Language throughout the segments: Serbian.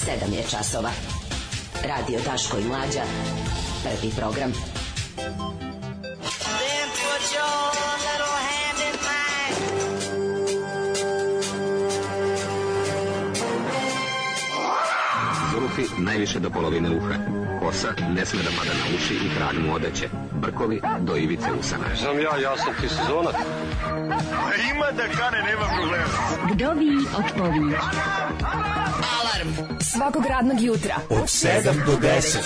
7 je časova. Radio Daško i Mlađa. Prvi program. Then put your little hand in mine. Zulufi najviše do polovine uha. Kosa ne sme da pada na uši i krag mu odeće. Brkovi do ivice usana. Znam ja sam ti sezonac. Ima da kane, nema problema. Vdovi od pović. Alarm svakog radnog jutra Od 7 do 10.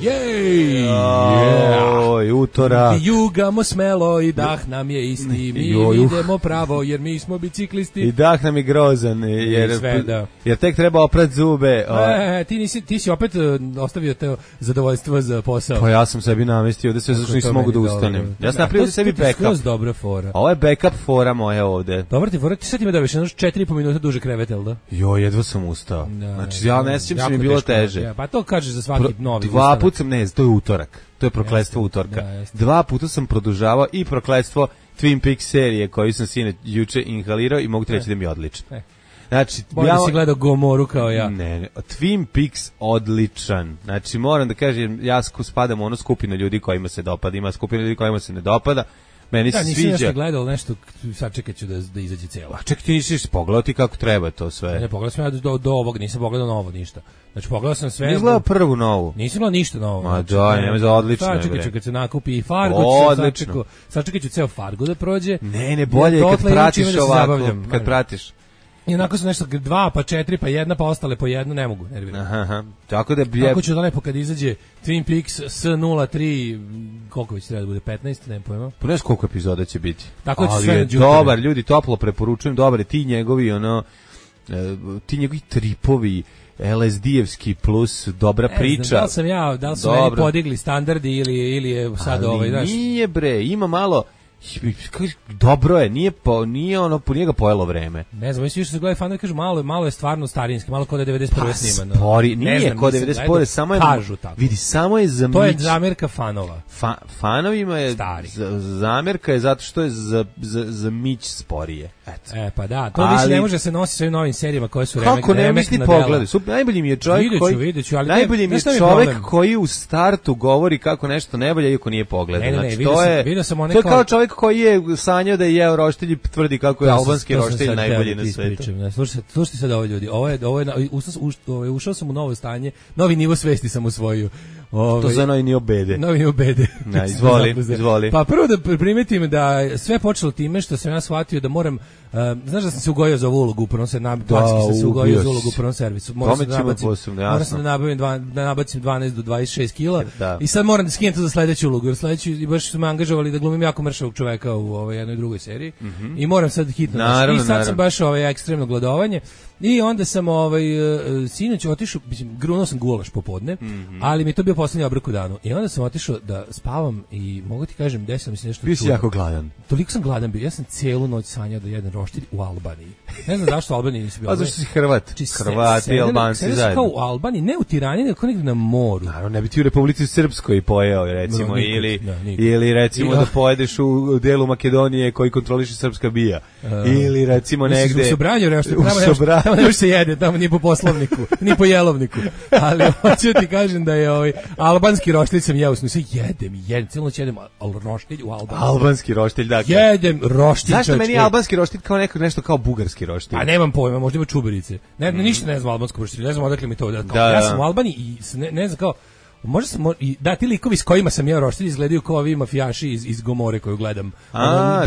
Jej! Oj, utorak. Jugamo smelo i dah nam je isti. Mi idemo pravo jer mi smo biciklisti. I dah nam je grozan jer tek treba oprat zube. Ti si opet ostavio to zadovoljstvo za posao. Pa ja sam sebi namestio da sve zašto nisam mogu da ustanem. Ja sam napravio sebi backup. To je dobra fora. Ovo je backup fora moja ovde. Dobar ti fora, ti sad ima da više 4,5 minuta duže krevet, jel da? Jo, jedva sam ustao. Znači ja ne sjećam se mi bilo teže. Pa to kažeš za svaki novi. Dva puta sam, to je utorak. To je prokletstvo utorka. Dva puta sam produžavao i prokletstvo Twin Peaks serije koju sam juče inhalirao i mogu ti reći da mi je odlično. Znači, ja si gledao Gomoru kao ja. Ne, Twin Peaks odličan. Znači, moram da kažem, ja spadam u ono skupinu ljudi kojima se dopada, ima skupina ljudi kojima se ne dopada. Meni se sviđa. Nisam gledao nešto, sad čekat ću da izađe cijelo. A čekaj, ti nisi pogledao ti kako treba to sve. Ne, pogledao sam ja do ovog, nisam pogledao novo ništa. Znači, pogledao sam sve. Nisam gledao prvu novu. Nisam gledao ništa novo. Ma da, nema za odlično. Sad čekat ću kad se nakupi i Fargo. Sad čekat ću ceo Fargo da prođe. Ne, bolje kad pratiš ovako, kad pratiš. I onako su nešto 2, pa 4, pa 1, pa ostale po 1, ne mogu, nerviram. Aha. Tako da Kako ću da lepo kad izađe Twin Peaks S03, koliko već treba da bude, 15, nemam pojma. Pa ne znam koliko epizoda će biti. Tako da će sve dobar, ljudi, toplo preporučujem, dobar je ti njegovi, ti njegovi tripovi, LSD-evski plus dobra priča. Da li su meni podigli standardi ili je sad znaš. Nije bre, ima malo. Dobro je, nije ono po njega pojelo vreme. Ne znam, mislim što se gledaju fanovi kažu malo je stvarno starinski, malo kod 91. snimano. Spori, nije kod 91. samo je kažu tako. Vidi, samo je za to je zamjerka fanova. Fanovima je stari. Zamjerka je zato što je za mić sporije. Eto. Pa da, to više ne može se nositi sa ovim novim serijama koje su kako ne misli pogledaj. Najbolji mi je čovjek najbolji mi je čovjek koji u startu govori kako nešto ne valja iako nije pogledao. Znači to je kao čovjek koji je sanjao da je jeo roštilj i tvrdi kako je albanski roštilj najbolji na svetu. Slušajte sad ovo ljudi, ušao sam u novo stanje, novi nivo svesti sam usvojio. To za novi nivo bede. Novi nivo bede. Izvoli. Pa prvo da primetim da sve počelo time što sam ja shvatio da moram, znaš da sam se ugojio za ovu ulogu u prvom servisu, sam se ugojio za ulogu u prvom servisu. Moram sam da nabacim 12 do 26 kila i sad moram da skinem to za sledeću ulogu, jer sledeću i baš su me angažovali da glumim jako mršavog čoveka u jednoj drugoj seriji i moram sad hitno. I sad sam baš ekstremno gladovanje i onda sam sinoć otišao, grunuo sam gulaš popodne, ali mi je to bio poslednji obrok u danu. I onda sam otišao da spavam i mogu ti kažem, desilo mi se nešto čudno. Bio si jako gladan. Toliko sam gladan bio. Ja sam cijelu noć sanjao da jedem roštilj u Albaniji. Ne znam zašto u Albaniji nisi bio. A zašto si Hrvat? Hrvati i Albanci zajedno. Sedeli kao u Albaniji, ne u Tirani, nego negdje na moru. Naravno, ne bi ti u Republici Srpskoj pojeo, recimo, ili recimo da pojedeš u delu Makedonije koji kontroliše srpska bija. Ili recimo negde... U Sobranju, tamo ne se jede, tamo nije po poslovniku, ni po jelovniku. Ali hoću ti kažem da je albanski roštilj sam jeo, jedem, cijelu noć jedem roštilj u Albaniji. Albanski roštilj, dakle. Jedem roštilj. Zašto meni je albanski roštilj kao nešto kao bugarski roštilj? A nemam pojma, možda ima čuberice. Ništa ne znam albanskom roštilju, ne znam odakle mi to. Ja sam u Albaniji i ne znam kao, možda sam, ti likovi s kojima sam jeo roštilj izgledaju kao ovi mafijaši iz Gomore koju gledam.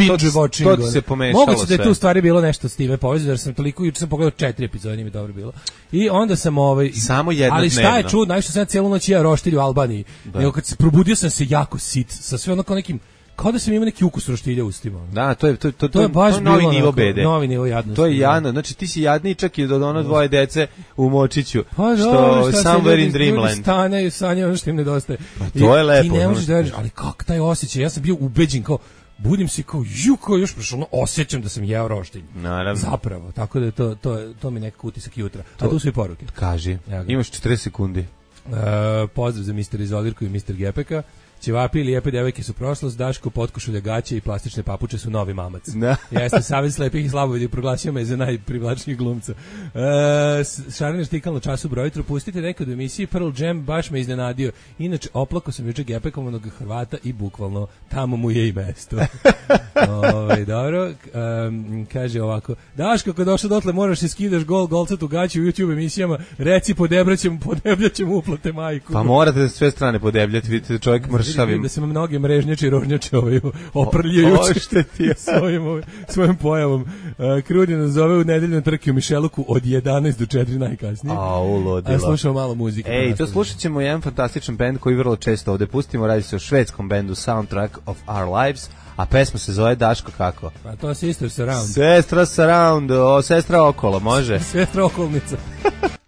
To ti se pomešalo sve. Moguće da je tu u stvari bilo nešto s time povezano, jer sam toliko, juče sam pogledao 4 epizode, nije mi dobro bilo. I onda sam samo jedno ali šta je čudno, najviše sam ja cijelu noć jeo roštilj u Albaniji. Nego kad se probudio sam se jako sit, sa sve ono kao nekim, kao da sam imao neki ukus roštilja u ustima. Da, to je baš novi nivo bede. Novi nivo jadnosti. To je jadno. Znači ti si jadniji čak i do ono dvoje dece u Močiću. Što somewhere in dreamland. Stane sanje ono što im nedostaje. To je lepo. Ti ne možeš da veriš, ali kako taj osjećaj? Ja sam bio ubeđen kao budim se kao još prošlo, osjećam da sam jeo roštilj. Naravno. Zapravo, tako da to mi nekako utisak jutra. A tu su i poruke. Kaži. Imaš 40 sekundi. Pozdrav za Mr. Izolirku i Mr. Gepeka. Ćevapi i lijepe devojke su prošlost, Daško, potkošulja gaće i plastične papuče su novi mamac. Jeste, Savez slepih i slabovidih proglasio me za najprivlačnijeg glumca. Šariner štikal na času brojitru, pustite nekad u emisiji Pearl Jam, baš me iznenadio. Inače, oplako sam juče Gepekom onog Hrvata i bukvalno tamo mu je i mesto. Dobro, kaže ovako, Daško, kad došao dotle moraš se skidaš golcatu gaću u YouTube emisijama, reci podebljaćemo uplate majku. Pa morate sve strane podebljati, vidite čovjek mršavim. Da se mnoge mrežnjače i rožnjače oprljujući svojom pojavom. Krudi nas zove u nedeljnoj trki u Mišeluku od 11 do 4 najkasnije. A slušamo malo muzike. Ej, to slušat ćemo jedan fantastičan bend koji vrlo često ovde pustimo, radi se o švedskom bendu Soundtrack of Our Lives, a pesma se zove Daško kako? Pa to je Sister Surround. Sestra Surround, sestra okolo, može? Sestra okolnica.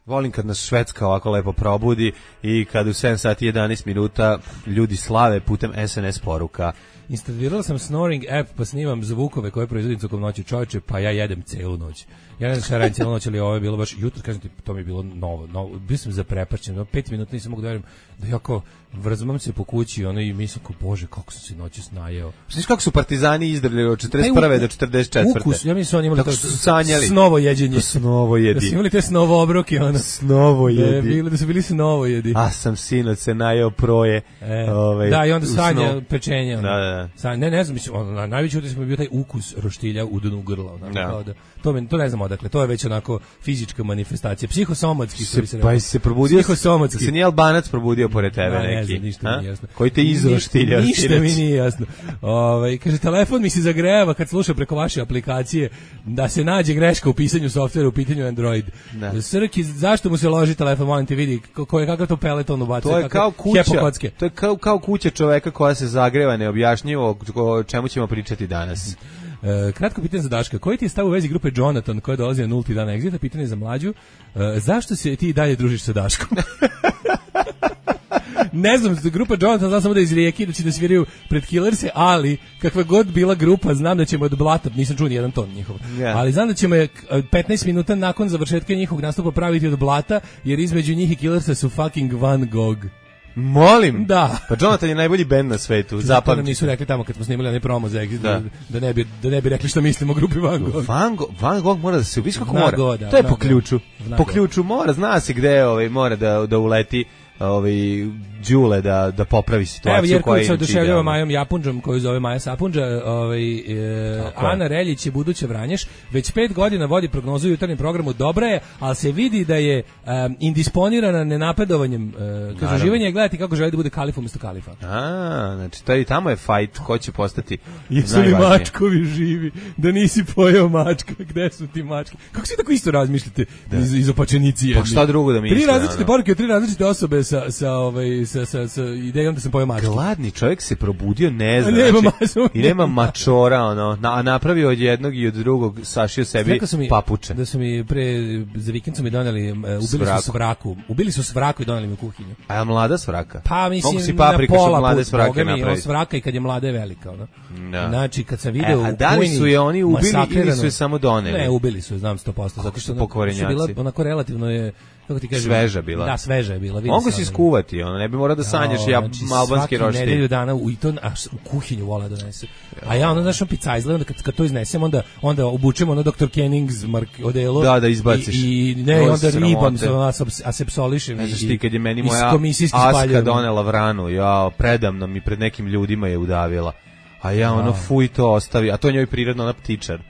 Volim kad nas Švedska ovako lepo probudi i kad u 7 sati 11 minuta ljudi slave putem SNS poruka. Instalirala sam Snoring app pa snimam zvukove koje proizvodim tokom noći, čovječe, pa ja jedem celu noć. Ja ne znam šta radim cijelu noć, ali ovo je bilo baš jutro, kažem ti, to mi je bilo novo. Bio sam zaprepašćen, 5 minuta nisam mogu da verujem da ja kao vrzmam se po kući i mislim kao, bože, kako sam se noći snajeo. Znaš kako su partizani izdrljali od 41. do 44. Ukus, ja mislim su oni imali kako su sanjali. Snovo jeđenje. Snovo jedi. Da su imali te snovo obroke, Snovo jedi. Da su bili snovo jedi. A sam sinoć se najeo proje. Da, i onda sanja pečenje. Da. Ne znam, mislim, najveći utisak mi je bio taj ukus roštilja u dnu grla. To ne znam odakle, to je već onako fizička manifestacija, psihosomatski što bi se rekao. Pa se probudio, psihosomatski. Se nije Albanac probudio pored tebe neki. Ne znam, ništa mi nije jasno. Koji te izroštilja. Ništa mi nije jasno. Kaže, telefon mi se zagrejava kad sluša preko vaše aplikacije da se nađe greška u pisanju softvera u pitanju Android. Srki, zašto mu se loži telefon, molim te vidi, kakav to peleton ubacuje. To je kao kuća, to je kao kuća čoveka koja se zagreva neobjašnjivo, o čemu ćemo pričati danas. Kratko pitanje za Daška. Koji ti je stav u vezi grupe Jonathan koja dolazi na 0. dan Exita? Pitanje za Mlađu. Zašto se ti dalje družiš sa Daškom? Ne znam, grupa Jonathan znam samo da iz Rijeke da će da sviraju pred Killerse, ali kakva god bila grupa, znam da ćemo od blata, nisam čuo ni jedan ton njihov, ali znam da ćemo 15 minuta nakon završetka njihovog nastupa praviti od blata, jer između njih i Killersa su fucking Van Gogh. Molim? Da. Pa Jonathan je najbolji bend na svetu. Zato nam nisu rekli tamo kad smo snimali onaj promo za Exit, da ne bi rekli što mislimo o grupi Van Gogh. Van Gogh mora da se ubiš kako mora. To je po ključu. Po ključu mora, zna se gde mora da uleti Đule da popravi situaciju. Evo, Jerković se oduševljava Majom Japunđom, koju zove Maja Sapunđa. Ana Reljić je buduće Vranješ. Već 5 godina vodi prognozu u jutarnjem programu. Dobra je, ali se vidi da je indisponirana nenapredovanjem. Kaže, uživanje je gledati kako želi da bude kalif umjesto kalifa. Znači, tamo je fight ko će postati jesu li mačkovi živi? Da nisi pojeo mačka? Gde su ti mačke? Kako svi tako isto razmišljate iz opačenici jedni? Pa šta drugo da misle? 3 različite poruke, 3 različite osobe sa idejom da sam pojeo mačke. Gladni čovjek se probudio, ne zna. I nema mačora, a napravio od jednog i od drugog, sašio sebi papuče. Da su mi za vikend su mi doneli, ubili su svraku i doneli mi u kuhinju. A je mlada svraka? Pa mislim na pola put, svraka i kad je mlada je velika. Znači, kad sam video u kuhinji, da li su je oni ubili ili su je samo doneli? Ne, ubili su je, znam 100%. Zato što su bila onako relativno je, kako ti kažem, sveža bila. Da, sveža je bila. Mogu si skuvati, ne bi morao da sanjaš albanski roštilj. Svaki nedelju dana u kuhinju vola da donese. A ja znaš, picajzle, onda kad to iznesem, onda obučemo Dr. Kenning's odelo. Da izbaciš. I onda ribam asepsolišem. Ne znaš ti, kad je meni moja Aska donela vranu, predamno mi pred nekim ljudima je udavila. A ja fuj to ostavi, a to je njoj prirodno ona ptičar.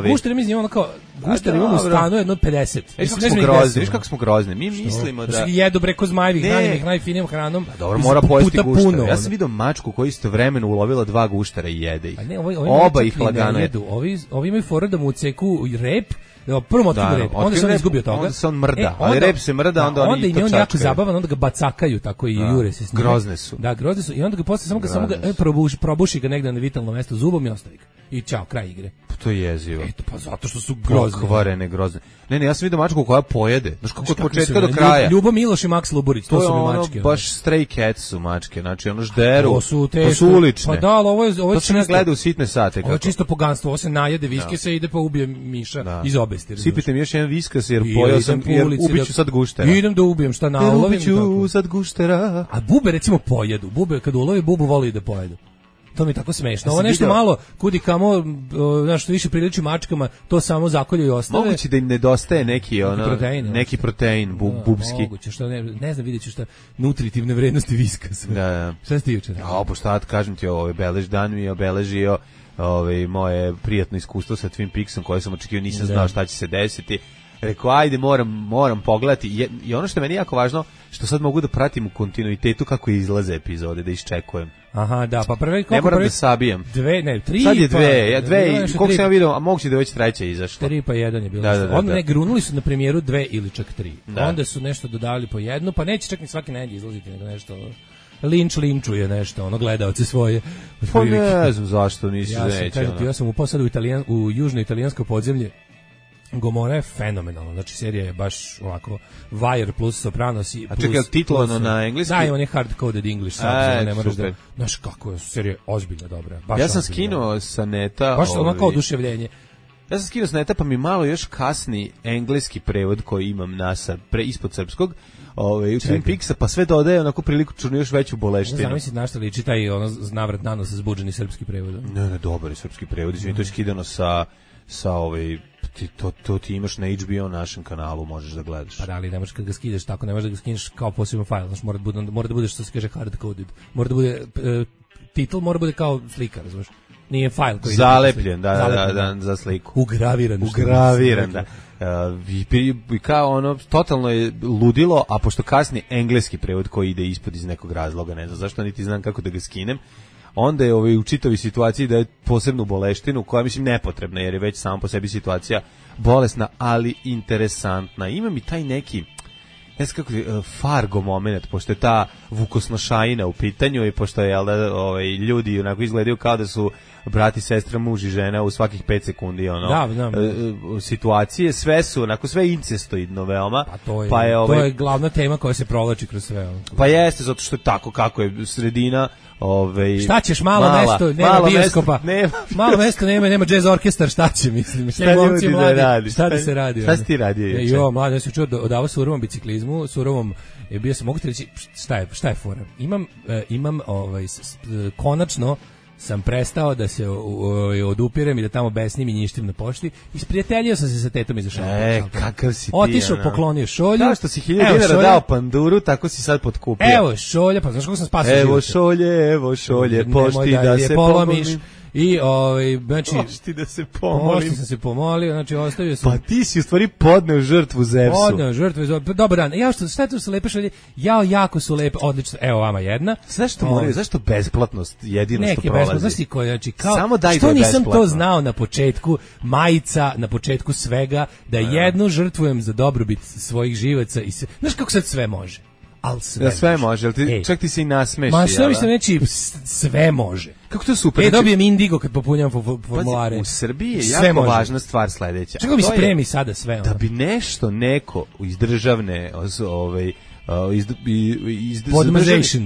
Gušter imamo kao gušter imamo u stanu jedno 50. Viš kako smo grozni. Mi mislimo da jedu preko zmajevih hranjenih najfinijim hranom. Dobro, mora pojesti gušter. Ja sam video mačku koja istovremeno ulovila 2 guštera i jede ih. Oba ih lagano jedu. Ovi imaju fora da mu odseku rep. Prvo otkriva rep, onda se on izgubio toga. Onda se on mrda, ali rep se mrda, onda oni to čačkaju. Onda im je on jako zabavan, onda ga bacakaju tako i jure se s njim. Grozne su. Da, grozne su i onda ga posle samo ga probuši ga negde na vitalno mesto zubom i ostavi ga. I čao, kraj igre. To je jezivo. Eto, pa zato što su grozne. pokvarene, grozne. Ne, ja sam vidio mačku koja pojede. Znaš kako od početka do kraja. Ljubo Miloš i Max Luburić, to su mi mačke. Baš stray cats su mačke, znači ono žderu. To su ulične. Pa da, ali ovo je to se ne gleda u sitne sate. Ovo je čisto poganstvo, ovo se najede viskesa i ide pa ubije miša iz obesti. Sipite mi još jedan viskas jer pojao sam, jer ubiću sad guštera. Idem da ubijem, šta naulovim. Ubiću sad guštera. A bube recimo pojedu, bube kad ulovi bubu voli da pojedu. To mi je tako smešno. Ovo nešto malo kudi kamo, znaš, što više priliči mačkama, to samo zakolju i ostave. Moguće da im nedostaje neki protein bubski. Moguće, što ne znam, vidjet ću šta nutritivne vrednosti viskasa. Da. Šta si ti jučer? Pa šta kažem ti, dan mi je obeležio moje prijatno iskustvo sa Twin Peaksom koje sam očekivao, nisam znao šta će se desiti. Rekao, ajde, moram pogledati. I ono što je meni jako važno, što sad mogu da pratim u kontinuitetu kako izlaze epizode, da iščekujem. Aha, da, pa prvi ne moram da sabijam. 3. Sad je 2, koliko sam ja vidio, a moguće da je već 3 izašla. 3 pa 1 je bilo. Onda ne grunuli su na premijeru 2 ili čak 3. Onda su nešto dodali po jednu, pa neće čak ni svaki nedelje izlaziti, nego nešto linčuje nešto, gledaoce svoje. Pa ne znam zašto nisi neće. Ja sam upao sad u južno italijansko podzemlje. Gomorra je fenomenalna, znači serija je baš ovako Wire plus Sopranos i plus... A čekaj, titlovano na engleski? Da, on je hard-coded English, ne moraš da... Znaš kako je, serija je ozbiljno dobra. Ja sam skinuo sa neta... Baš ono kao oduševljenje. Ja sam skinuo sa neta, pa mi malo još kasni engleski prevod koji imam ispod srpskog, u Twin Peaksa, pa sve dodaje onako priliku čurno još veću boleštinu. Ne znam na šta liči taj navrat nanos zbuđeni srpski prevod. Ne, dobar je srpski prevod, to je skidano sa to ti imaš na HBO našem kanalu, možeš da gledaš. Pa da, ali ne možeš kad ga skidaš tako, ne možeš da ga skineš kao poseban fajl, znači mora da bude što se kaže hard-coded, mora da bude, titl mora da bude kao slika, razumiješ? Nije fajl koji zalepljen, da, za sliku. Ugraviran, da. I kao totalno je ludilo, a pošto kasni engleski prevod koji ide ispod iz nekog razloga, ne znam zašto, niti znam kako da ga skinem, onda je u čitavi situaciji da je posebnu boleštinu, koja mislim nepotrebna, jer je već sama po sebi situacija bolesna, ali interesantna. Ima mi taj neki, ne znam kako, Fargo moment, pošto je ta vukosnošajina u pitanju i pošto je, ljudi onako izgledaju kao da su brati, sestra, muž i žena u svakih 5 sekundi, situacije, sve su, onako, sve incestoidno veoma. To je glavna tema koja se provlači kroz sve. Pa jeste, zato što je tako kako je sredina. Šta ćeš, malo mesto, nema bioskopa, malo mesto, nema jazz orkestar, šta će, mislim, šta ljudi da radi, šta da se radi. Šta si ti radio? Mladi, ja sam čuo odavao surovom biciklizmu, surovom, bio sam, mogu ti reći, šta je fora? Imam konačno sam prestao da se odupirem i da tamo besnim i njištim na pošti. Isprijateljio sam se sa tetom iza šalta. Kakav si ti. Otišao, poklonio šolju. Kao što si 1000 dinara dao panduru, tako si sad potkupio. Evo šolja, pa znaš kako sam spasio život. Evo šolje, pošti da se polomiš. I znači pošti da se pomolim. Pošti sam se pomolio, znači ostavio sam. Pa ti si u stvari podneo žrtvu Zevsu. Podneo žrtvu. Dobar dan. Šta je tu su lepe šolje? Jako su lepe, odlično. Evo vama jedna. Zašto besplatnost jedino što prolazi? Besplatnosti koje, znači kao samo daj što nisam to znao na početku, majica na početku svega, da jednu žrtvujem za dobrobit svojih živaca i sve. Znaš kako sad sve može? Al sve može, čak ti se i nasmeši. Ma sve mislim reći, sve može. Kako to super. Dobijem indigo kad popunjam formulare. U Srbiji je jako važna stvar sledeća. Čekaj mi spremi sada sve. Da bi nešto neko iz državne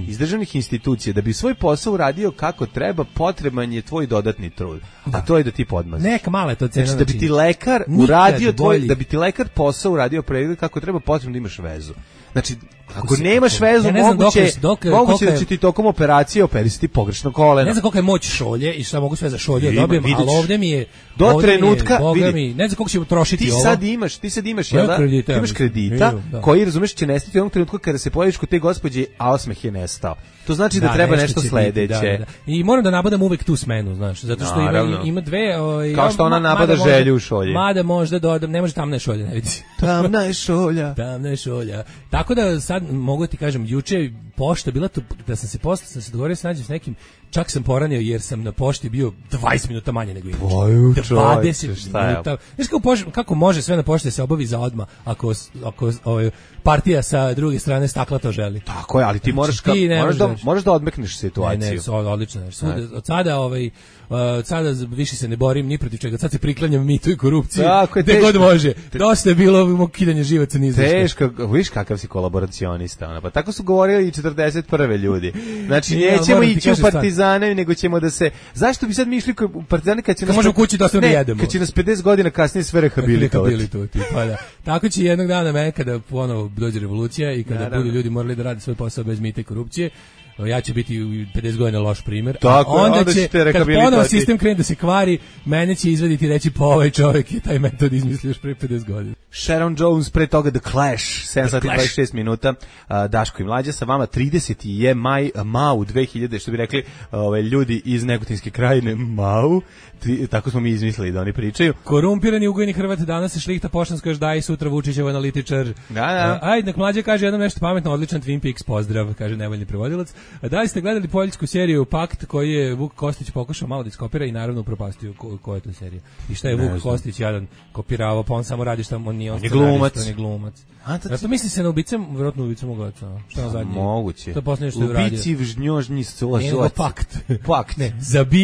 iz državnih institucija, da bi svoj posao uradio kako treba, potreban je tvoj dodatni trud. A to je da ti podmaziš. Neka mala je to cena. Znači, da bi ti lekar uradio da bi ti lekar posao uradio pregled kako treba, potrebno da imaš vezu. Znači, ako nemaš vezu, moguće da će ti tokom operacije operisati pogrešno koleno. Ne znam koliko je moć šolje i šta mogu sve za šolje dobijem, ali ovdje mi je do trenutka, vidi, ne znam koliko ćemo trošiti ti ovo. Ti sad imaš, jel da? Ti imaš kredita koji, razumeš, će nestati u onom trenutku kada se pojaviš kod te gospođe, a osmeh je nestao. To znači da treba nešto sledeće. I moram da nabadam uvek tu smenu, znaš, zato što ima dve... Kao što ona nabada želju u šolji. Mada možda dodam, ne može tamna je šolja, ne vidi. Tamna je šolja. Tamna je šolja. Tako da sad mogu ti kažem, juče pošta bila tu, da sam se dogovorio se nađem s nekim, čak sam poranio jer sam na pošti bio 20 minuta manje nego inače. 20 minuta. Znaš kako može sve na pošti se obavi za odmah ako partija sa druge strane stakla to želi. Tako je, ali ti možeš da odmekneš situaciju. Ne, odlično. Od sada više se ne borim ni protiv čega, sad se priklanjam mitu i korupciji. Gde god može. Dosta je bilo kidanje živaca niz. Teško, viš kakav si kolaboracionista. Pa tako su govorili i 41. ljudi. Znači, nećemo ići u partizane, nego ćemo da se... Zašto bi sad mi išli u partizane kad će nas... možemo kući da ostane jedemo. Kad će nas 50 godina kasnije sve rehabilitovati. Pa da. Tako će jednog dana mene kada ponovo dođe revolucija i kada budu ljudi morali da rade svoj posao bez mita i korupcije, ja ću biti 50 godina loš primjer. Tako, onda će kad ponovo sistem krene da se kvari, mene će izvaditi i reći pa ovaj čovjek je taj metod izmislio još pre 50 godina. Sharon Jones, pre toga The Clash, 7 sati 26 minuta, Daško i Mlađa, sa vama 30. je Mau 2000, što bi rekli ljudi iz Negotinske krajine, Mau, tako smo mi izmislili da oni pričaju. Korumpirani ugojni Hrvat, danas se šlihta poštansko još daje, sutra Vučićev analitičar. Da. Ajde, nek Mlađa kaže jednom nešto pametno, odličan Twin Peaks, pozdrav, kaže nevoljni prevodilac. Da li ste gledali poljsku seriju Pakt koji je Vuk Kostić pokušao malo da iskopira i naravno upropastio koja je to serija? I šta je Vuk Kostić jadan kopirao, pa on samo radi šta on nije glumac. Zato misli se na ubicam, vjerojatno ubicam ogaca. Šta na zadnje? Moguće. To posljednje što je uradio. Ubici vžnjožnji Pakt. Ne,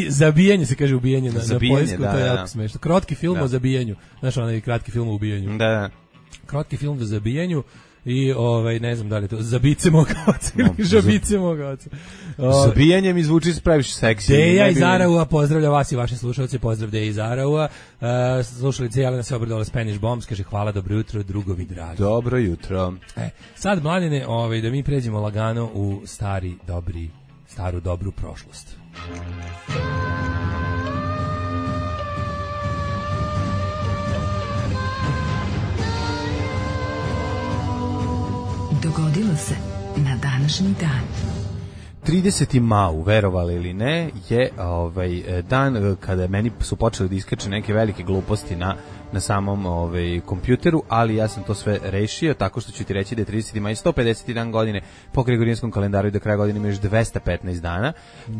zabijanje se kaže ubijanje na poljsku, to je jako smešno. Kratki film o zabijanju. Znaš onaj kratki film o ubijanju. Da. Kratki film o zabijanju. I ne znam da li je to zabice moga oca ili žabice moga oca. Zabijanje mi zvuči previše seksi. Deja iz Araua pozdravlja vas i vaše slušalce, pozdrav Deja iz Araua. Slušalice Jelena se obradovala Spanish Bombs, kaže hvala, dobro jutro, drugovi dragi. Dobro jutro. Sad, mladine, da mi pređemo lagano u staru dobru prošlost. Dogodilo se na današnji dan. 30. Mau, verovali ili ne, je dan kada meni su počeli da iskače neke velike gluposti na samom kompjuteru, ali ja sam to sve rešio tako što ću ti reći da je 30. maj 150. dan godine po gregorijanskom kalendaru i do kraja godine ima još 215 dana,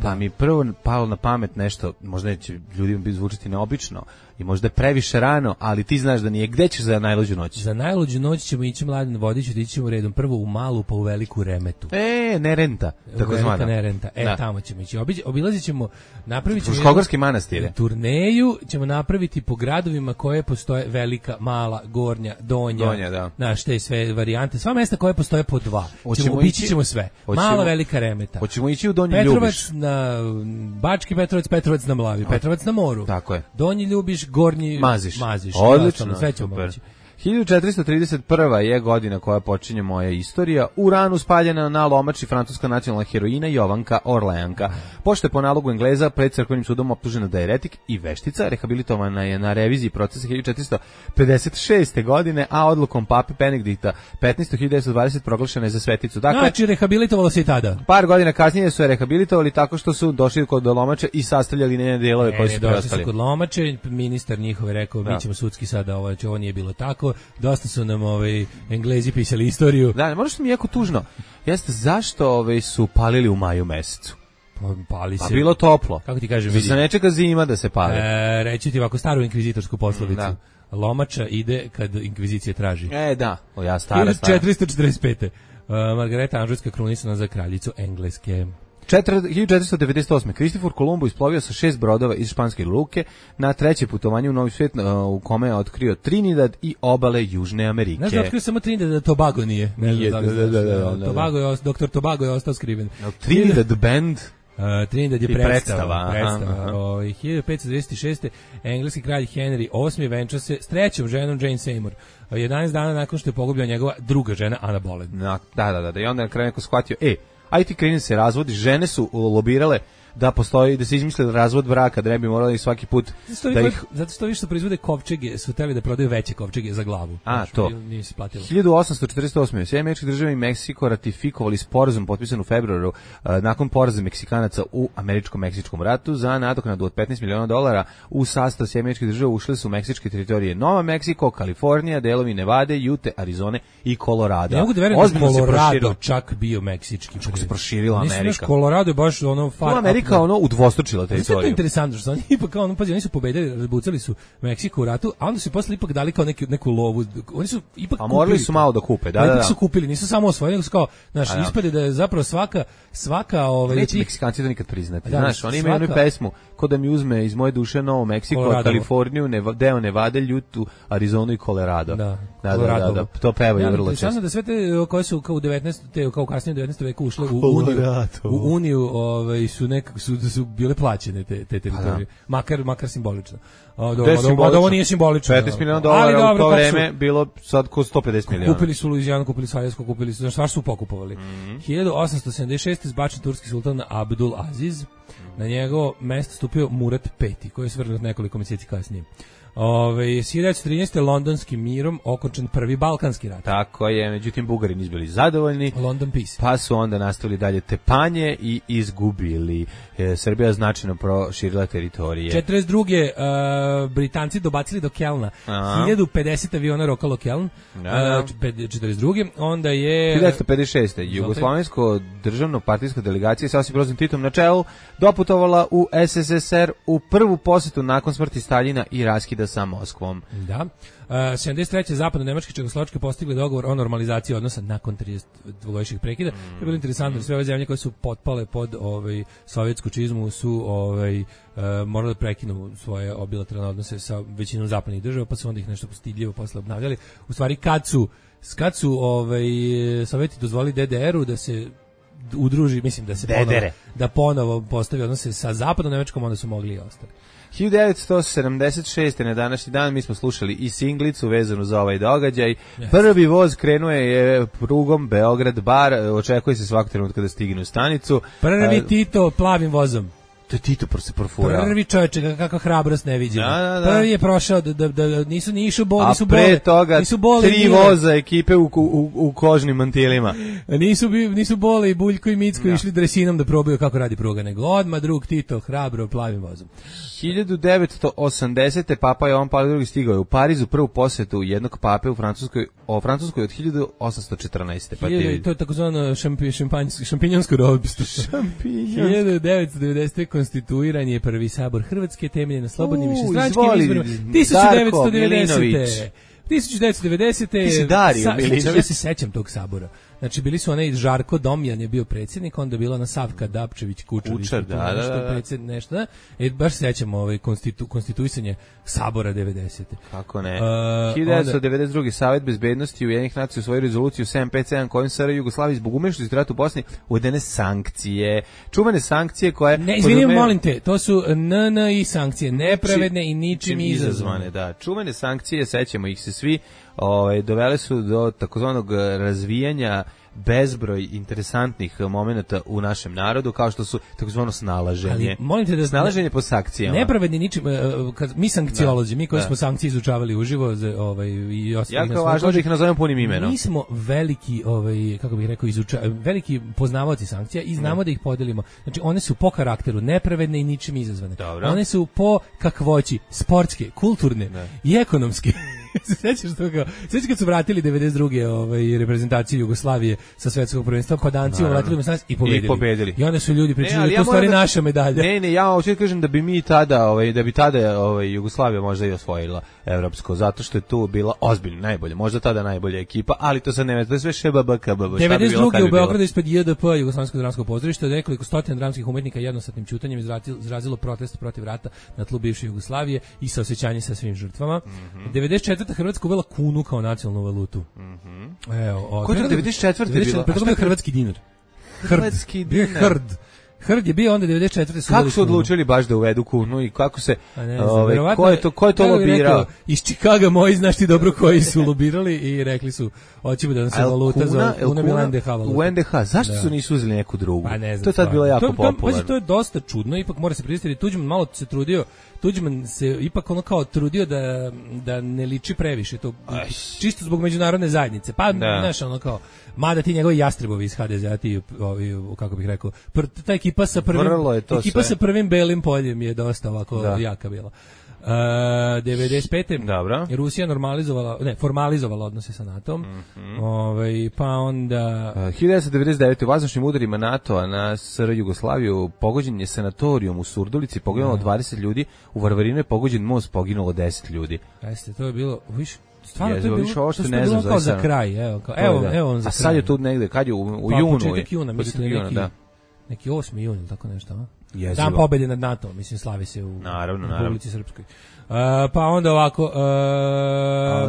pa mi prvo palo na pamet nešto, možda će ljudima bi zvučiti neobično i možda je previše rano, ali ti znaš da nije. Gde ćeš za najluđu noć? Za najluđu noć ćemo ići Mladen Vodiću, da ićemo redom prvo u Malu, pa u Veliku Remetu. Nerenta, tako zvana. Nerenta, tamo ćemo ići. Obilazit ćemo, napravit ćemo Fruškogorski manastire. Turneju ćemo napraviti po gradovima koje postoje, Velika, Mala, Gornja, Donja, da. Znaš, te sve varijante, sva mesta koje postoje po dva. Obići ćemo sve. Mala, Velika Remeta. Hoćemo ići u Donji Ljubiš. Bački Petrovac, Petrovac na Mlavi, Petrovac na moru. Tako je. Donji Ljubiš, Gornji Maziš. Odlično, sve ćemo moći. 1431. je godina koja počinje moja istorija. U ranu spaljena na lomači francuska nacionalna heroina Jovanka Orleanka. Pošto je po nalogu Engleza pred crkvenim sudom optužena da je eretik i veštica, rehabilitovana je na reviziji procesa 1456. godine, a odlukom pape Benedikta 15.1920 proglašena je za sveticu. Dakle, znači, rehabilitovalo se i tada. Par godina kasnije su je rehabilitovali tako što su došli kod lomače i sastavljali njene delove koji su preostali. Došli su kod lomače, ministar njihov je rekao, mi ćemo sudski sada, ovo nije bilo tako. Dosta su nam Englezi pisali istoriju. Da, možda što mi je jako tužno. Jeste, zašto su palili u maju mesecu? Pali se. Pa bilo toplo. Kako ti kažem, vidi. Se ne čeka zima da se pali. Reći ti ovako staru inkvizitorsku poslovicu. Lomača ide kad inkvizicija traži. Da. Ja stara. 1445. Margareta Anžujska krunisana za kraljicu Engleske. 1498. Kristofor Kolumbo isplovio sa 6 brodova iz španske luke na treće putovanje u Novi svijet u kome je otkrio Trinidad i obale Južne Amerike. Znaš da otkrio samo Trinidad, da Tobago nije. Doktor Tobago je ostao skriven. Trinidad band... Trinidad je predstava. 1526. engleski kralj Henry VIII venča se s trećom ženom Jane Seymour. 11 dana nakon što je pogubljena njegova druga žena Ana Boleyn. Da. I onda na kraju neko shvatio, aj ti kreni se razvodi, žene su lobirale da postoji, da se izmisli razvod braka, da ne bi morali svaki put da ih... Zato što više proizvode kovčege, su hteli da prodaju veće kovčege za glavu. To. 1848. Sjedinjene Američke Države i Meksiko ratifikovali sporazum potpisan u februaru nakon poraza Meksikanaca u Američko-Meksičkom ratu za nadoknadu od $15 miliona. U sastav Sjedinjenih Američkih Država ušle su meksičke teritorije Nova Meksiko, Kalifornija, delovi Nevade, Jute, Arizone i Kolorada. Ne mogu da verujem da Kolorado čak bio meksički. Kako se proširila Amerika. Nisam Kolorado je baš ono Amerika udvostručila teritoriju. To je interesantno što oni ipak kao oni su pobedili, razbucali su Meksiko u ratu, a onda su posle ipak dali kao neku lovu. Oni su ipak kupili. A morali su malo da kupe, da. Su kupili, nisu samo osvojili, nego su kao, ispade da je zapravo svaka neće Meksikanci to nikad priznati. Znaš, oni imaju jednu pesmu ko da mi uzme iz moje duše Novo Meksiko, Kaliforniju, deo Nevade, Ljutu, Arizonu i Colorado. Da, to pevaju vrlo često. Interesantno da sve te koje su kao u 19. kao kasnije u 19. veku ušle u Uniju, su bile plaćene te teritorije. Makar simbolično. Ovo nije simbolično. $15 miliona u to vreme bilo sad ko 150 miliona. Kupili su Luizijanu, kupili su Aljasko, kupili su, šta su pokupovali. 1876. izbačen turski sultan Abdul Aziz. Na njegovo mesto stupio Murat V, koji je svrgnut nekoliko mjeseci kasnije. 1913. londonskim mirom okončan prvi balkanski rat. Tako je, međutim Bugari nisu bili zadovoljni. London Peace. Pa su onda nastavili dalje tepanje i izgubili. Srbija značajno proširila teritorije. 42. Britanci dobacili do Kelna. 1050 aviona rokalo Keln. 42. Onda je 1956. Jugoslovensko državno partijska delegacija sa Josip Brozom Titom na čelu doputovala u SSSR u prvu posetu nakon smrti Staljina i raskida sa Moskvom. Da. 73. zapadno-nemačke i čehoslovačke postigli dogovor o normalizaciji odnosa nakon 32-godišnjeg prekida. To je bilo interesantno, sve ove zemlje koje su potpale pod sovjetsku čizmu su morali da prekinu svoje bilateralne odnose sa većinom zapadnih država, pa su onda ih nešto stidljivo posle obnavljali. U stvari, kad su Sovjeti dozvolili DDR-u da se udruži, mislim da se ponovo postavi odnose sa zapadnom Nemačkom, onda su mogli i ostali. 1976. na današnji dan mi smo slušali i singlicu vezanu za ovaj događaj. Prvi voz krenuo je prugom Beograd-Bar, očekuje se svakog trenutka da stigne u stanicu. Prvi Tito plavim vozom. To je Tito se profurao. Prvi čovječe, kakva hrabrost neviđena. Prvi je prošao da nisu ni išao bol, nisu bole. A pre toga 3 voza ekipe u kožnim mantilima. Nisu Bole i Buljko i Micko išli dresinom da probaju kako radi pruga, nego odmah drug Tito hrabro plavim vozom. 1980. Papa Jovan Pavle II stigao je u Parizu, prvu posjetu jednog pape u Francuskoj od 1814. Pa to je takozvano šampinjonsko robstvo. 1990. konstituiran je prvi sabor Hrvatske temeljen na slobodnim višestranačkim izborima. 1990. Ti si Dario Milinović. Ja se sećam tog sabora. Znači, bili su onaj Žarko Domjan je bio predsjednik, onda bila ona Savka Dapčević Kučar, nešto. Baš se sećam konstituisanje sabora 90. Kako ne? 1992. Savet bezbednosti Ujedinjenih nacija u svoju rezoluciju 757 kojim SR Jugoslaviji zbog umešnosti u ratu u Bosni uvedene sankcije. Čuvane sankcije koje... Ne, izvinim, molim te, to su NNI sankcije, nepravedne i ničim izazvane. Da, čuvane sankcije, sećamo ih se svi, dovele su do takozvanog razvijanja bezbroj interesantnih momenata u našem narodu, kao što su takozvano snalaženje. Ali, snalaženje po sankcijama. Nepravedni ničim, mi sankciolozi, mi koji smo sankcije izučavali uživo i jako je važno da ih nazovemo punim imenom. Mi smo veliki, kako bih rekao, veliki poznavaoci sankcija i znamo da ih podelimo. Znači, one su po karakteru nepravedne i ničim izazvane. Dobro. One su po kakvoći, sportske, kulturne i ekonomske. Sećaš toga? Sećaš kad su vratili 92. Reprezentaciju Jugoslavije sa svetskog prvenstva, pa Danci vratili i pobedili. I onda su ljudi pričali da to stvari naša medalja. Ne, ja hoću da kažem da bi mi tada, Jugoslavija možda i osvojila evropsko, zato što je tu bila ozbiljno najbolje, možda tada najbolja ekipa, ali to sad ne, to je sve šebabaka. 92. u Beogradu ispred JDP, Jugoslovenskog dramskog pozorišta, nekoliko stotina dramskih umetnika jednostatnim ćutanjem izrazilo protest protiv rata na tlu bivše Jugoslavije i saosećanje sa svim žrtvama. 94. Hrvatska uvela kunu kao nacionalnu valutu. Ko je to 94. bilo? Hrvatski dinar. Hrvatski dinar. Hrd. Hrd je bio onda 94. Kako su odlučili baš da uvedu kunu i kako se ko je to lobirao? Iz Čikaga moji, znaš ti dobro koji su lobirali i rekli su hoćemo da nam se valuta za NDH valuta. U NDH, zašto su nisu uzeli neku drugu? Pa ne znam, to je tad bilo jako popularno. To je dosta čudno, ipak mora se priznati, Tuđman malo se trudio, Tuđman se ipak ono kao trudio da ne liči previše, to čisto zbog međunarodne zajednice. Pa znaš ono kao, mada ti njegovi jastrebovi iz HDZ-a, ti ovi, kako bih rekao, ta ekipa sa prvim belim poljem je dosta ovako jaka bila. 95. Dobro. Rusija formalizovala odnose sa NATO-om. Pa onda 1999. u vazdušnim udarima NATO-a na SR Jugoslaviju pogođen je sanatorijum u Surdulici, poginulo 20 ljudi, u Varvarinu je pogođen most, poginulo 10 ljudi. Jeste, to je bilo, stvarno to je bilo, to je bilo kao za kraj, evo on za kraj. A sad je tu negde, kad je u junu? Početak juna, mislim neki 8. jun ili tako nešto, Dan pobede nad NATO, mislim, slavi se u Republici Srpskoj. Pa onda ovako...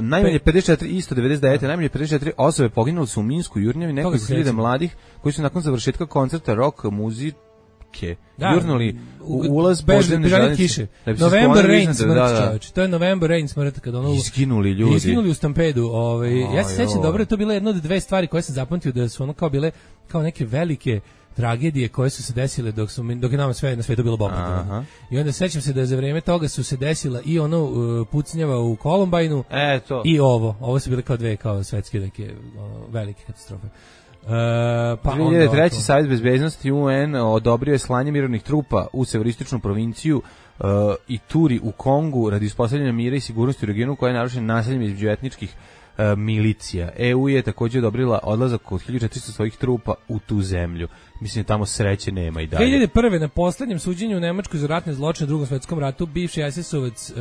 najmanje 54, isto 99. Najmanje 54 osobe poginuli su u Minsku, Jurnjavi, nekoliko hiljada mladih koji su nakon završetka koncerta rock muzike jurnuli u ulaz podzemne železnice. November Rain smrt, to je November Rain smrt, kada ono... Izginuli ljudi. Izginuli u stampedu. Ja se sećam dobro, to je bila jedna od dve stvari koje sam zapamtio, da su ono kao bile kao neke velike tragedije koje su se desile dok je nama sve na svetu bilo bombardovano. I onda sećam se da za vrijeme toga su se desila i ono pucnjava u Kolumbajnu i ovo su bile kao dve kao svetske neke velike katastrofe. 2003. Savjet bezbednosti UN odobrio je slanje mirovnih trupa u severističnu provinciju Ituri u Kongu radi uspostavljanja mira i sigurnosti u regionu koja je narušen nasiljem između etničkih milicija. EU je također odobrila odlazak od 1400 svojih trupa u tu zemlju. Mislim da tamo sreće nema i dalje. 2001. na poslednjem suđenju u Nemačkoj za ratne zločine u Drugom svetskom ratu bivši SS-ovac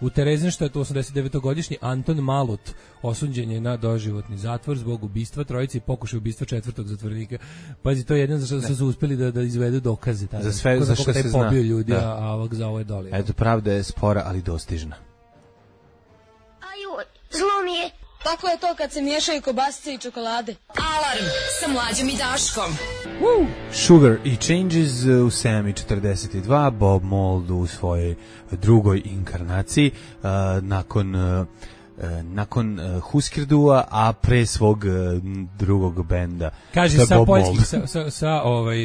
u Terezinštatu 89-godišnji Anton Malut osuđen je na doživotni zatvor zbog ubistva trojice i pokušaja ubistva četvrtog zatvornika. Pazi, to je jedino za što su uspeli da izvedu dokaze. Za sve za što se zna. Pobio ljudi, a ovog za ovo je doli. Eto, pravda je spora, ali dostižna. Aju, zlo mi je. Tako je to kad se miješaju kobasice i čokolade. Alarm sa Mlađom i Daškom. Sugar i Changes u 7:42, Bob Mould u svojoj drugoj inkarnaciji nakon Huskerdua, a pre svog drugog benda. Kaže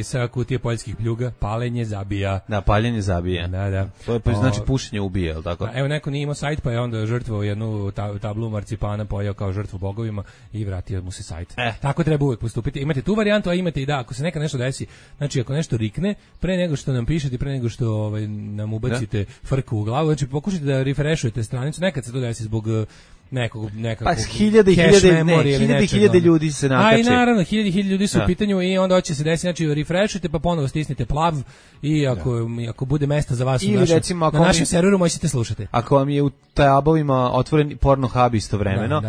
sa kutije poljskih pljuga, paljenje zabija. Da, paljenje zabija. Da. To je znači pušenje ubija, je li tako? Evo, neko nije imao sajt, pa je onda žrtvovao jednu tablu marcipana, pojao kao žrtvu bogovima i vratio mu se sajt. Tako treba uvijek postupiti. Imate tu varijantu, a imate i ako se neka nešto desi, znači ako nešto rikne, pre nego što nam pišete, pre nego što nam ubacite frku u glavu, znači pokušajte da refreshujete stranicu, nekad se to desi zbog nekog pa hiljade ljudi se nakače. A i naravno, hiljade ljudi su u pitanju i onda hoće se desiti, znači refreshujte pa ponovo stisnite plav i ako bude mesta za vas na našem serveru možete slušati. Ako vam je u tabovima otvoren porno hub istovremeno,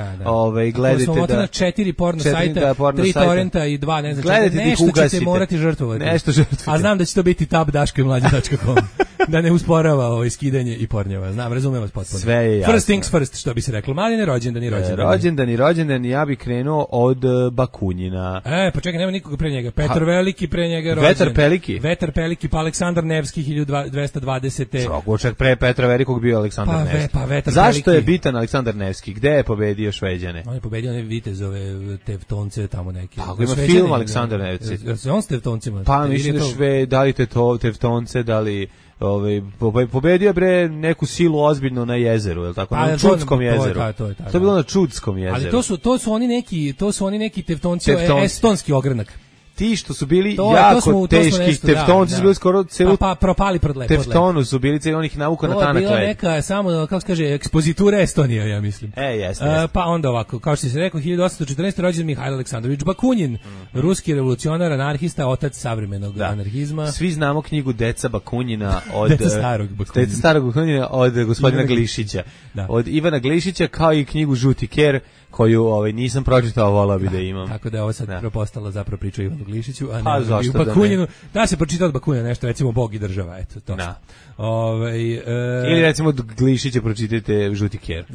gledajte da... Ako smo na 4 porno sajta, 3 torrenta i 2, ne znam, nešto ćete morati žrtvovati. A znam da će to biti tab.daškomlađa.com da ne usporava skidanje i pornjeva. Znam, razumem vas potpuno. Sve je jasno. First things first, što bi se reklo. Mladine, rođendani, ja bih krenuo od Bakunjina. Pa čekaj, nema nikoga pre njega. Petar Veliki pre njega rođen. Vetar Peliki, pa Aleksandar Nevski 1220. Čak pre Petra Velikog bio Aleksandar Nevski. Zašto je bitan Aleksandar Nevski? Gde je pobedio Šveđane? On je pobedio one vitezove Tevtonce tamo neki. Tako ima film Aleksandar Nevski. On s Tevtoncima. Pa mislim da li Tevtonce, da li pobedio bre neku silu ozbiljno na jezeru, je l' tako? Na Čudskom jezeru. To je bilo na Čudskom jezeru. Ali to su oni neki Tevtonci, estonski ogranak. Ti što su bili jako teški, Teftonci su bili skoro celu... Pa propali pod Teftonu su bili, on ih navuka na tanak led. To je bila neka, samo, kako se kaže, ekspozitura Estonija, ja mislim. Jeste. Pa onda ovako, kao što si rekao, 1814. rođen Mihajlo Aleksandrović Bakunin, ruski revolucionar, anarhista, otac savremenog anarhizma. Svi znamo knjigu Deca Bakunina od... Deca starog Bakunina od gospodina Glišića. Od Ivana Glišića, kao i knjigu Žuti ker, koju nisam pročitao, volao bi da imam. Tako da je ovo sad propostala zapravo priča o Ivanu Glišiću, a ne u Bakunjinu. Da se pročita od Bakunjina nešto, recimo Bog i država, eto, to. Da. Ili recimo od Glišića pročitajte Žuti ker.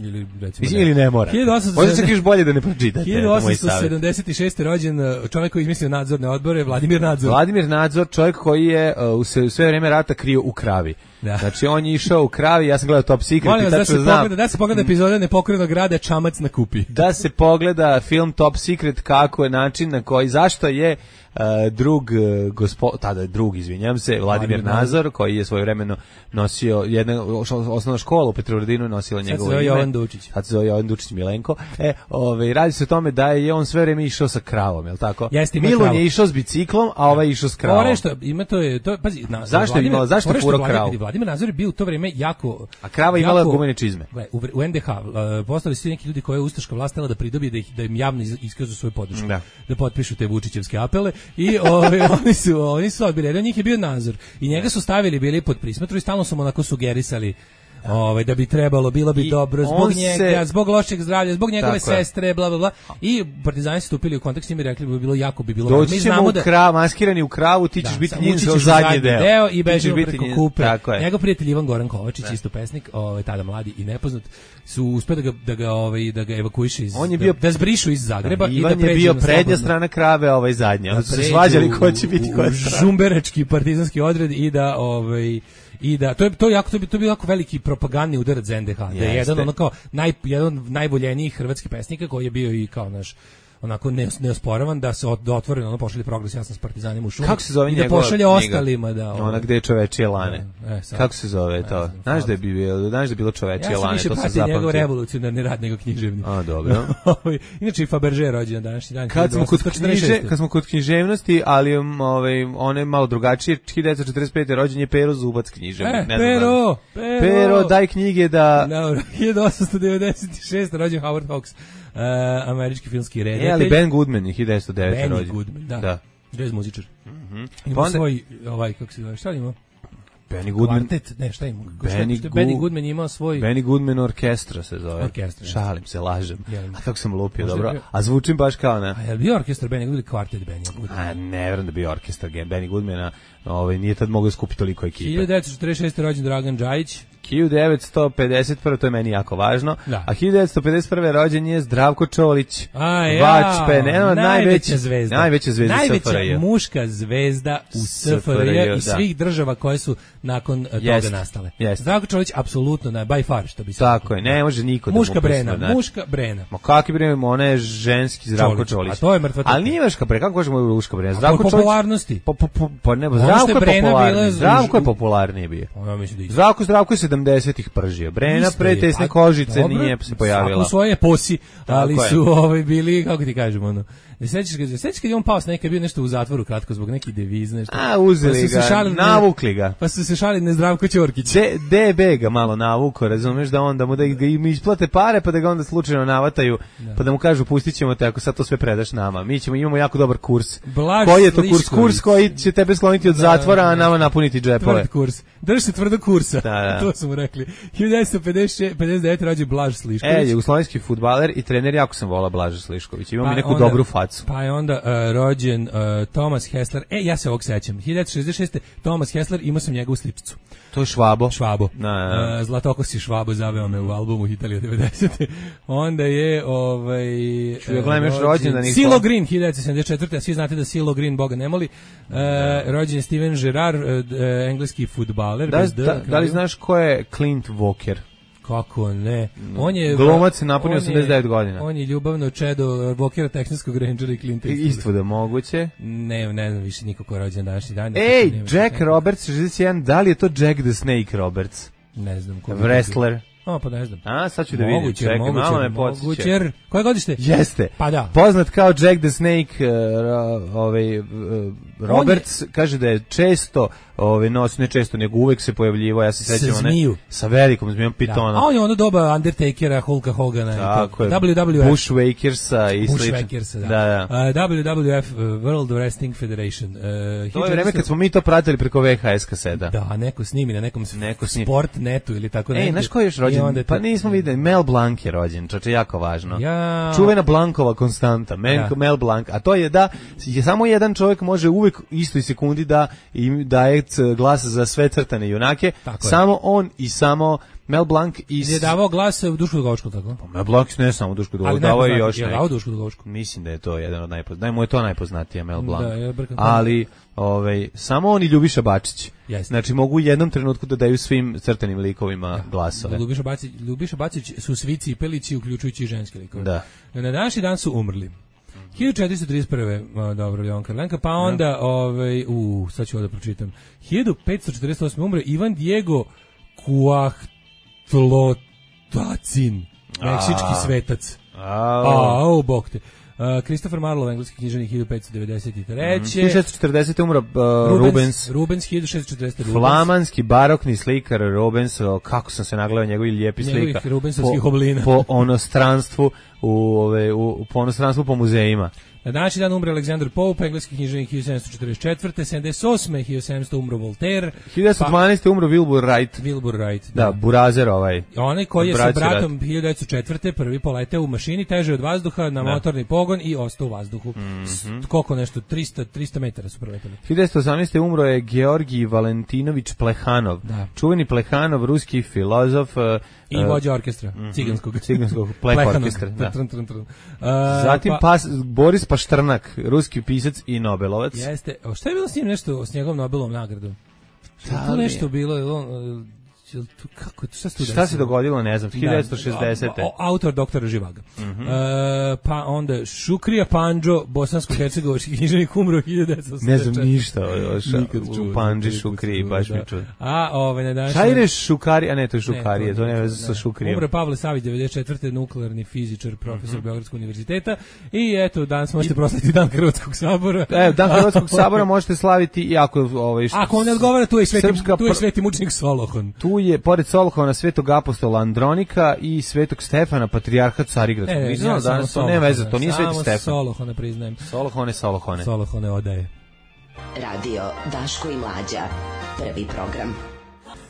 Ili ne mora. Možda se kažeš bolje da ne pročitate. 1876. rođen čovjek koji izmislio nadzorne odbore, Vladimir Nadzor. Vladimir Nadzor, čovjek koji je u sve vreme rata krio u kravi. Da. Znači on je išao u kravi, ja sam gledao Top Secret. Molim vas da se pogleda epizoda Nepokrenog grada Čamac na kupi. Da se pogleda film Top Secret, kako je način na koji, zašto je drug, izvinjam se, Vladimir Nadzor, koji je svojevremeno nosio osnovna škola u Petrovaradinu, nosila njegovo ime. Sad se zove Jovan Dučić Milenko. Radi se o tome da je on sve vreme išao sa kravom, je li tako? Milun je išao s biciklom, a ovaj je išao s kravom. Zašto furo kravu? Vladimir Nadzor je bio u to vrijeme jako... A krava imala gumene čizme. U NDH postali su neki ljudi koje je ustaška vlast htjela da pridobi da im javno iskažu svoju podršku. Da potpišu te Vučićevske apele i oni su odbili. Jedan od njih je bio Nadzor i njega su stavili bili pod prismotru i stalno su mu onako sugerisali da bi trebalo, bilo bi dobro zbog njega, zbog lošeg zdravlja, zbog njegove sestre, bla bla bla. I partizani su stupili u kontakt s njim i rekli bi bilo jako bi bilo. Doći ćemo maskirani u kravu, ti ćeš biti njim za zadnji deo i bežimo preko kupe. Njegov prijatelj Ivan Goran Kovačić, isto pesnik, tada mladi i nepoznat, su uspeli da ga evakuišu da zbrišu iz Zagreba i da pređu. Ivan je bio prednja strana krave, ovaj zadnja. Oni su se svađali ko će biti koja strana. Žumberački partizanski odred i da to bi jako veliki propagandni udarac za NDH. Da je jedan jedan od najboljenijih hrvatskih pesnika koji je bio i kao naš onako neosporavan da se otvoreno pošalje Progres, ja sam s partizanima u šumi. Kako se zove i da pošalje ostalima da ona gde je čovečije lane. Kako se zove to? Znaš da je bilo čovečije lane, to se zapamtio. Ja sam više njegov revolucionarni rad nego književni. A, dobro. Inače i Fabergé rođen na današnji dan. Kad smo kod književnosti, ali on je malo drugačije. 1945. rođen je Pero Zubac književnik. Pero, daj knjige da... 1896. rođen Howard Hawks. Američki filmski redatelj. Ali Ben Goodman je 1909. rođen. Ben Goodman, da. Jazz muzičar. Ima svoj, kako se zove, šta ima? Benny Goodman. Kvartet, ne, šta ima? Benny Goodman imao svoj... Benny Goodman orkestra se zove. Orkestra. Šalim se, lažem. A kako sam lupio, dobro. A zvučim baš kao na... A je li bio orkestar Benny Goodman ili kvartet Benny Goodman? A ne vjerujem da bio orkestar Benny Goodmana. Nije tad mogao skupiti toliko ekipe. 1946. rođen Dragan Džajić. 1951. to je meni jako važno. Da. A 1951. rođen je Zdravko Čolić. Najveća zvezda. Najveća zvezda najveća muška zvezda u SFRJ i svih država koje su nakon toga nastale. Zdravko Čolić apsolutno by far, što bi se. Tako je, ne može niko da muška Brena. Ma kakvi Brena, ona je ženski Zdravko Čolić. A to je mrtva. Ali nije muška Brena, kako kažemo muška Brena? Zdravko Čolić. Popularnosti. Pa ne, Zdravko je popularniji bio. Zdravko je 70-ih pržio. Brena pre tesne kožice nije se pojavila. Svako svoje posi, ali su bili, kako ti kažemo, sećaš kad je on pao s neka, bio nešto u zatvoru kratko zbog neki deviz, nešto. A, uzeli ga, navukli ga. Pa su se šalili na Zdravko Ćorkić. DB ga malo navuko, razumeš, da ga im isplate pare, pa da ga onda slučajno navataju, pa da mu kažu pustit ćemo te ako sad to sve predaš nama. Imamo jako dobar kurs. Koji je to kurs? Kurs koji će tebe skloniti od zatvora, a nama napuniti džepove. Tvrd kurs. Drži se tvrdog kursa. To su mu rekli. 1959. rođen Blaž Slišković. Jugoslovenski fudbaler i trener, jako sam volao Blaža Slišković. Imamo neku dobru facu. Pa je onda rođen Thomas Hessler. Ja se ovog sećam. 1966. Thomas Hessler, imao sam njegovu sličicu. To je Švabo. Zlatokosi Švabo zaveo me u albumu Italija 90. Onda je Silo Green 1974. A svi znate da Silo Green Boga ne moli. Rođen je Steven Gerrard, engleski fudbaler. Da li znaš ko je Clint Walker? Kako ne? On je glumac, napunio 89 godina. On je ljubavno čedo Walkera, Texanskog Rangera i Clint Eastwooda. Isto da moguće. Ne znam više niko ko je rođen današnji dan. Jack Roberts 61, da li je to Jack the Snake Roberts? Ne znam ko. Wrestler. Pa ne znam. Sad ću da vidim. Čekaj, malo me podsjeća. Koje godište? Jeste. Pa da. Poznat kao Jack the Snake Roberts, kaže da je često nosi, ne često, nego uvek se pojavljivao, ja se sećam sa velikom zmijom Pitona. A on je ono doba Undertakera, Hulka Hogana, tako je, WWF, Bushwakersa i slično. Da. WWF, World Wrestling Federation. To je vreme kad smo mi to pratili preko VHS kaseta. Da, neko snimi na nekom sport netu ili tako nešto. Znaš ko je još rođen? Pa nismo videli, Mel Blanc je rođen, čoče, jako važno. Čuvena Blankova konstanta, Mel Blanc, a to je da samo jedan čovjek može uvek istoj sekundi da im daje glas za sve crtane junake, samo on i samo Mel Blanc je davao glas u Dušku Dugovčku, tako? Pa Mel Blanc ne samo u Dušku Dugovčku, davao je još neki. Je Dušku Dugovčku? Mislim da je to jedan od najpoznatijih. Da mu je to najpoznatije, Mel Blanc. Ali samo on i Ljubiša Bačić. Znači mogu u jednom trenutku da daju svim crtanim likovima glasove. Ljubiša Bačić su svi cipelići, uključujući i ženske likove. Da. Na današnji dan su umrli 1431. Dobro, Jovan Karlenka, pa onda sad ću ovo da pročitam. 1548. umre Ivan Diego Cuauhtlotacin, meksički svetac. Bog te. Christopher Marlowe, engleski književnik, 1593. 1640. umro Rubens 1640. Flamanski barokni slikar Rubens, kako sam se nagledao njegovih lijepi slika. Njegovih rubensovskih oblina. Po onostranstvu, po muzejima. Na današnji dan umre Alexander Pope, engleski književnik, 1744. 78. 1700 umro Voltaire. 1912. umro Wilbur Wright. Da, burazer ovaj. Onaj koji je sa bratom 1904. prvi poleteo u mašini, teže od vazduha, na motorni pogon i ostao u vazduhu. Koliko nešto, 300 metara su preleteli. 1918. umro je Georgij Valentinović Plehanov. Čuveni Plehanov, ruski filozof. I vođa orkestra, ciganskog Pleh orkestra. Zatim Boris Paštrnak, ruski pisac i Nobelovac. Jeste. Šta je bilo s njim nešto, s njegovom Nobelovom nagradom? To nešto bilo, šta se dogodilo, ne znam, 1960. Autor doktora Živaga. Pa onda Šukrija Pandžo, bosansko-hercegovački književnik, umro 1984. Ne znam ništa u Pandži Šukriji, baš mi čuo. Šajre Šukari, a ne, to je Šukarije, to ne veze sa Šukrijem. Umro Pavle Savić, 94. nuklearni fizičar, profesor Beogradskog univerziteta. I eto, danas možete proslaviti Dan Hrvatskog sabora. Dan Hrvatskog sabora možete slaviti i ako on ne odgovara, tu je sveti mučnik Solohon. Tu je, pored Solohona, svetog apostola Andronika i svetog Stefana, patrijarha Carigradskog. Ne veze, to nije sveti Stefan. Samo Solohone priznajem. Solohone odaje. Radio Daško i Mlađa, prvi program.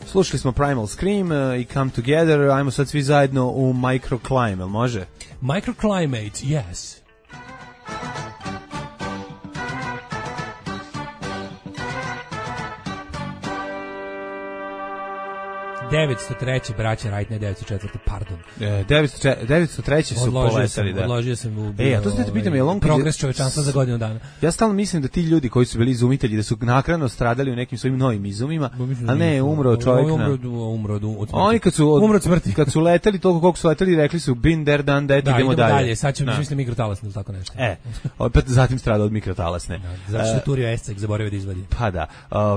Slušali smo Primal Scream i Come Together, ajmo sad svi zajedno u Microclimate, jel može? Microclimate, yes. 903. braća Wright, ne 904. Pardon. 903. su poletali, da. Odložio sam u a to ste te pitam, je on progres čovečanstva za godinu dana. Ja stalno mislim da ti ljudi koji su bili izumitelji, da su naknadno stradali u nekim svojim novim izumima, a ne, umro čovjek umro od smrti. Oni kad su leteli, toliko koliko su leteli, rekli su bin der dan that, idemo dalje. Sad ćemo misliti mikrotalasne ili tako nešto. Opet zatim strada od mikrotalasne. Zato što turio Escek zaboravio da izvadi. Pa da,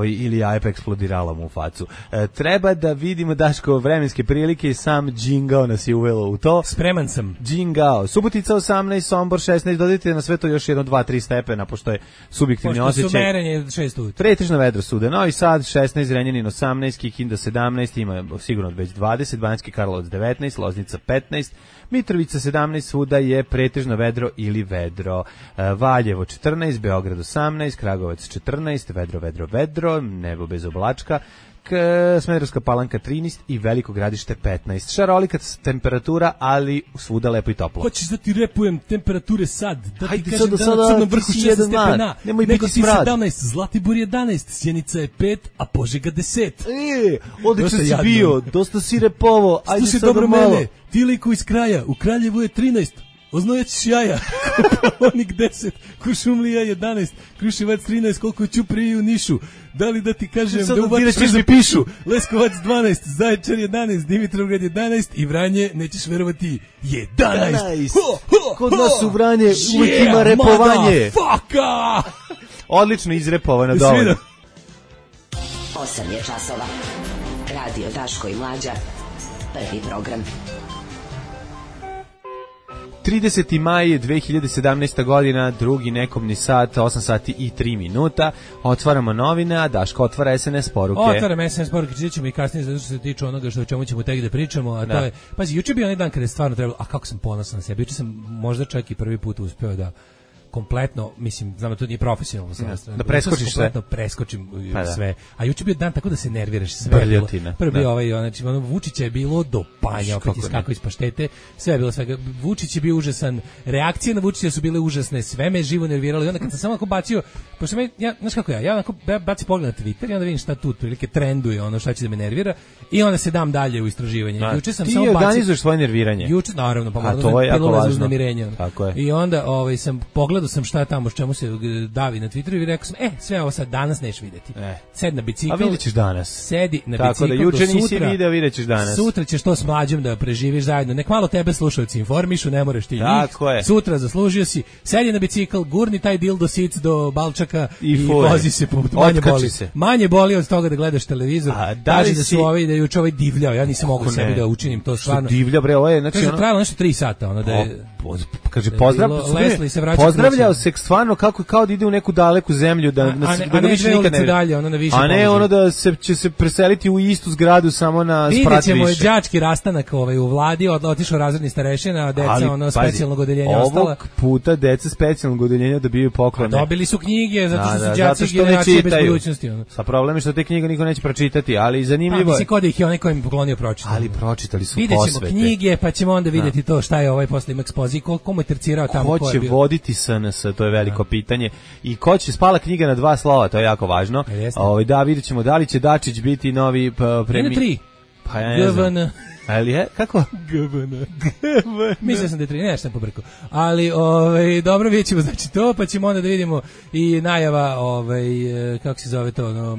ili Ajpa eksplodirala mu u facu. Treba da vidimo, Daško, vremenske prilike, sam Džingao nas je uvelo u to. Spreman sam. Džingao. Subotica 18, Sombor 16, dodajte na sve to još 1, 2, 3 stepena, pošto je subjektivni osjećaj. Pošto su merenje 6 ujutru. Pretežno vedro svuda. Novi Sad 16, Zrenjanin 18, Kikinda 17, ima sigurno već 20, Banjski Karlovac 19, Loznica 15, Mitrovica 17, svuda je pretežno vedro ili vedro. Valjevo 14, Beograd 18, Kragovac 14, vedro, nebo bez oblačka. Smederevska Palanka 13 i Veliko Gradište 15. Šarolika temperatura, ali svuda lepo i toplo. Hoćeš da ti repujem temperature sad? Da ti kažem da na Crnom vrhu 6 stepena, nego ti 17, Zlatibor 11, Sjenica je 5, a Požega 10. Odlično si bio, dosta si repovo, ajde sad dobro malo. Mene, ti liku iz kraja, u Kraljevu je 13, Oznojeć jaja, Kopaonik 10, Kuršumlija 11, Kruševac 13, koliko je Ćuprije u Nišu. Da li da ti kažem da ubaciš da pišu? Leskovac 12, Zaječar 11, Dimitrovgrad 11 i Vranje, nećeš verovati, 11. Kod nas u Vranje uvijek ima repovanje. Motherfucker! Odlično izrepovano, dovoljno. 8 je časova. Radio Daško i Mlađa, prvi program. 30. maj 2017. godina, drugi nekomni sat, 8 sati i 3 minuta. Otvaramo novine, a Daško otvara SNS poruke. Otvaram SNS poruke, čit ćemo i kasnije zato što se tiče onoga što o čemu ćemo tek da pričamo, a to je, pazi, juče bio onaj dan kada je stvarno trebalo, a kako sam ponosan na sebe, juče sam možda čak i prvi put uspeo da kompletno, mislim, znam da to nije profesionalno, da preskočiš sve. Preskočim sve. A juče bio dan tako da se nerviraš sve. Prvo bio ovaj, znači, Vučića je bilo do panja, opet iskako iz paštete, sve je bilo svega. Vučić je bio užasan, reakcije na Vučića su bile užasne, sve me živo nerviralo i onda kad sam samo onako bacio, pošto znaš kako ja onako bacim pogled na Twitter i onda vidim šta tu otprilike trenduje, ono šta će da me nervira i onda se dam dalje u istraživanje. Juče sam samo bacio. Ti organizuješ svoje nerviranje. Juče, naravno, pa to je jako važno. I onda sam pogledao sam šta je tamo, čemu se davi na Twitteru i rekao sam, sve ovo sad danas neš vidjeti. Sedi na bicikl. A vidjet ćeš danas. Sedi na tako bicikl. Tako da juče nisi video, vidjet ćeš danas. Sutra ćeš to s Mlađom da preživiš zajedno. Nek malo tebe slušalci informišu, ne moraš ti njih. Sutra zaslužio si. Sedi na bicikl, gurni taj dildo sic do balčaka i vozi se. Manje boli od toga da gledaš televizor. Kaže da su ovi, da je juče ovaj divljao. Ja nisam mogao sebi da učinim to stvarno. Divlja bre, ovo je znači ono. Trajalo nešto 3 sata, ono da je. Kaže pozdravljao se stvarno kako kao da ide u neku daleku zemlju da ga više nikad ne dalje, ono na više. A ne ono da će se preseliti u istu zgradu samo na sprat više. Videćemo đački rastanak u vladi, otišao razredni starešina, deca ono specijalnog odeljenja ostala. Ovog puta deca specijalnog odeljenja dobijaju poklone. Dobili su knjige zato što su đaci generacije bez budućnosti. Sa problem je što te knjige niko neće pročitati, ali zanimljivo je. Mislim kod ih je onaj koji im poklonio pročitao. Ali pročitali su posvete. Videćemo knjige, pa ćemo onda vidjeti to šta je ovaj posle ima ekspoziji, komu je tercirao tamo. Ko će voditi SNS, to je veliko pitanje. I ko će spala knjiga na 2 slova, to je jako važno. Da, vidjet ćemo da li će Dačić biti novi premijer. 3. Pa ja ne znam. Ali je? Kako? GVN. Mislio sam da je 3, nešto sam pobrkao. Ali, dobro, vidjet ćemo znači to, pa ćemo onda da vidimo i najava, kako se zove to,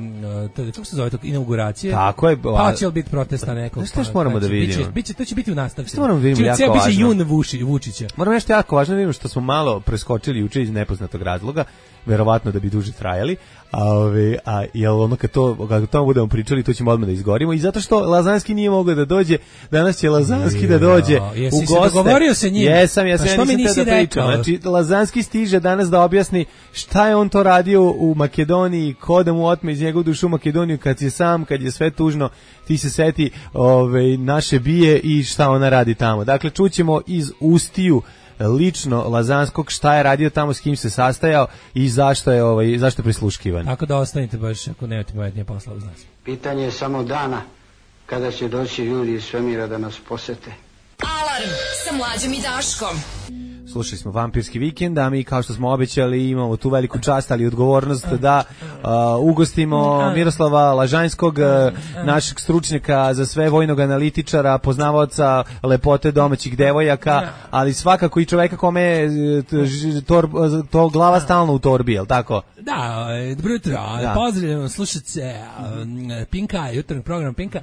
inauguracije. Tako je. Pa će li biti protesta nekog? Što moramo da vidimo? To će biti u nastavku. Što moramo da vidimo jako važno? Biće jun Vučića. Moramo nešto jako važno da vidimo što smo malo preskočili juče iz nepoznatog razloga, verovatno da bi duže trajali. Jel ono kad to budemo pričali, to ćemo odmah da izgorimo i zato što Lazanski nije mogao da dođe, danas će Lazanski da dođe u goste. Se dogovorio se njim? Jesam, ja nisam da pričam. Znači, Lazanski stiže danas da objasni šta je on to radio u Makedoniji, ko da mu otme iz njegovu dušu u Makedoniju kad je sam, kad je sve tužno, ti se seti naše bije i šta ona radi tamo. Dakle, čućemo iz ustiju lično Lazanskog šta je radio tamo, s kim se sastajao i zašto je prisluškivan. Tako da ostanite baš ako nemate pametnije posla uz nas. Pitanje je samo dana kada će doći ljudi iz svemira da nas posete. Alarm sa Mlađom i Daškom. Slušali smo Vampirski vikend, a mi kao što smo obećali imamo tu veliku čast, ali odgovornost da ugostimo Miroslava Lažanjskog, našeg stručnjaka za sve, vojnog analitičara, poznavaoca lepote domaćih devojaka, ali svakako i čoveka kome je to glava stalno u torbi, je li tako? Da, dobro jutro, pozdravljam slušace Pinka, jutarnji program Pinka,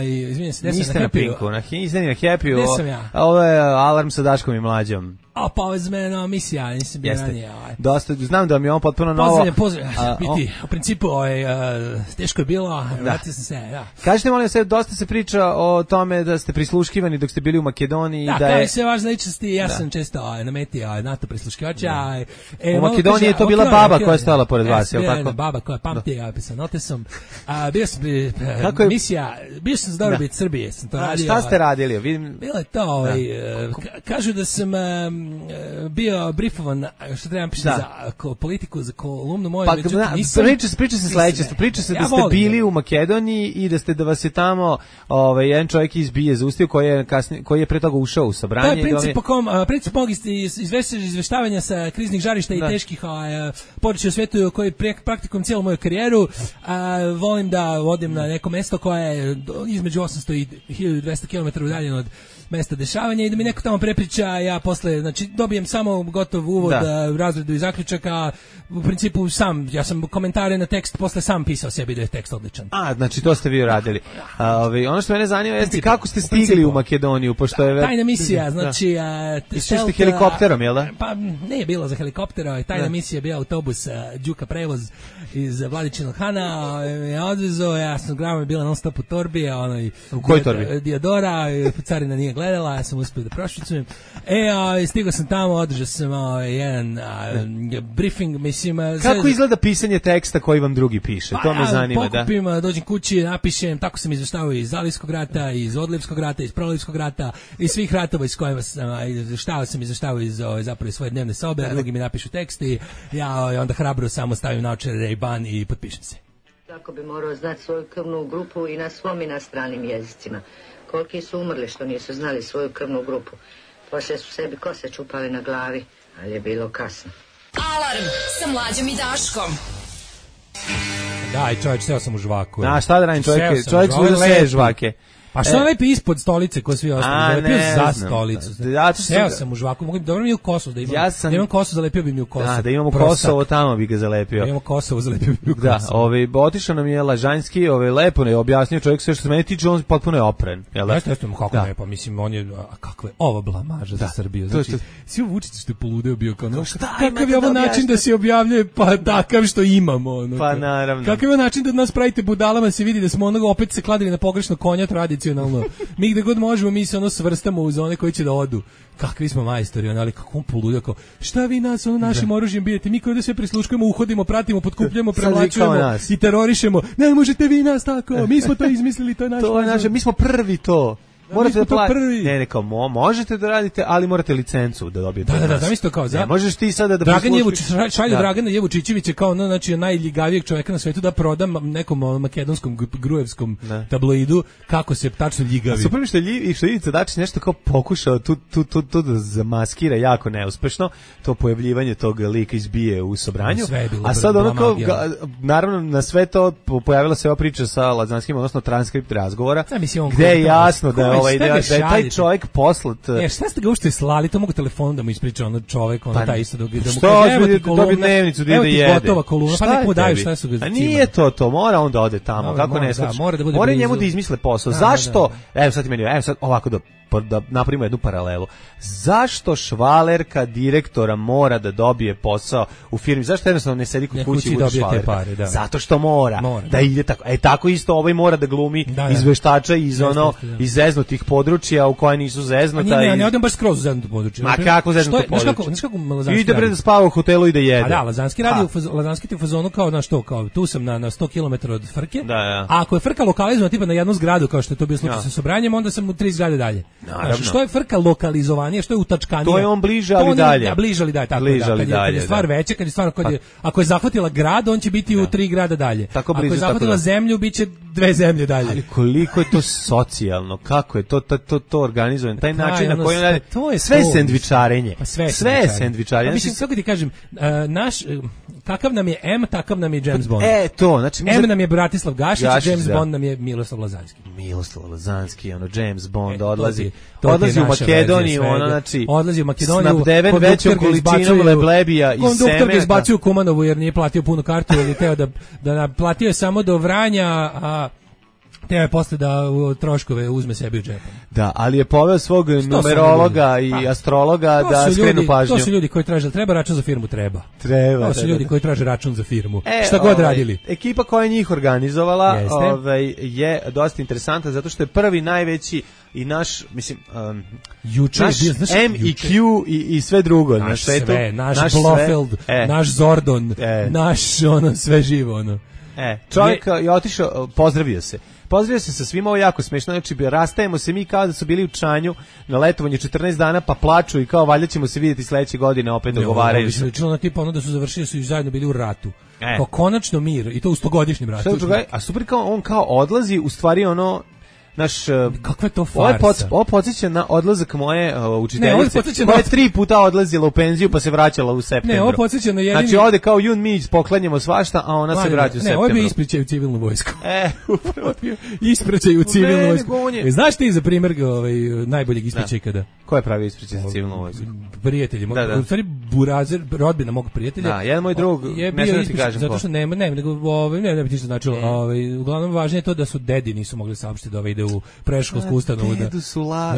izvinjam se, niste na Pinku, niste na Happy-u, gde sam ja? Ovo je Alarm sa Daškom i Mlađom. Pa ovo je za mene nova misija, nisam bio ranije. Dosta, znam da mi je on potpuno novo. Pozdravljam, biti, u principu, teško je bilo, vratio sam se, da. Kažete, molim se, dosta se priča o tome da ste prisluškivani dok ste bili u Makedoniji. Da, kao i sve važne ličnosti, ja sam često na meti NATO prisluškivača. U Makedoniji je to bila baba koja je stala pored vas, je li tako? Baba koja pamti, sa notesom. Bio sam misija, bio sam za dobrobit Srbije, sam to radio. Šta ste radili? Bilo je to, kažu da sam bio briefovan, što trebam pisati za politiku, za kolumnu moju. Pa, priča se sledeće, priča se da ste bili u Makedoniji i da vas je tamo jedan čovjek iz BIA zaustavio koji je pre toga ušao u sabranje. To je princip mog izveštavanja sa kriznih žarišta i teških područja u svijetu koji praktikujem cijelu moju karijeru. Volim da odem na neko mesto koje je između 800 i 1200 km udaljeno od mesta dešavanja i da mi neko tamo prepriča, ja posle, znači dobijem samo gotov uvod, razredu i zaključaka, u principu ja sam komentare na tekst posle sam pisao sebi da je tekst odličan. Znači to ste vi radili. Ono što mene zanima jeste kako ste stigli u Makedoniju, pošto je tajna misija, znači išli ste helikopterom, jel da? Pa ne je bilo za helikoptera, tajna misija je bio autobus Đuka prevoz iz Vladičinog Hana, me odvezao, ja sam grama je bila non stop u torbi, u kojoj torbi? Diodora, carina nije gledala, ja sam uspio da prošvicujem. Stigao sam tamo, održao sam jedan briefing, mislim... Kako izgleda pisanje teksta koji vam drugi piše? To me zanima, pokupim, dođem kući, napišem, tako sam izveštavao iz Zalijskog rata, iz Odlivskog rata, iz Prolivskog rata, iz svih ratova iz kojima sam izveštavao iz zapravo svoje dnevne sobe, a drugi mi napišu tekst i ja onda hrabro samo stavim naočare Ray-Ban i potpišem se. Tako bi morao znati svoju krvnu grupu i na svom i na stranim jezicima. Koliki su umrli što nisu znali svoju krvnu grupu. Poslije su sebi kose čupali na glavi, ali je bilo kasno. Alarm sa Mlađom i Daškom. Daj, čovječ, seo sam u žvaku. Šta da radim, čovjek služio sve žvake. Pa što lepi ispod stolice ko svi ostali? Zalepio za stolicu. Seo sam u žvaku, mogu dobro mi u kosu da imam. Da imam kosu, zalepio bi mi u kosu. Da imamo Kosovo, tamo bi ga zalepio. Da imamo Kosovo, zalepio bi mi u kosu. Da, otišao nam je Lažanjski, lepo ne objasnio čovjek sve što se meni tiče, on potpuno je opren. Jeste, kako ne, pa mislim, on je, kakva je ova blamaža za Srbiju. Znači, svi Vučić što je poludeo bio kao, kakav je ovo način da se objavljuje, pa takav što imamo. Pa naravno. Kakav je način da nas pravite budalama, se vidi da smo onoga opet se kladili na pogrešno konja tradicionalno. Mi gde god možemo, mi se svrstamo uz one koji će da odu. Kakvi smo majstori, ali kako on poludeo, kao, šta vi nas našim oružjem bijete, mi koji da sve prisluškujemo, uhodimo, pratimo, potkupljamo, prevlačujemo i terorišemo. Ne možete vi nas tako, mi smo to izmislili, to je naš. To je naše, mi smo prvi to. Morate da platite. Kao možete da radite, ali morate licencu da dobijete. Da, isto kao za. Ne možeš ti sada da šalju Dragana Jevučićevića kao znači najljigavijeg čovjeka na svetu da proda nekom makedonskom grujevskom tabloidu kako se tačno ljigavi. Super što Ivica Dačić nešto kao pokušao tu da zamaskira jako neuspešno to pojavljivanje tog lika izbije u Sobranju. A sad ono kao naravno na sve to pojavila se ova priča sa Lazanskim, odnosno transkript razgovora, gde je jasno da da je taj čovjek poslat. Šta ste ga uopšte slali? To mogu telefonom da mu ispriča ono čovjek, ono taj isto da mu kaže dobi dnevnicu da ide jede. Gotova kolumna, pa neko daju šta su ga. A nije to, mora on da ode tamo, kako ne znači. Mora njemu da izmisle posao. Zašto? Evo sad ovako da napravimo jednu paralelu. Zašto švalerka direktora mora da dobije posao u firmi? Zašto jednostavno ne sedi kod kuće i bude švalerka? Zato što mora da ide tako. Tako isto ovaj mora da glumi izveštača iz zeznutih područja u koje nisu zeznuta. Ne odem baš skroz u zeznuto područje. Ma kako zeznuto područje? Znaš kako Lazanski ide bre da spava u hotelu i da jede. A da, Lazanski radi Lazanski ti u fazonu kao na što, kao tu sam na 100 km od frke. A ako je frka lokalizovana tipa na jednu zgradu kao što je to bio slučaj sa Sobranjem, onda sam u 3 zgrade dalje. Znači, što je frka lokalizovanije, što je utačkanije. To je on bliže, ali dalje. Bliže, ali dalje, tako da. Kad je stvar veća, kad je stvar, ako je zahvatila grad, on će biti u 3 grada dalje. Ako je zahvatila zemlju, bit će 2 zemlje dalje. Ali koliko je to socijalno, kako je to organizovano, taj način na koji on radi. Sve je sendvičarenje. Sve je sendvičarenje. Mislim, kako ti kažem, kakav nam je M, takav nam je James Bond. To, znači... M nam je Bratislav Gašić, James Bond nam je Miroslav Lazanski. Miroslav Lazanski, James Bond odlazi u Makedoniju, odlazi u Makedoniju, snabdeven većom količinom leblebija i semena. Konduktor ga izbacio u Kumanovu jer nije platio punu kartu ili teo da platio je samo do Vranja, a teo je posle da troškove uzme sebi u džepu. Da, ali je poveo svog numerologa i astrologa da skrenu pažnju. To su ljudi koji traže, treba račun za firmu, treba. To su ljudi koji traže račun za firmu. Šta god radili. Ekipa koja je njih organizovala je dosta interesantna zato što je prvi najveći i naš, mislim, naš M i Q i sve drugo na svetu. Naš Blofeld, naš Zordon, naš sve živo. Čovjek je otišao, pozdravio se sa svima, ovo jako smešno, znači rastajemo se mi kao da su bili u Čanju na letovanju 14 dana pa plaču i kao valjda ćemo se vidjeti sledeće godine opet dogovaraju se. Lično na tipa ono da su završili, su zajedno bili u ratu. Kao konačno mir i to u 100-godišnjem ratu. A super kao on kao odlazi, u stvari ono kakva je to farsa? Ovo podsjeća na odlazak moje učiteljice koja je 3 puta odlazila u penziju pa se vraćala u septembru. Ne, ovo podsjeća na jedini... Znači ode kao Jun mi poklanjamo svašta, a ona se vraća u septembru. Ne, ovo bi ispričaj u civilnu vojsku. Upravo. Ispričaj u civilnu vojsku. Znaš ti za primjer najboljeg ispričaj kada? Ko je pravi ispričaj za civilnu vojsku? Prijatelji. U stvari Burazer, rodbina mog prijatelja. Da, jedan moj drug, ne znam ti kažem ko. Zato što ne bi ti što značilo. Uglavnom važnije je to da su dedi nisu mogli saopštiti da ide u predškolsku ustanovu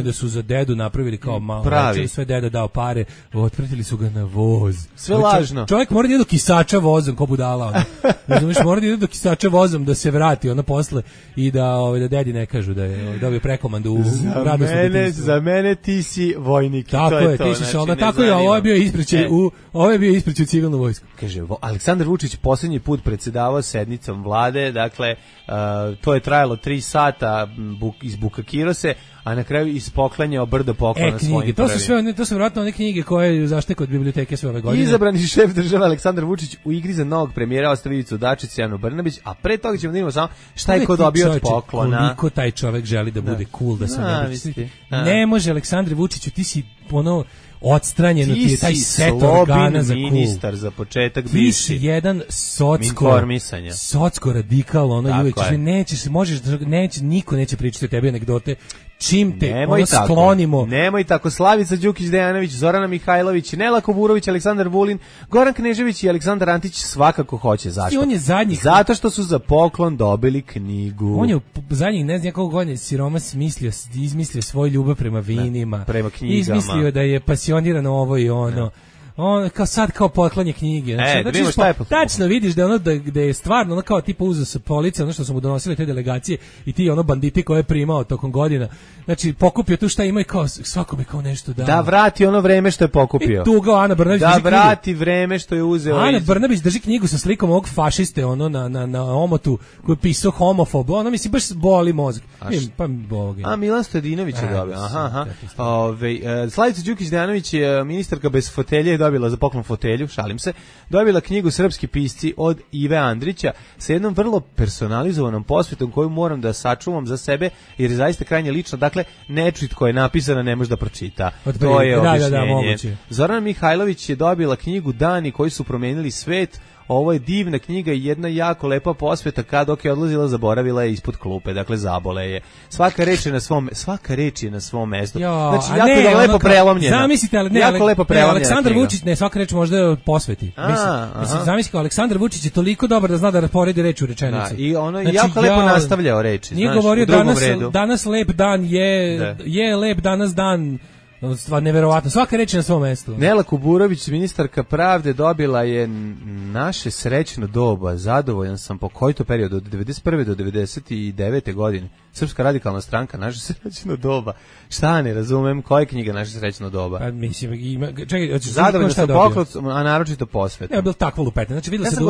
da su za dedu napravili kao malo sve deda dao pare, otpratili su ga na voz. Sve lažno. Čovjek mora da ide do kisača vozom, ko budala ona. Razumeš, mora da ide do kisača vozom da se vrati ona posle i da dedi ne kažu da je dobio prekomandu u radosnom detinjstvu. Za mene ti si vojnik. Tako je, ti si se onda, tako je, ovo je bio ispreći u civilnu vojsku. Kaže, Aleksandar Vučić posljednji put predsjedavao sednicom vlade, dakle, to je trajalo 3 sata, izbukakirao se, a na kraju ispoklanjao brdo poklona svojim prvim. To su vjerojatno one knjige koje zaštite kod biblioteke sve ove godine. Izabrani šef države Aleksandar Vučić u igri za novog premijera ostavi Ivicu Dačića i Anu Brnabić, a pre toga ćemo da vidimo samo šta je ko dobio od poklona. Koliko taj čovek želi da bude cool, da se ne može Aleksandre Vučiću, ti si ono odstranjeno ti je taj set organa za ministar za početak bivši. Ti si jedan socko radikal, ono uvijek niko neće pričati o tebi anegdote. Čim te sklonimo. Nemoj tako, Slavica Đukić-Dejanović, Zorana Mihajlović, Nela Kuburović, Aleksandar Vulin, Goran Knežević i Aleksandar Antić svakako hoće. Zašto? On je zato što su za poklon dobili knjigu. On je zadnjih ne znam koliko godina siroma izmislio svoju ljubav prema vinima. Prema knjigama. Izmislio da je pasioniran ovo i ono. On kao poklanje knjige. Znači, tačno vidiš da ono da je stvarno ono kao tipa uzeo sa police, ono što su mu donosile te delegacije i ti ono banditi koje je primao tokom godina. Znači pokupio tu šta ima i kao svakome kao nešto da. Da vrati ono vreme što je pokupio. I tuga Ana Brnabić da vrati vreme što je uzeo. Ana Brnabić drži knjigu sa slikom ovog fašiste ono na omotu koji je pisao homofob. Ono mislim baš boli mozak. A Milan Stojadinović je dobio. Aha. Slavica Đukić-Dejanović je ministarka bez fotelje, dobila za poklon fotelju, šalim se, dobila knjigu Srpski pisci od Ive Andrića sa jednom vrlo personalizovanom posvetom koju moram da sačuvam za sebe jer je zaista krajnje lično. Dakle, nečit koja je napisana ne može da pročita. To je objašnjenje. Zorana Mihajlović je dobila knjigu Dani koji su promenili svet. Ovo je divna knjiga i jedna jako lepa posveta, dok je odlazila zaboravila je ispod klupe, dakle zabole je. Svaka reč je na svom mestu. Znači jako je lepo prelomljena. Zamislite, ali jako lepo prelomljena. Aleksandar Vučić, svaka reč možda posveti. Mislim, zamislite, Aleksandar Vučić je toliko dobar da zna da rasporedi reč u rečenici. I ono jako lepo nastavljao reči. Nije govorio danas lep dan je lep danas dan. Stvar neverovatno, svaka reč na svom mestu. Nela Kuburović, ministarka pravde, dobila je naše srećno doba. Zadovoljan sam po koji to period, od 91. do 99. godine. Srpska radikalna stranka, naše srećno doba. Šta ne razumem, koja je knjiga naše srećno doba? Pa mislim, čekaj, zadovoljan sam poklon, a naročito posvet. Ne, bilo takvo lupetne. Znači videla se da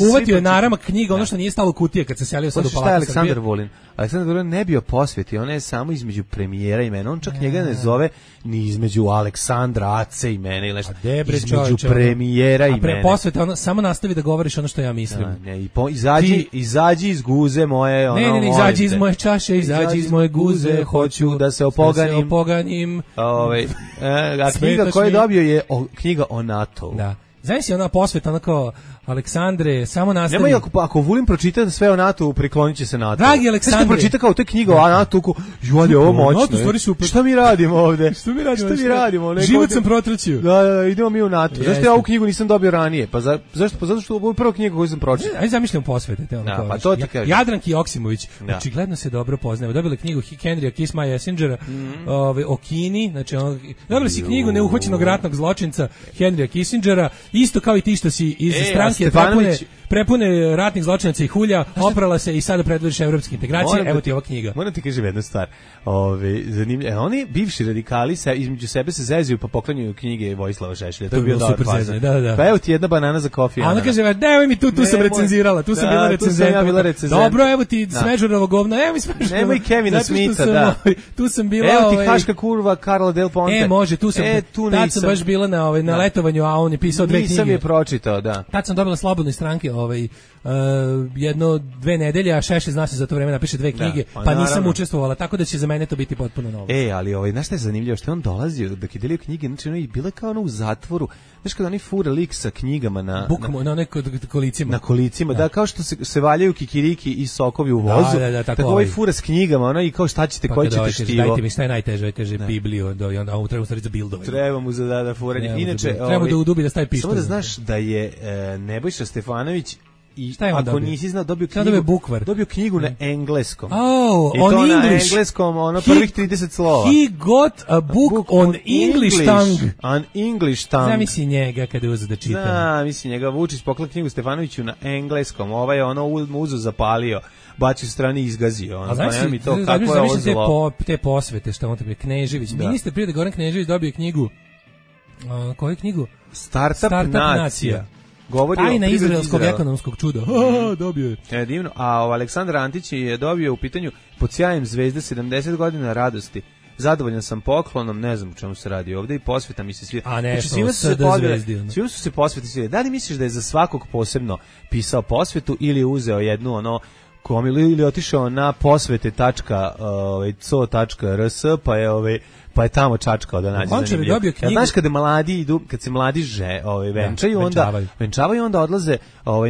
uvatio je narama knjiga, ono što nije stalo u kutije kad se selio sad u Palatu Srbije. Aleksandar Vulin? Aleksandar Vulin ne bio posveti, ona je samo između premijera i mene. On čak njega ne zove ni između Aleksandra, Ace i mene ili nešto. Između premijera i mene. A posveta, ono, samo nastavi da govoriš ono što ja mislim. Izađi iz guze moje. Ne, izađi iz moje čaše, izađi iz moje guze, hoću da se opoganim. A knjiga koju je dobio je knjiga o NATO-u. Da. Znaš si ona posveta, ona kao Aleksandre, samo nastavi. Nemoj, ako Vulin pročita sve o NATO-u, priklonit će se NATO. Dragi Aleksandre. Znaš pročita kao te knjiga o NATO-u, ali ovo moćno. Šta mi radimo ovde? Šta mi radimo? Život sam protraćio. Da, idemo mi u NATO. Zašto ja ovu knjigu nisam dobio ranije? Zato što ovo je prva knjiga koju sam pročitao. Ajde zamišljam posvete. Pa to ti kažem. Jadranki Joksimović, očigledno se dobro poznaju. Dobila knjigu Henrya Kissingera o Kini, znači dobila si knjigu neuhvaćenog ratnog zločinca Henrya Kissingera, isto kao i ti što si iz stranke prepune ratnih zločinaca i hulja, oprala se i sada predvodiš evropske integracije. Evo ti ova knjiga. Moram ti kažem jednu stvar. Zanimljivo. Oni bivši radikali između sebe se zezuju pa poklanjaju knjige Vojislava Šešelja. To je bilo super faza. Da. Pa evo ti jedna banana za kofi. A ona kaže, daj mi tu sam recenzirala, tu sam bila recenzent. Dobro, evo ti Smeđurovo govno, evo mi Smeđurovo. Nemoj Kevina Smitha, da. Tu sam bila. Evo ti Haška kurva Karla Del Ponte. Može, tu sam. Tad sam baš bila na letovanju, a on je pisao 2 knjige. Nisam je pročitao, da. Tad sam dobila slobodne stranke, 1-2 nedelje, a Šešelj zna se za to vreme napiše 2 knjige, pa nisam učestvovala, tako da će za mene to biti potpuno novo. Ali znaš šta je zanimljivo, što je on dolazio dok je delio knjige, znači ono je bila kao ono u zatvoru, znaš kada oni fura lik sa knjigama na kolicima. Na kolicima, da, kao što se valjaju kikiriki i sokovi u vozu, tako ovaj fura s knjigama, ono i kao šta ćete, koji ćete štivo. Dajte mi šta je najteže, kaže Bibliju, onda ovo treba u stvari za bildove. Treba mu za furanje. Inače, treba da udubi da stavi pištolj. Samo da znaš da je Nebojša Stefanović i šta je ako nisi znao, dobio knjigu na engleskom. Oh, i on to English. Na engleskom, ono prvih 30 slova. He got a book on English tongue. On English tongue. Zamisli njega kada je uzeo da čita. Zamisli njega, Vučić poklon knjigu Stefanoviću na engleskom, ovaj je ono uzo zapalio, bacio strani i izgazio. A znači mi to kako je ovo zlo. Te posvete što on tebi Knežević. Ministar privrede Goran Knežević dobio knjigu. Koju knjigu? Startup nacija. Govori tajna izraelskog ekonomskog čuda. Dobio je. Divno. A Aleksandar Antić je dobio u pitanju Pod sjajem zvezde 70 godina radosti. Zadovoljan sam poklonom, ne znam o čemu se radi ovde i posveta mi se svi. A ne, svima su se posveti svi. Da li misliš da je za svakog posebno pisao posvetu ili uzeo jednu ono komilu ili otišao na posvete.co.rs pa je tamo čačkao da nađe zanimljivo. Znaš kada mladi idu, kad se mladi venčaju, onda odlaze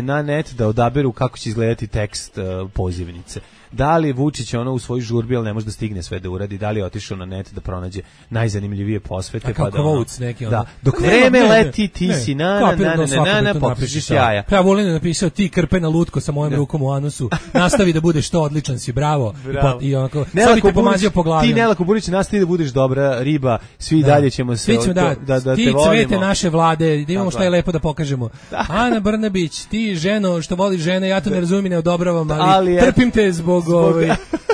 na net da odaberu kako će izgledati tekst pozivnice. Da li Vučić u svoj žurbi, ali ne može da stigne sve da uradi, da li je otišao na net da pronađe najzanimljivije posvete. Pa da neki da. Dok vreme leti, ti si na popišiš jaja. Ja volim da napisao ti krpena lutko sa mojom rukom u anusu, nastavi da budeš što odličan si, bravo. I onako, sad bi te pomazio po glavi. Ti Nelako Burić nastavi da budeš dobra riba, svi dalje ćemo se da te volimo. Ti cvete naše vlade, da imamo šta je lepo da pokažemo. Ana Brnabić, ti ženo što voliš žene, ja to ne razumijem, ne odobravam, ali trpim te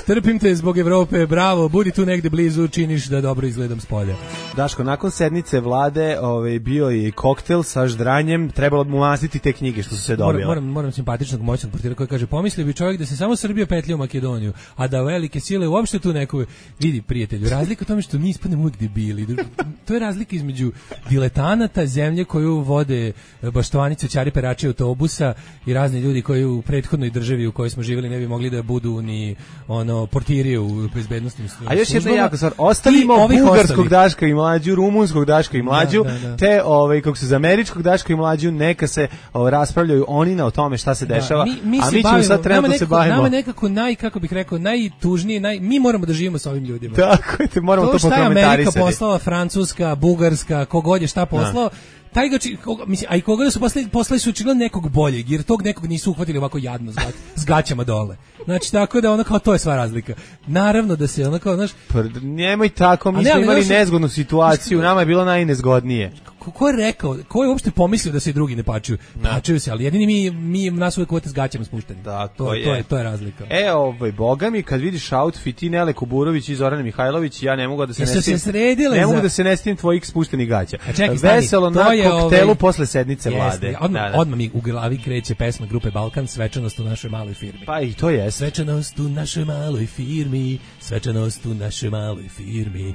trpim te zbog Evrope, bravo, budi tu negde blizu, činiš da dobro izgledam s polja. Daško, nakon sednice vlade bio je koktel sa ždranjem, trebalo mu mastiti te knjige što su se dobile. Moram simpatičnog moćnog portira koji kaže, pomislio bi čovjek da se samo Srbija petlja u Makedoniju, a da velike sile uopšte tu neku, vidi prijatelju, razlika u tome što mi ispadnemo uvijek debili. To je razlika između diletanata, zemlje koju vode baštovanice, čari perači autobusa i razni ljudi koji u prethodnoj državi u kojoj smo živjeli ne bi mogli da budu ni portirije u bezbednostnim službama. A još jedna jako stvar, ostavimo bugarskog Daška i mlađu, rumunskog Daška i mlađu, te kako se za američkog Daška i mlađu neka se raspravljaju oni na o tome šta se dešava, a mi ćemo sad trenutno se bavimo. Nama nekako kako bih rekao, najtužnije, mi moramo da živimo sa ovim ljudima. Tako je, moramo to pokomentarisati. To šta je Amerika poslala, Francuska, Bugarska, kogod je šta poslao, taj a i koga da su poslali su očigledno nekog boljeg, jer tog nekog nisu uhvatili ovako jadno s gaćama dole. Znači, tako da kao to je sva razlika. Naravno da se kao, znaš... Nemoj tako, mi smo imali nezgodnu situaciju, nama je bilo najnezgodnije. Ko je rekao, ko je uopšte pomislio da se i drugi ne pačuju? Pačuju se, ali jedini mi nas uvek uvete s gaćama spušteni. To je razlika. Boga mi, kad vidiš outfit i Nele Kuburović i Zorana Mihajlović, ja ne mogu da se mogu da se ne stim tvojih spuštenih gaća. Veselo na koktelu posle sednice vlade. Odmah mi u glavi kreće pesma grupe Balkan, Svečanost u našoj maloj firmi. Pa i to je. Svečanost u našoj maloj firmi, svečanost u našoj maloj firmi.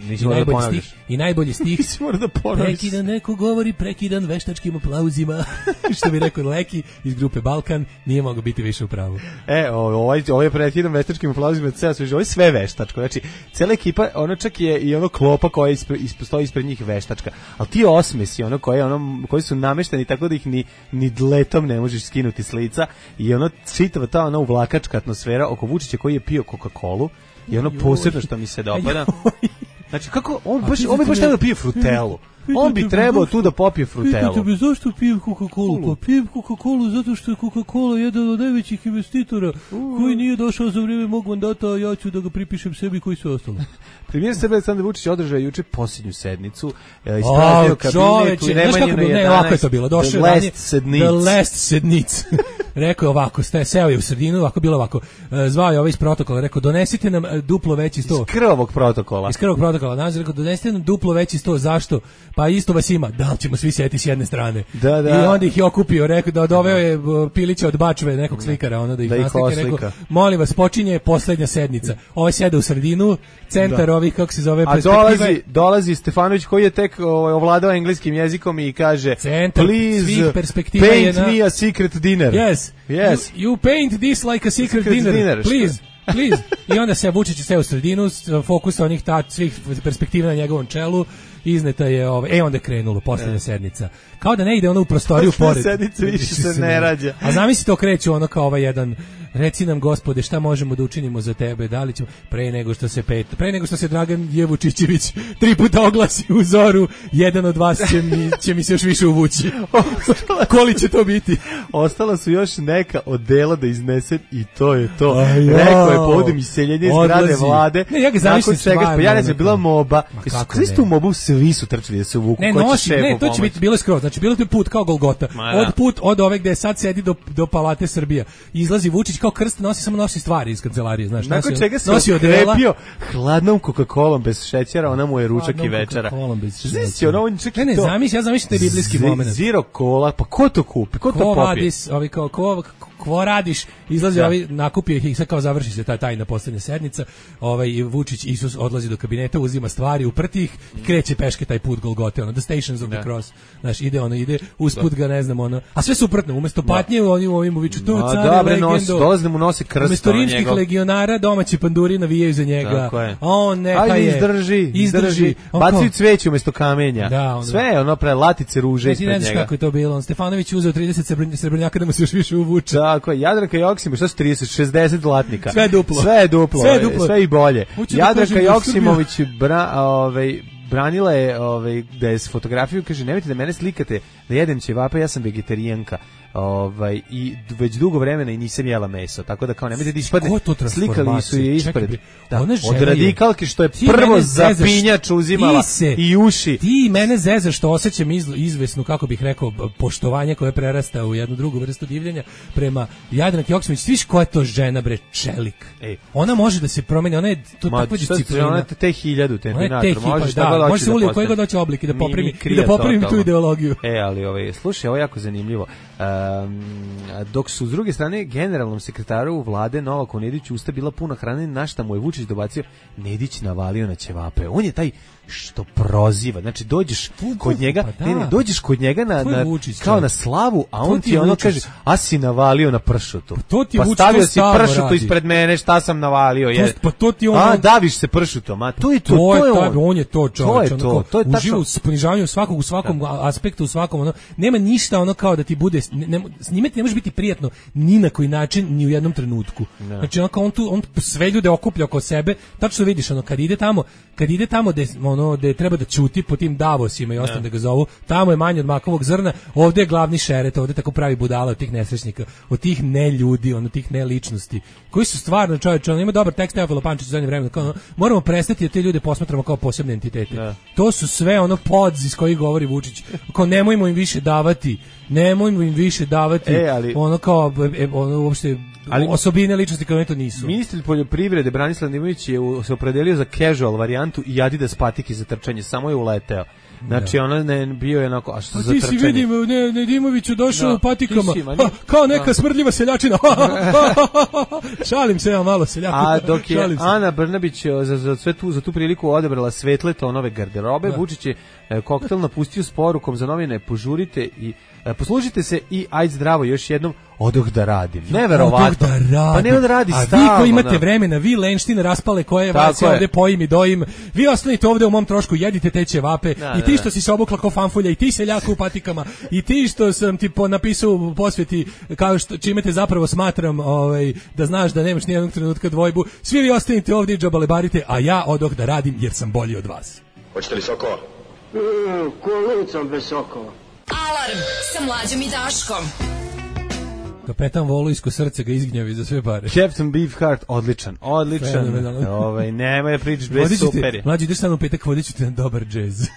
I najbolji stih. Prekidan neko govori, prekidan veštačkim aplauzima. Što bi rekao Leki iz grupe Balkan, nije mogao biti više u pravu. Ovo je prekidan veštačkim aplauzima, ovo je sve veštačko. Znači, cela ekipa, ono čak je i ono klopa koja stoji ispred njih veštačka. Ali ti osmesi, koji su namešteni tako da ih ni dletom ne možeš skinuti s lica, i čitava ta uvlakačka atmosfera oko Vučića koji je pio Coca-Colu i posebno što mi se dopada. Znači, kako, on bi baš trebao da pije frutelu. On bi trebao tu da popije frutelu. Pitate me zašto pijem Coca-Colu? Pa pijem Coca-Colu zato što je Coca-Cola jedan od najvećih investitora koji nije došao za vrijeme mog mandata, a ja ću da ga pripišem sebi koji su ostalo. Premijer Srbije Aleksandar Vučić održao juče posljednju sednicu, ispraznio kabinet u Nemanjinu 11. Ovako je to bilo. The last sednic. Rekao je ovako, seo je u sredinu, ovako bilo ovako. Zvao je ovaj iz protokola, rekao donesite nam duplo veći sto. Iz krvavog protokola. Znači, rekao donesite nam duplo veći sto, zašto? Pa isto vas ima, da ćemo svi sjeti s jedne strane. I onda ih je okupio, rekao doveo je Pilića od Bačve, nekog slikara, da ih naslike, rekao, molim vas, počinje poslednja sednica. Ovaj sjede u sredinu, centar ovih, kako se zove, perspektive. A dolazi Stefanović koji je tek ovladao engleskim jezikom i kaže, please paint me a secret dinner. Yes. You paint this like a secret dinner, please. I onda se Vučić sve u sredinu, fokus onih svih perspektiva na njegovom čelu, izneta je onda je krenulo poslednja sednica. Kao da ne ide ono u prostoriju pored. Sednica više se ne rađa. A zamisli to kreće ono kao jedan reci nam Gospode šta možemo da učinimo za tebe, da li ćemo pre nego što se Dragan Jevučićević 3 puta oglasi u Zoru, jedan od vas će mi se još više uvući. Koli će to biti? Ostala su još neka odela da iznese i to je to. Rekao je povodom iseljenja iz zgrade vlade. Ne, ja ga zamišljam stvarno. Ja ne znam, bila moba. Kristu u mobu svi su trčali da se uvuku. Ne, to će biti bilo skroz. Znači, bilo je put kao Golgota. Od ove gde sad sedi do Palate Srbija. Izlazi Vučić kao krst, nosi stvari iz kancelarije, znaš. Nakon čega se okrepio hladnom Coca-Colom bez šećera, ona mu je ručak i večera. Znači, ne, ja zamislim taj biblijski moment. Zero cola, pa ko to kupi? Ko to popije? Ko radiš, izlazi nakupio ih i sad kao završi se ta tajna poslednja sednica, Vučić Isus odlazi do kabineta, uzima stvari, uprti ih i kreće peške taj put Golgote, the Stations of the Cross, znaš, ide usput ga, ne znam, a sve suprotno, umesto patnje, ovim uviču, tu car je legendo, dolazi mu nosi krst, umesto rimskih legionara, domaći panduri navijaju za njega, on neka je, izdrži, bacaju cveće umesto kamenja, sve, latice ruže ispred njega. Ti ne znaš kako je to bilo, Stefanović uzeo 30 srebrnjaka da mu se još više uvuče. Tako je, Jadranka Joksimović, što su 30, 60 zlatnika. Sve duplo. Sve i bolje. Jadranka Joksimović branila je da je s fotografiju, kaže, nemojte da mene slikate da jedem ćevape, ja sam vegetarijanka. I već dugo vremena i nisam jela meso, tako da kao nemojte da ispadne, slikali su je ispred od radikalke što je prvo zapinjač uzimala i uši. Ti mene zezaš što osjećam izvesnu, kako bih rekao, poštovanje koje prerasta u jednu drugu vrstu divljenja prema Jadranki Joksimović. Sviš koja je to žena, bre, čelik. Ona može da se promeni, ona je to takva disciplina. Ona je te 1000 terminator, može se uli u koji god hoće oblik i da popravi tu ideologiju. Ali slušaj, ovo je jako zanimljivo. Dok su s druge strane generalnom sekretaru vlade Novaku Nediću usta bila puna hrane, na šta mu je Vučić dobacio, Nedić navalio na ćevape. On je taj što proziva, znači dođeš kod njega, dođeš kod njega kao na slavu, a on ti ono kaže, a si navalio na pršutu. Pa stavio si pršutu ispred mene, šta sam navalio? Pa to ti on... A, daviš se pršutom, a to je to. On je to čovječ. To je uživa u ponižavanju u svakom aspektu, u svakom, nema ništa ono kao da ti bude, s njime ti ne može biti prijatno ni na koji način, ni u jednom trenutku. Znači on sve ljude okuplja oko sebe, tačno vidiš, kad ide tamo gde treba da ćuti po tim Davosima i ostane da ga zovu, tamo je manje od makovog zrna, ovdje je glavni šeret, ovdje tako pravi budala od tih nesrećnika, od tih neljudi, tih neličnosti, koji su stvarno čovječe, ima dobar tekst Teofilo Pančić u zadnje vreme, moramo prestati da te ljude posmatramo kao posebne entitete. To su sve pods iz kojih govori Vučić, nemojmo im više davati, uopšte osobine ličnosti kao to nisu. Ministar poljoprivrede Branislav Nedimović je se opredelio za casual varijantu i Adidas patike za trčanje, samo je uleteo. Znači ne bio je onako, a što za trčanje? Ti si vidim Nedimoviću došao u patikama, kao neka smrdljiva seljačina. Šalim se ja malo seljaku. A dok je Ana Brnabić za tu priliku odabrala svetle tonove garderobe, Vučić je koktel napustio s porukom za novine, požurite i poslužite se i ajde zdravo još jednom, odoh da radim. Neverovatno. Pa ne on radi stalno. A vi koji imate vremena, vi lenštine raspale koje vas ovde pojim i dojim, vi ostanite ovde u mom trošku, jedite te ćevape, i ti što si se obukla kao fanfulja, i ti seljaka u patikama, i ti što sam ti napisao u posveti, kao što čime te zapravo smatram da znaš da nemaš nijednog trenutka dvojbu, svi vi ostanite ovde i džabalebarite, a ja odoh da radim jer sam bolji od vas. Hoćete li sokova? Kolicom bez sokova. Alarm sa Mlađom i Daškom. Kapetan Volujsko srce ga izgnjavi za sve pare. Captain Beefheart, odličan. Nemoj da pričaš bez super. Mlađi, ideš sad u petak, vodit ću te na dobar džez.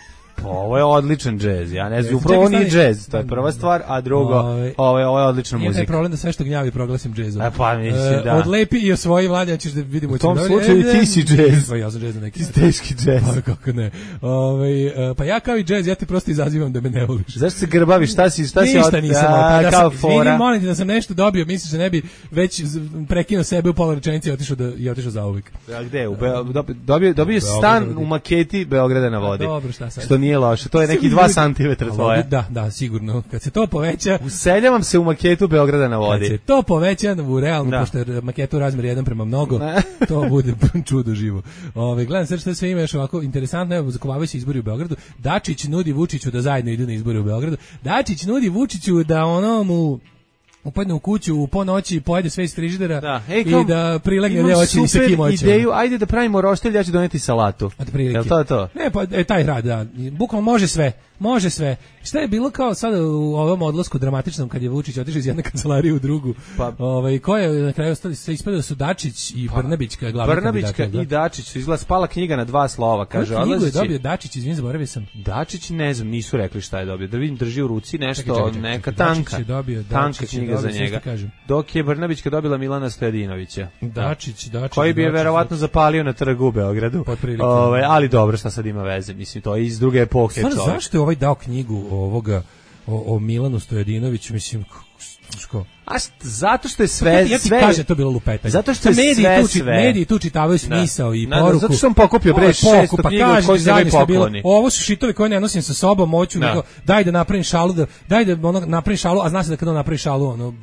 Ovo je odličan džez, ja ne znam, upravo nije džez, to je prva stvar, a drugo, ovo je odlična muzika. Nije taj problem da sve što gnjavi proglasim džezom. Pa mislim, da. Odlepi i osvoji Mlađa, ćeš da vidimo. U tom slučaju ti si džez. Pa ja sam džez na neki. Teški džez. Pa kako ne. Pa ja kao i džez, ja te prosto izazivam da me ne voliš. Zašto se grbaviš, šta si ništa nisam, kao fora. Vidim, molim ti da sam nešto dobio, misliš da ne bi već prekinuo sebe u pola rečenice i otišao zauvek. A gde? Dobio stan u maketi Beograda na vodi. Dobro, šta sad? Što nije loše, to je neki 2 cm tvoje. Da, sigurno. Kad se to poveća... Useljavam se u maketu Beograda na vodi. Kad se to poveća u realnu, pošto je maketu razmer 1:mnogo, to bude čudo živo. Gledam sad što sve ima još ovako interesantno, evo, zakovavaju se izbori u Beogradu. Dačić nudi Vučiću da zajedno idu na izbore u Beogradu. Dačić nudi Vučiću da mu upadne u kuću po noći, pojede sve iz frižidera i da prilegne gdje hoće sa kim hoće. Ideju, ajde da pravimo roštilj, ja ću doneti salatu. Jel to? Ne, pa taj rad, da. Bukvalno može sve. Šta je bilo kao sada u ovom odlasku dramatičnom kad je Vučić otišao iz jedne kancelarije u drugu? Ko je na kraju ostali, sve ispadao su Dačić i Brnabićka glavni kandidati. Brnabićka i Dačić su izgleda spala knjiga na 2 slova, kaže. Koju knjigu je dobio Dačić, izvin, zaboravio sam. Dačić, ne znam, nisu rekli šta je dobio. Da vidim, drži u ruci nešto, neka tanka. Tanka knjiga za njega. Dok je Brnabićka dobila Milana Stojadinovića. Dačić. Koji bi je verovatno zapalio na trgu u Beogradu. Ali dobro, šta sad ima veze? Mislim, to je iz druge epohe. Zašto je ovaj dao knjigu o Milanu Stojadinoviću, mislim, zato što je sve ja ti kažem, to bilo lupetanje. Zato što je sve mediji tu čitavaju smisao i poruku. Zato što on pokupio 600 knjiga od kojih se ne pokloni. Ovo su šitovi koje ne nosim sa sobom, hoću nego daj da napravim šalu, napravim šalu, a zna se da kada on napravi šalu,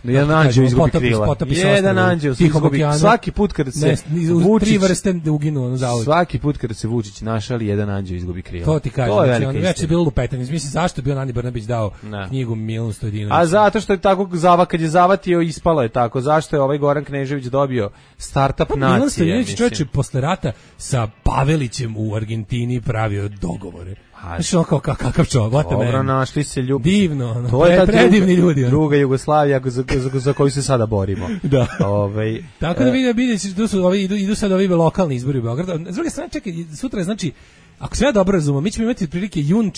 jedan anđeo izgubi krila. Jedan anđeo izgubi. Svaki put kada se Vučić 3 vrste uginu zauvek. Svaki put kada se Vučić našali, jedan anđeo izgubi krila. To ti kažem, on već je bilo lupetanje. Mislim zašto bi Ani Brnabić dao knjigu Milanu Stojadinoviću? A zato što je tako kad je zavatio, ispalo je tako. Zašto je ovaj Goran Knežević dobio startup nacije? Milan Stojadinović čovjek posle rata sa Pavelićem u Argentini pravio dogovore. Znaš ono kao kakav čovjek, dobro, našli se ljudi. Divno, to je predivni ljudi. Druga Jugoslavija za koju se sada borimo. Da. Tako da vidiš, idu sad ovi lokalni izbori u Beogradu. S druge strane, čekaj, sutra je, znači, ako sve ja dobro razumem, mi ćemo imati otprilike jun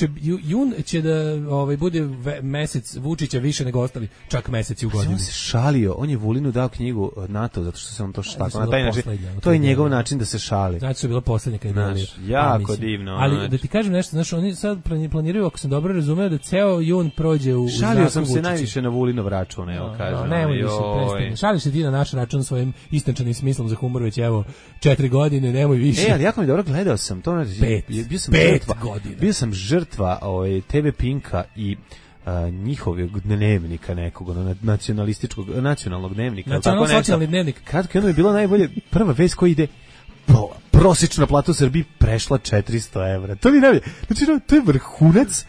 će da bude mesec Vučića više nego ostali, čak meseci u godini. On se šalio, on je Vulinu dao knjigu NATO, zato što se on to tako na taj način. To je njegov način da se šali. Znači su bila poslednja kad je jako divno. Ali da ti kažem nešto, znači oni sad planiraju, ako sam dobro razumeo, da ceo jun prođe u šalio sam se najviše na Vulinov račun, evo kažem. Nemoj više, prestani. Šališ se ti na naš račun svojim istančanim smislom za humor već evo 4 godine, nemoj više. Ali jako mi dobro gledao sam to. Bio sam žrtva TV Pinka i njihovog dnevnika nekog, nacionalnog dnevnika. Nacionalno-socijalni dnevnik. Kratko jedno je bilo najbolje, prva vest koja ide, prosječna plata u Srbiji prešla 400 evra. To mi najbolje. Znači, to je vrhunac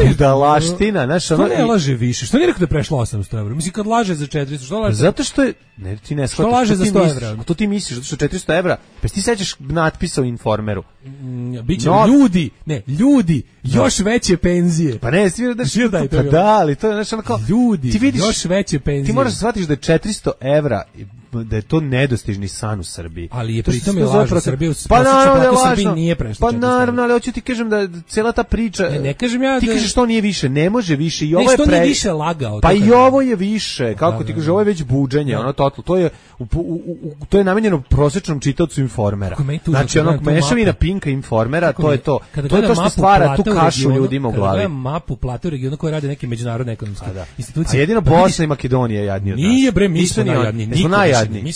budalaština. Što ne laže više? Što nije rekao da je prešla 800 evra? Mislim, kad laže za 400, što laže? Zato što je... Ne, ti ne shvataš. Što laže za 100 evra? To ti misliš, zato što 400 evra. Pa ti sećaš natpisa u Informeru. Biće ljudi, još veće penzije. Pa ne, svi ali to je nešto ono kao... Ljudi, još veće penzije. Ti moraš shvatiti da je 400 evra da je to nedostižni san u Srbiji. Ali je pritom je lažno Srbiju. Pa naravno da je lažno. Nije prešlo. Pa naravno, ali hoću ti kažem da cela ta priča. Ne kažem ja da. Ti kažeš što nije više, ne može više i ovo je nije više lagao. Pa i ovo je više, kako ti kažeš, ovo je već buđenje, ono total. To je namenjeno prosječnom čitaocu Informera. Znači onog mešavina Pinka Informera, to je to. To je to što stvara tu kašu ljudima u glavi. Kada mapu plate u regionu koje rade neke međunarodne ekonomske institucije. A jedino Bosna i Makedonija jadniji od nas. Nije bre, mi smo najjadniji. Mi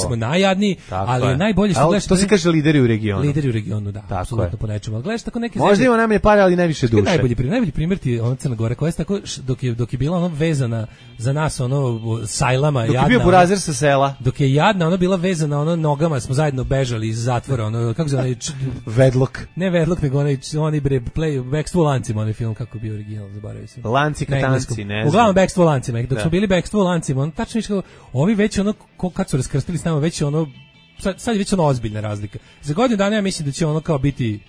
smo najjadniji, ali najbolje što gledaš. To se kaže lideri u regionu. Lideri u regionu, da, apsolutno po nečemu. Ali gledaš tako neke. Možda ima najmanje pare, ali najviše duše. Najbolji primjer ti je ona Crna Gora koja je tako dok je bila ono vezana za nas ono sajlama jadna. Dok je bio burazer sa sela. Dok je jadna ona bila vezana ono nogama, smo zajedno bežali iz zatvora, ono kako se onaj Vedlok. Ne Vedlok, nego onaj bre Backstreet lancima, onaj film kako bio original, zaboravio sam. Lanci katanci, ne znam. Uglavnom Backstreet lancima, dok su bili Backstreet lancima, on tačno kao ovi već ono kad su raskrstili s nama već ono sad je već ono ozbiljna razlika. Za godinu dana ja mislim da će ono kao biti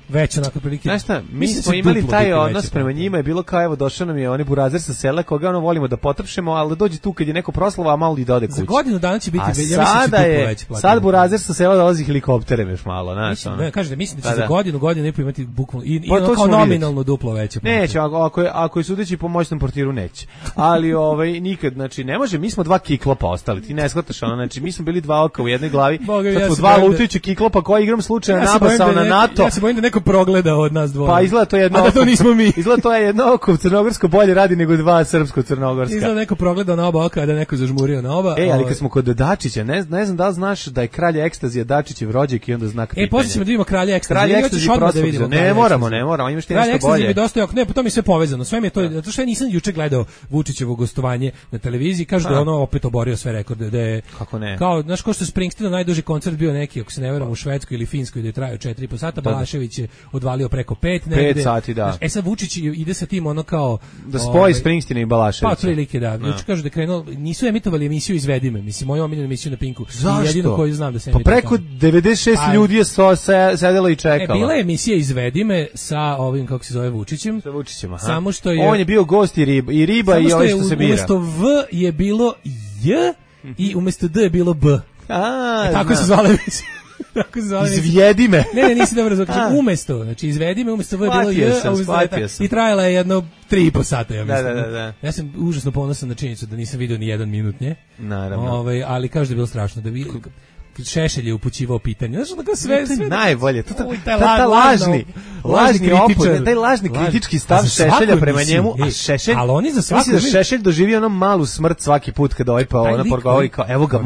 već onako prilike. Znaš šta, mi smo imali taj odnos prema njima, je bilo kao evo došao nam je oni burazer sa sela koga ono volimo da potrpšemo, ali da dođe tu kad je neko proslava, a malo i da ode kući. Za godinu dana će biti, ja mislim da će veći plati. Sad burazer sa sela dolazi helikopterem još malo, znaš ono. Kažete, mislim da će za godinu ne imati bukvalno i ono kao nominalno duplo veće. Neće, ako je sudeći po moćnom portiru neće. Ali nikad, znači ne može, mi smo dva kiklopa ostali. Ti ne shvataš ono, znači mi smo bili dva oka u jednoj glavi. glavi. Sad smo dva lutajuća kiklopa koja igram slučajno nabasao na NATO. Ja se bojim da neko progleda od nas dvoje. Pa izgleda to jedno. A da to nismo mi. Izgleda to je jedno oko crnogorsko bolje radi nego dva srpsko-crnogorska. Izgleda neko progledao na oba oka, da neko zažmurio na oba. Ali kad smo kod Dačića, ne znam da li znaš da je kralj ekstazija Dačićev rođak i onda znak pitanja. Posle ćemo da vidimo kralja ekstazije. Kralj ekstazije da vidimo. Ne moramo, imaš ti nešto bolje. Mi dosta, ne, pa to mi sve povezano. Sve mi je to, zato što ja nisam juče gledao Vučićevo gostovanje na televiziji, kaže da ono opet oborio sve rekorde, da je kako ne. Kao, znaš, ko što Springsteenov najduži koncert bio neki, ako se ne varam, u Švedskoj ili Finskoj, da je trajao 4,5 sata, Balašević je odvalio preko 5 negde. 5 sati, da. Znaš, sad Vučić ide sa tim ono kao da spoji Springsteena i Balaševića. Pa otprilike da. Juče kažu da krenuo, nisu emitovali emisiju Izvedi me, mislim moju omiljenu emisiju na Pinku. Jedino koju znam da se emituje. Pa preko 96 ljudi je sedelo i čekalo. Bila je emisija Izvedi me sa ovim, kako se zove, Vučićem. Sa Vučićem, aha. Samo što je on je bio gost i riba i ovo što se bira. Umesto V je bilo J i umesto D je bilo B. Tako se zvala emisija. Izvedi me. Ne, nisi dobro zvao. Umesto, znači izvedi me, umesto V je bilo J, i trajala je jedno 3,5 sata, ja mislim. Da. Ja sam užasno ponosan na činjenicu da nisam vidio ni 1 minut nje. Naravno. Ali kaže da je bilo strašno, da vi Šešelj je upućivao pitanje. Znaš, tako sve najbolje. Taj lažni opod, taj lažni kritički stav Šešelja prema njemu, a Šešelj, ali oni za svaku Šešelj doživio ono malu smrt svaki put kada ovaj pa ona progovori kao evo ga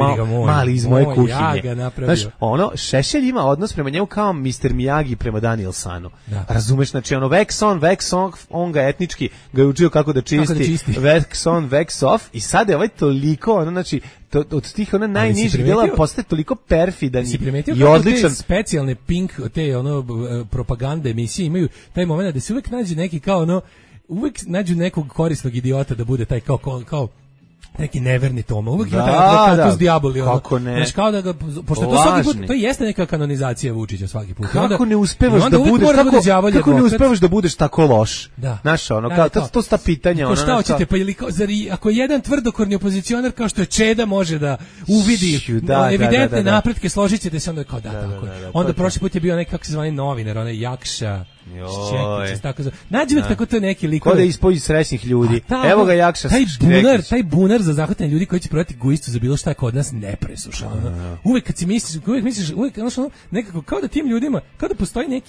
mali iz moje kuhinje. Znaš, ono Šešelj ima odnos prema njemu kao Mr. Miyagi prema Danielsanu. Razumeš, znači ono wax on, on ga etnički ga je učio kako da čisti, wax on, wax off i sad je ovaj toliko, ono znači od tih ona najnižih dela postaje toliko perfidan i odličan. Te specijalne Pink, te ono propagande emisije imaju taj moment da se uvek nađe neki kao ono, uvek nađu nekog korisnog idiota da bude taj kao neki neverni Toma. Uvijek ima taj s diaboli. Kako ne? Znaš, kao da ga, pošto to svaki put, to jeste neka kanonizacija Vučića svaki put. Kako ne uspevaš da budeš tako loš? Znaš, ono, to sta pitanja. Ko šta hoćete, pa ili ako jedan tvrdokorni opozicionar kao što je Čeda može da uvidi evidentne napretke, složit ćete se onda kao tako. Onda prošli put je bio neki, kako se zvani novinar, onaj Jakša, nađi me tako to neki lik. Kod je ispođi srećnih ljudi. Evo ga Jakša. Taj bunar za zahvatanje ljudi koji će prodati guistu za bilo šta kod nas ne presuša. Uvek kad si misliš, nekako kao da tim ljudima, kao da postoji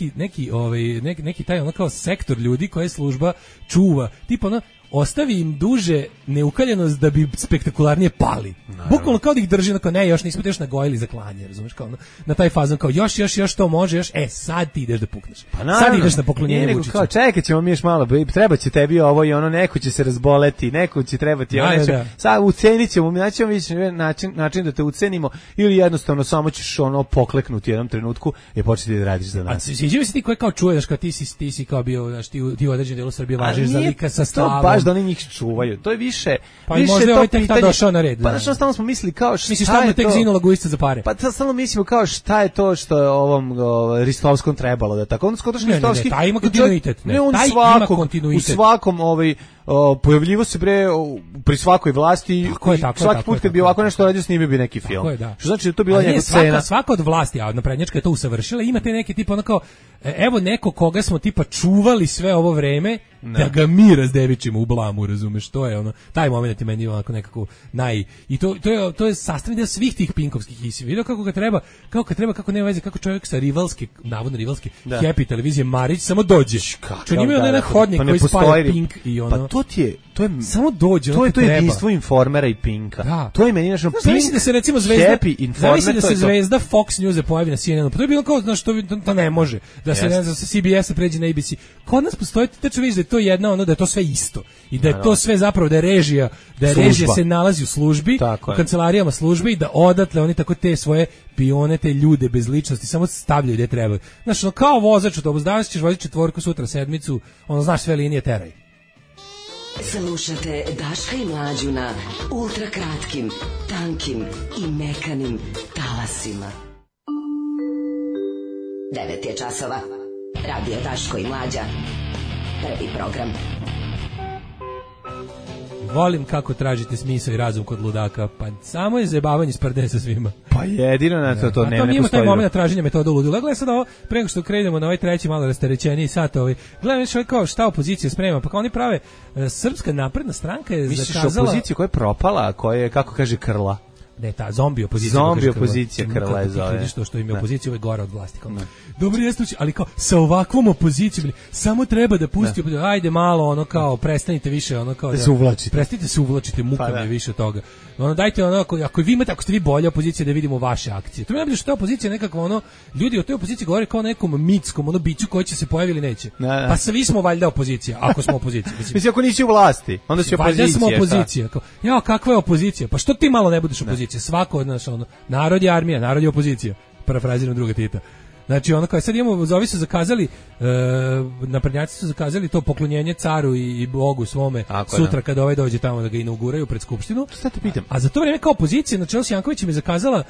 neki taj ono kao sektor ljudi koje služba čuva. Tipa ono, ostavi im duže neukaljenost da bi spektakularnije pali. Bukvalno kao da ih drži, onako, ne, još nismo te još nagojili za klanje, razumeš, kao na taj fazon, kao još to može, sad ti ideš da pukneš. Sad ideš na poklonjenje Vučiću. Kao, čekaj ćemo mi još malo, treba će tebi ovo i ono, neko će se razboleti, neko će trebati, sad ucenit ćemo, naći način da te ucenimo, ili jednostavno samo ćeš ono pokleknuti u jednom trenutku i početi da radiš za nas. Sviđa mi se ti koje kao čuješ, kao ti si kao bio, znaš, ti u određenom delu Srbije važiš za lika sa stavom. Da oni njih čuvaju. To je više možda je ovaj tek tad došao na red. Pa stalno smo mislili kao šta misliš, je to? Tek zinula guista za pare. Pa stalno mislimo kao šta je to što je ovom Ristovskom trebalo da tako. On skotaš Ristovski. Taj ima kontinuitet. U svakom pojavljivo se pri svakoj vlasti. Svaki put kad bi ovako nešto radio snimio bi neki film. Što znači da to bila njegova scena. Svaka od vlasti, a naprednjačka je to usavršila, ima te neke tipa onako, evo neko koga smo tipa čuvali sve ovo vreme, da ga mi razdevičimo u blamu, razumeš, to je ono, taj moment je meni onako nekako i to je sastavni deo svih tih pinkovskih i si vidio kako nema veze, kako čovjek sa navodno rivalske Happy televizije Marić samo dođe. Što njima je onaj hodnik koji spaja Pink i ono. Pa to je samo dođe, to je jedinstvo Informera i Pinka. To je meni našo Pink. Zamisli da se recimo zvezda Fox News pojavi na CNN-u. Pa to je bilo kao, znaš, to ne može. Da se ne znam, sa CBS-a pređe na ABC. Kod nas postoji, tačno vidiš da je to jedna ono, da je to sve isto. I da je to sve zapravo, da je režija se nalazi u službi, u kancelarijama službe i da odatle oni tako te svoje pione, te ljude bez ličnosti samo stavljaju gde trebaju. Znaš, ono, kao vozač autobus, danas ćeš voziti 4, sutra 7, ono, znaš, sve linije teraj. Slušate Daška i Mlađu na ultrakratkim, tankim i mekanim talasima. 9 je časova. Radio Daško i Mlađa. Prvi program. Volim kako tražite smisao i razum kod ludaka, pa samo je zajebavanje sprde sa svima. Pa jedino na to ne postoji. Ima taj moment traženja metoda ludila. Gledaj sad ovo, preko što krenemo na ovaj treći malo rasterećeniji sat, gledaj više kao šta opozicija sprema, pa kao oni prave, Srpska napredna stranka je zakazala... Misliš opoziciju koja je propala, koja je, kako kaže, krla? Ne, ta zombi opozicija. Zombi opozicija Krle zove. Što im je opozicija uvek gore od vlasti. Dobro jeste, ali kao sa ovakvom opozicijom, samo treba da pusti, ajde malo, ono kao, prestanite više, ono kao, da se uvlačite. Prestanite se uvlačite, muka mi je više toga. Ono, dajte ono, ako vi imate, ako ste vi bolja opozicija, da vidimo vaše akcije. To mi najbolje što je opozicija nekakva, ono, ljudi o toj opoziciji govore kao nekom mitskom, ono, biću koji će se pojavi ili neće. Pa svi smo valjda opozicija, ako smo opozicija. Mislim, ako nisi u vlasti, onda si opozicija. Valjda smo opozicija. Ja, kakva je opozicija? Pa što ti malo ne budeš opozicija? Svako od nas, ono, narod je armija, narod je opozicija. Parafraziram druga Tita. Znači, ono kao sad imamo, ovi su zakazali, naprednjaci su zakazali to poklonjenje caru i Bogu svome sutra kada ovaj dođe tamo da ga inauguraju pred skupštinu. Šta te pitam? A za to vreme kao opozicija na čelu s Jankovićem je zakazala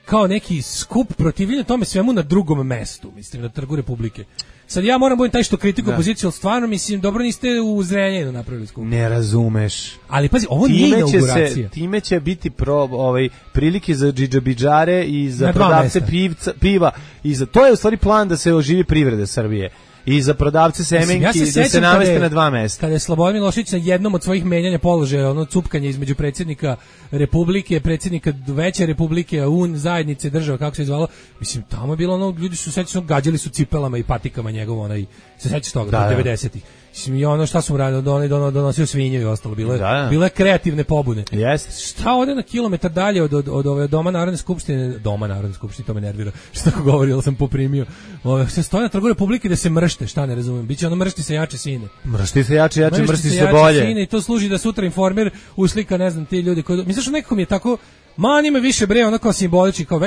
kao neki skup protivljenja tome svemu na drugom mestu, mislim, na Trgu Republike. Sad ja moram budem taj što kritiku opoziciju, ali stvarno, mislim, dobro niste u Zrenjaninu napravili skup. Ne razumeš. Ali pazi, ovo nije inauguracija. Time će biti prilike za džidžabidžare i za prodavce piva. To je u stvari plan da se oživi privrede Srbije. I za prodavce semenki da se nameste na 2 mesta. Kada je Slobodan Milošević na jednom od svojih menjanja položaja, ono cupkanje između predsjednika Republike, predsjednika veće Republike, zajednice država, kako se je zvalo, mislim, tamo je bilo ono, ljudi su sećali, gađali su cipelama i patikama njegovo, onaj, se sećaš toga, 90-ih. Mislim, i ono šta su radili, donosio svinje i ostalo, bile kreativne pobune. Šta ode na kilometar dalje od ove Doma Narodne skupštine, to me nervira, što tako govori, ali sam poprimio, se stoje na Trgu Republike da se mršte, šta ne razumijem, biće ono mršti se jače sine. Mršti se jače, mršti se bolje. Sine, i to služi da sutra Informer uslika, ne znam, ti ljudi koji, misliš, nekako mi je tako, njima više bre, ono kao simbolički, kao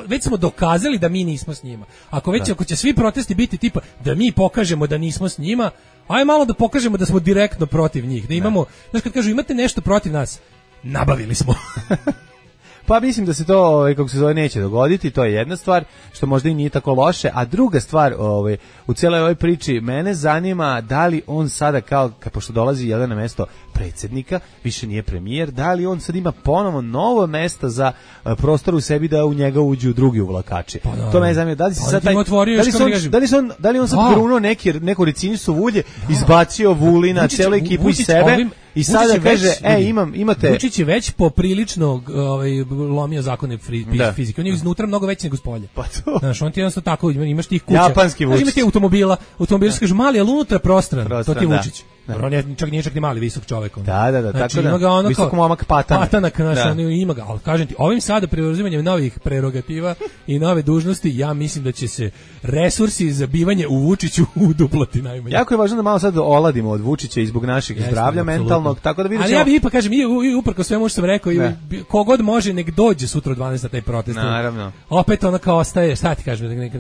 već smo dokazali da mi nismo s njima. Ako će svi protesti biti tipa da mi pokažemo da nismo s njima, aj malo da pokažemo da smo direktno protiv njih, da imamo, znaš, kad kažu imate nešto protiv nas, nabavili smo. Pa mislim da se to, kako se zove, neće dogoditi, to je jedna stvar, što možda i nije tako loše, a druga stvar u cijeloj ovoj priči, mene zanima da li on sada pošto dolazi jedan na mesto predsjednika, više nije premijer, da li on sad ima ponovo novo mesto za prostor u sebi da u njega uđu drugi uvlakači. To me zanima, da li se sad da li on sad grunuo neku ricinicu ulje, izbacio Vulina, celu ekipu iz sebe i sada kaže, imate... Vučić je već poprilično lomio zakone fizike. On je iznutra mnogo veći nego spolje. Pa to. Znaš, on ti jednostavno tako, imaš tih kuća. Japanski Vučić. Imaš ti automobili su kažu mali, ali unutra prostran. To ti je Vučić. On nije čak ni mali, visok čovjek. Da, znači, tako da, visok momak patanak, ima ga, ali kažem ti, ovim sada preuzimanjem novih prerogativa i nove dužnosti, ja mislim da će se resursi za bivanje u Vučiću uduplati najmanje. Jako je važno da malo sad oladimo od Vučića i zbog našeg zdravlja mentalnog, tako da vidimo. Ali ja bih ipak kažem, uprko svemu što sam rekao, kogod može nek dođe sutra u 12 na taj protest. Naravno. Opet ona kao ostaje, šta ti kažem,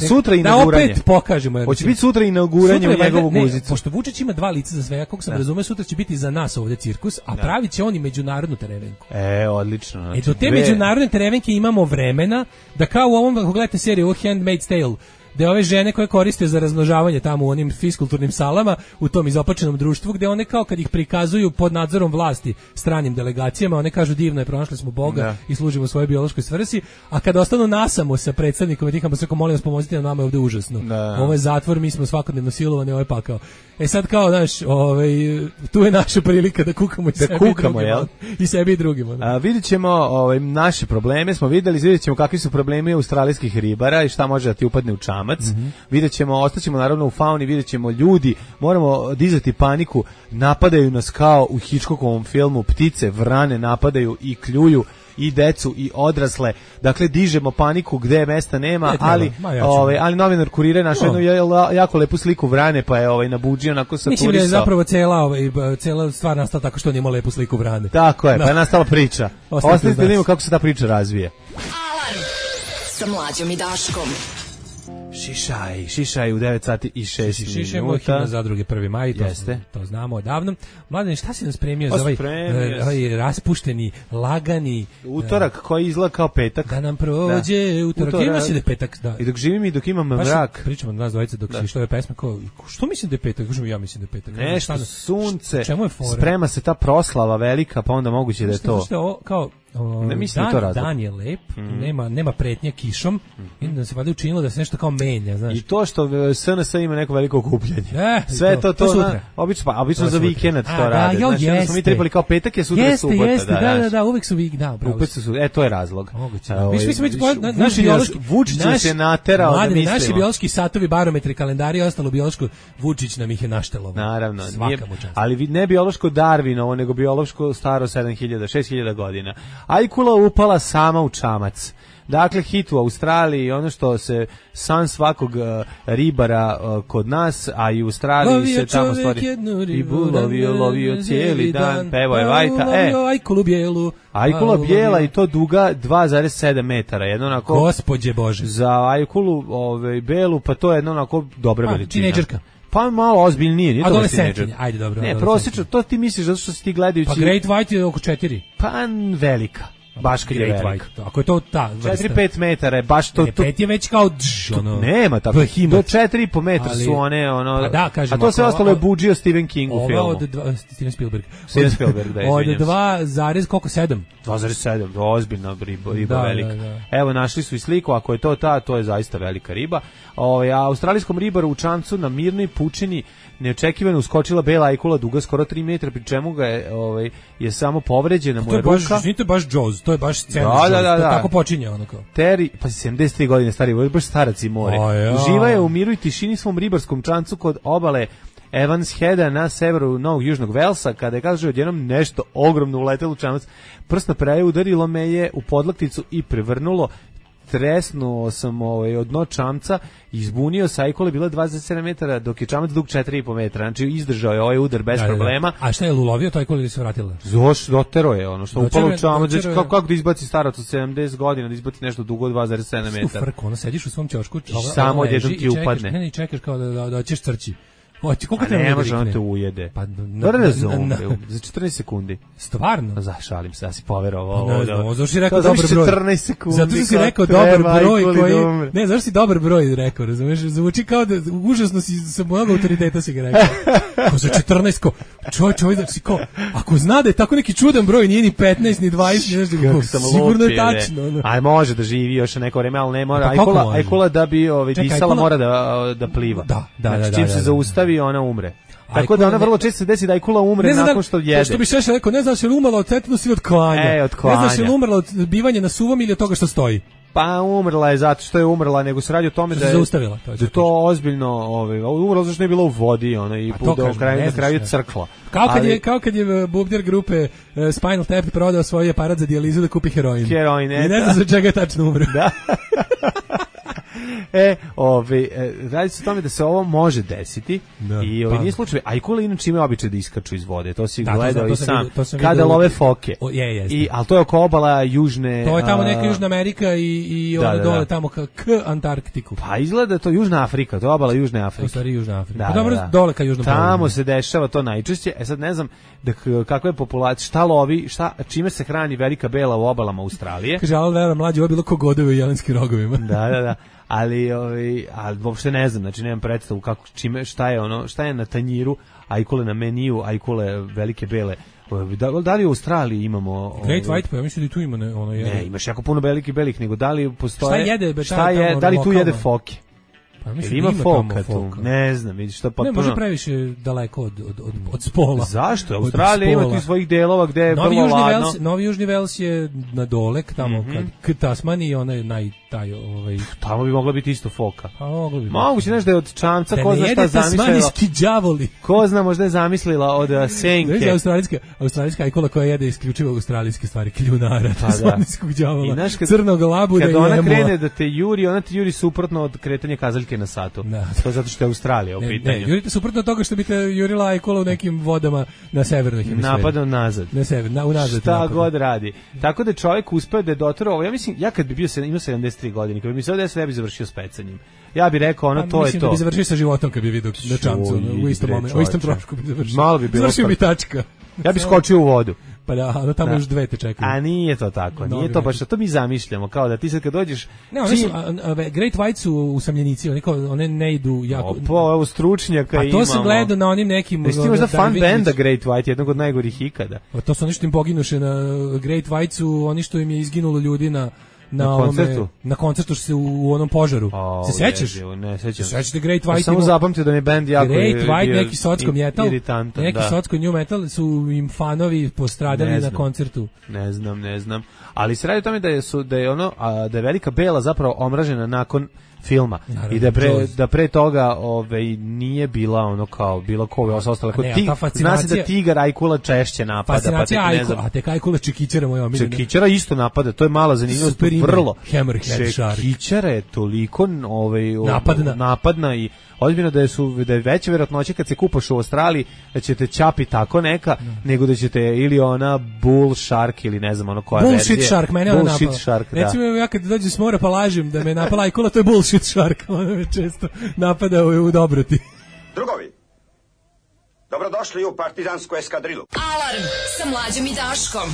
sutra inauguranje. Da opet pokažemo. Hoće biti sutra inauguranje u njegovu muzicu. Pošto Vučić ima 2 lica za sve, kako sam razumeo, sutra će biti za nas ovdje cirkus, a pravit će on i međunarodnu terevenku. Odlično. Znači, do te međunarodne terevenke imamo vremena da kao u ovom, ako gledate seriju Handmaid's Tale, gde ove žene koje koriste za razmnožavanje tamo u onim fiskulturnim salama, u tom izopačenom društvu, gde one kao kad ih prikazuju pod nadzorom vlasti stranim delegacijama, one kažu divno je, pronašli smo Boga i služimo svojoj biološkoj svrsi, a kad ostanu nasamo sa predsjednikom i tihamo se, molim vas pomozite nam, nama je ovdje užasno. Ovo je zatvor, mi smo svakodnevno silovani, ovo je pakao. Sad kao, znaš, tu je naša prilika da kukamo i sebi i drugima. Vidjet ćemo naše probleme, smo vidjet ćemo kakvi su problemi australijskih ribara i šta može da ti upadne u čamac. Vidjet ćemo, ostaćemo naravno u fauni, vidjet ćemo ljudi, moramo dizati paniku, napadaju nas kao u Hitchcockovom filmu, ptice, vrane napadaju i kljuju i decu i odrasle, dakle dižemo paniku gde mesta nema, ali novinar Kurira našao jednu jako lepu sliku vrane, pa je nabuđio onako sa turista. Mislim da je zapravo cela stvar nastala tako što on ima lepu sliku vrane. Tako je, pa je nastala priča. Ostanite da vidimo kako se ta priča razvije. Alarm sa Mlađom i Daškom. Šišaj u 9 sati i 6 minuta. Šišajmo himna Zadruge 1. maj, to znamo odavno. Mladen, šta si nam spremio za ovaj raspušteni, lagani utorak koji izgleda kao petak? Da nam prođe utorak. Ima se da je petak, da. I dok živim i dok imam mrak. Pričamo od nas dvojice dok se što je pesma, što mislim da je petak? Ja mislim da je petak. Nešto sunce, sprema se ta proslava velika, pa onda moguće da je to. Kao Ne mislim to razlog. Dan je lep, nema pretnje kišom, i da se valjda učinilo da se nešto kao menja, znaš. I to što SNS ima neko veliko okupljanje. Sve to sutra. Obično za vikend to rade. Znači, da smo mi trebali kao petak je sutra subota. Jeste, da, uvek su vikend, to je razlog. Naši Vučić se naterao da mislimo. Naši biološki satovi, barometri, kalendari i ostalo biološko, Vučić nam ih je naštelovao. Naravno, ali ne biološko Darwinovo, nego biološko staro 6000 godina. Ajkula upala sama u čamac. Dakle, hit u Australiji, ono što se san svakog ribara kod nas, a i u Australiji se tamo stvari ribu, lovio cijeli dan, pevo je Vajta. Ajkulu bijelu. Ajkula bijela i to duga 2,7 metara. Jedno onako, Gospodje Bože. Za ajkulu belu, pa to je jedno onako dobra veličina. Tinejdžerka. Pa malo ozbiljnije, nije to adolescentinja, ajde dobro. Ne, prosječno, to ti misliš zato što si ti gledajući... Pa Great White je oko 4. Pa velika. Baš kad je velika. Ako je to ta vrsta. 4-5 metara je baš to... 5 je već kao... Nema tako. Do 4,5 metra su one... A to sve ostalo je buđio Stephen King u filmu. Steven Spielberg. Steven Spielberg, da, izvinjam se. Od 2,7? 2,7, ozbiljna riba velika. Evo, našli su i sliku, ako je to to je zaista velika riba. Australijskom ribaru u čamcu na mirnoj pučini neočekivano uskočila bela ajkula duga skoro 3 metra, pri čemu ga je samo povređena mu je ruka. To je baš Jaws, to je baš scena Jaws, to tako počinje ono kao. Terry, pa 73 godine stari, baš starac i more. Uživa je u miru i tišini svom ribarskom čamcu kod obale Evans Heada na severu Novog Južnog Velsa, kada je, kaže, odjednom nešto ogromno uletelo u čamac. Prst na praje udarilo me je u podlakticu i prevrnulo. Tresnuo sam od dno čamca, izbunio se, ajkula bila 27 metara, dok je čamac dug 4,5 metra. Znači, izdržao je ovaj udar bez problema. A šta je ulovio to ajkula ili se vratila? Dotero je ono što upalo u čamac. Kako da izbaci starac od 70 godina, da izbaci nešto dugo 2,7 metara? Frko, ono sediš u svom ćošku, samo odjednom ti upadne. Ne, čekaš kao da ćeš crći. Ne može, on te ujede. Za 14 sekundi. Stvarno? Šalim se, ja si poverovao. Zašto si rekao dobar broj? 14 sekundi. Zato si rekao dobar broj koji... Ne, zašto si dobar broj rekao, razumiješ? Zvuči kao da užasno si sa mojeg autoriteta si ga rekao. Ko za 14, ko... Čovjek, znači ko... Ako zna da je tako neki čudan broj, nije ni 15, ni 20, sigurno je tačno. Aj, može da živi još neko vreme, ali ne mora. Ajkula da bi disala mora da pliva. Da. Čim se zaustavi, ona umre. Tako da ona vrlo često se desi da ajkula umre nakon što jede. Što bi še rekao, ne znaš je li umrla od tetanus ili od klanja. Od klanja. Ne znaš je li umrla od bivanja na suvom ili od toga što stoji. Pa umrla je zato što je umrla, nego se radi o tome da je zaustavila. Da to ozbiljno, umrla zato što je bila u vodi, i na kraju crkla. Kao kad je bubnjar grupe Spinal Tap prodao svoj aparat za dijalizu da kupi heroin. I ne znam za čega je tačno umro. Da. Radi se o tome da se ovo može desiti i nije slučaj. Ajkule inače imaju običaj da iskaču iz vode, to si gledao i sam. Kada love foke. Ali to je oko obala Južne... To je tamo neka Južna Amerika i dole tamo k Antarktiku. Pa izgleda to Južna Afrika, to je obala Južne Afrike. To je stvari Južna Afrika. Pa dobro, dole ka Južnom polu. Tamo se dešava to najčešće. Sad ne znam kakva je populacija, šta lovi, čime se hrani velika bela u obalama Australije. Kaže, ali vera mlađi, ovo je bilo ko godovi u jelenskim rogovima. Da. Ali uopšte ne znam, znači nemam predstavu šta je na tanjiru ajkule, na meniju ajkule velike bele. Da li u Australiji imamo Great White, pa ja mislim da tu ima Ne, imaš jako puno velikih belih, nego da li postoje... Šta jede? Da li tu jede foke? Pa mislim ima foka tu. Ne znam, vidiš što potpuno. Ne može previše daleko od spola. Zašto? Australija ima tih svojih delova gde je vrlo ladno. Novi Južni Vels je na dole, tamo k Tasmaniji, ona je tamo bi mogla biti isto foka. Pa moglo bi. Moguće nešto da je od čamca, ko zna šta zamislila. Tasmanijski đavoli. Ko zna, možda je zamislila od senke. Australijska ajkula koja jede isključivo australijske stvari, kljunara, tasmanijskog đavola, crnog labuda i kad ona krene da te juri, ona te juri suprotno od kretanja kazaljke na satu. To je zato što je Australija u pitanju. Ne, jurite suprotno toga što bi te jurila ajkula u nekim vodama na severnoj hemisferi. Napadom nazad. Unazad. Šta god radi. Tako da čovjek uspeo da je doterao, ja mislim, ja kad bi bio imao 73 godine, kad bi mi se ovdje ne bi završio s pecanjem. Ja bih rekao, to je to. Mislim da bi završio sa životom kad bi vidio na čamcu, u istom trošku bi završio. Malo bi bilo. Završio bi tačka. Ja bih skočio u vodu. pa da, ono tamo još 2 te čekaju. A nije to tako, nije to baš, to mi zamišljamo, kao da ti sad kad dođeš... Ne, one su, Great White su usamljenici, one ne idu jako... Evo stručnjaka imamo. A to sam gledao na onim nekim... Jesi ti možda fan benda Great White, jednog od najgorih ikada? A to su oni što im poginuše na Great White su oni što im je izginulo ljudi na koncertu što se u onom požaru. Se sećaš? Ne, sećam. Sećate Great White? Samo zapamtio da mi bend jako Great White, neki socko metal, neki da. socko new metal su im fanovi postradali na koncertu. Ne znam. Ali se radi o tome da je Velika Bela zapravo omražena nakon filma. Naravno, i da pre toga nije bila ono kao bilo ko ostale kod zna se da tigar Ajkula češće napada, fascinacija Ajkula, a tek Ajkula Čekićara moja omiljena. Čekićara isto napada, to je mala zanimljivost, vrlo. Hammerhead Shark. Čekićara je toliko napadna i ozbiljno da je veća vjerojatnoća kad se kupaš u Australiji da ćete ćapi tako neka, nego da ćete ili ona Bull Shark ili ne znam ono koja verzija. Bullshit Shark, mene ona napala. Shark, recimo ja kad dođem s mora pa lažem da me napala Ajkula, to je Bullshit Shark, ona me često napada u dobroti. Drugovi, dobrodošli u partizansku eskadrilu. Alarm sa Mlađom i Daškom.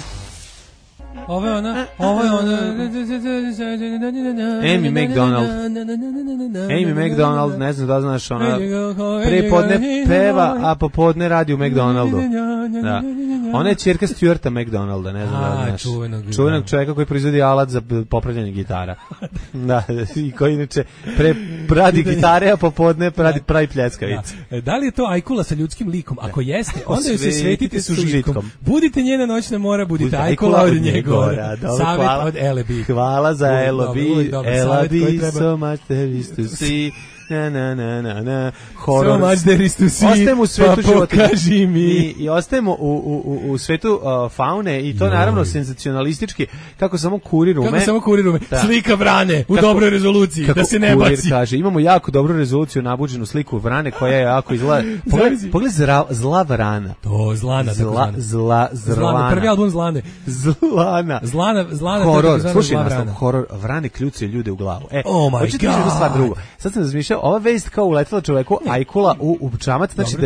Ovo je ona Amy McDonald, ne znam da znaš, ona prepodne peva, a popodne radi u McDonaldu. Da. Ona je ćerka Stuarta McDonalda, ne znam da znaš. Čuvenog čovjeka koji proizvodi alat za popravljanje gitara. Da, i koji inače radi gitare, a popodne pravi pljeskavice. Da li je to Ajkula sa ljudskim likom? Ako jeste, onda joj se svetite s užitkom. Budite njena noćna mora, budite Ajkula od njega. Savjet od Elebi. Hvala za Elebi. Elebi, so much there is to see. Na. Horror. So much there is to see. Ostajemo u svetu života. Pokaži mi. I ostajemo u svetu faune i to naravno senzacionalistički. Kako samo kurir ume. Slika vrane u dobroj rezoluciji. Da se ne baci. Kaže, imamo jako dobru rezoluciju, nabuđenu sliku vrane koja je jako izgleda. Pogledaj zla vrana. To, Zlana. Zlana. Prvi album Zlane. Zlana. Horror. Slušaj nastav. Horror. Vrane kljucaju ljude u glavu. Oh my God. Sad sam razmišljao, ova vest kao uletela čoveku Ajkula u čamac, znači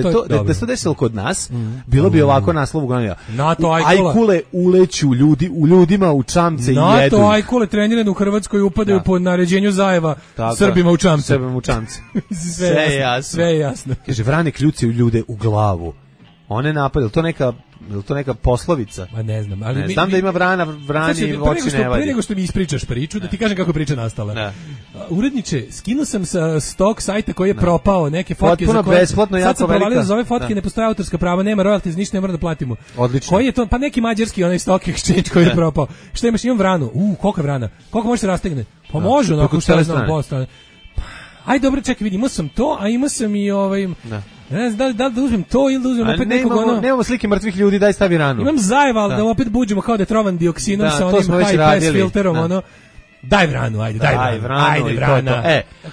da se to desilo kod nas, bilo bi ovako naslov uglavnom. Ajkule uleću u ljudima u čamce i jedu. NATO Ajkule trenirane u Hrvatskoj upadaju po naređenju Zajeva Srbima u čamce. Sve je jasno. Kaže, vrane kljucaju ljude u glavu. One napadaju, to neka poslovica? Ma ne znam, ali znam da ima vrani oči ne vadi. Pre nego što mi ispričaš priču, da ti kažem kako je priča nastala. Uredniče, skinuo sam sa stok sajta koji je propao, neke fotke za koje... Besplatno, jako velika. Sad sam provalio za ove fotke, ne postoje autorska prava, nema royalties, ništa ne mora da platimo. Odlično. Koji je to? Pa neki mađarski onaj stock exchange koji je propao. Šta imaš? Imam vranu. Koliko je vrana? Koliko može se rastegne? Pa može, onako šta znam, postane. Aj dobro, čekaj, vidi, imao sam to, a imao sam i ne znam da li uzmem to ili da uzmem opet nekog ono... Nemamo slike mrtvih ljudi, daj stavi ranu. Imam Zajeva, ali da opet buđemo kao da je trovan dioksinom sa onim high pass filterom, ono... Daj vranu, ajde vrana.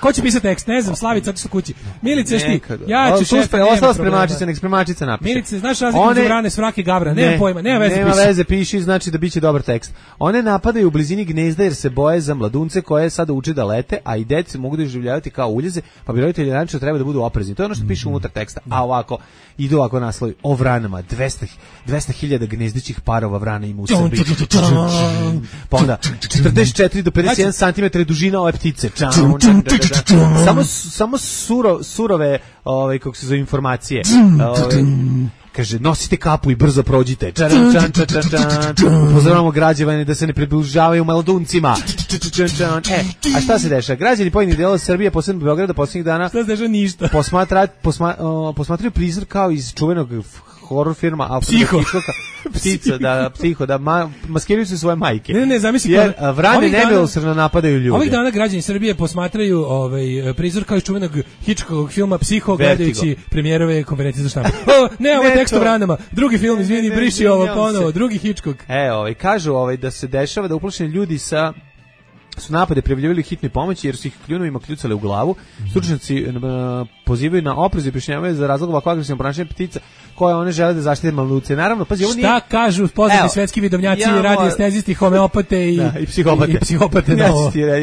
Ko će pisati tekst? Ne znam, Slavica, otišla kući. Milice, šti, ja ću šefa, ostala spremačica, nek spremačica napiše. Milice, znaš razliku među vrane, svrake, gavra, nema pojma, nema veze, piši, znači da biće dobar tekst. One napadaju u blizini gnezda jer se boje za mladunce koje sada uče da lete, a i dece mogu da doživljavati kao uljeze, pa bi roditelji naravno treba da budu oprezni. To je ono što piše unutar teksta. A ovako, idu ovako naslovi o vranama, 200.000 gnezdićih parova vrana ima u Srbiji. Pa onda, 44 do 51 cm dužina ove ptice. Samo surove, kako se zove, informacije. Kaže, nosite kapu i brzo prođite. Upozoravamo građane da se ne približavaju mladuncima. A šta se dešava? Građani pojedinih delova Srbije, posebno Beograda, posljednjih dana šta se dešava? Ništa. Posmatraju prizor kao iz čuvenog horror firma Psiho, da maskiraju se svoje majke. Ne, zamisli. Jer vrane nemilosrdno napadaju ljude. Ovih dana građani Srbije posmatraju prizor kao iz čuvenog Hitchcockovog filma Psiho, gledajući premijerove konferencije za štampu. Ne, ovo je tekst o vranama. Drugi film, izvini, briši ovo ponovo. Drugi Hitchcock. Kažu da se dešava da uplašeni ljudi su napade prijavljivali hitnoj pomoći jer su ih kljunovima kljucale u glavu. Stručnjaci pozivaju na oprez i objašnjavaju za razlog ovako agresivnog ponašanja ptica. koje one žele da zaštite malnutricije. Naravno, pazi, ovo nije... Šta kažu poznati svetski vidovnjaci, radiostezijsti, homeopate i psihopate. I psihopate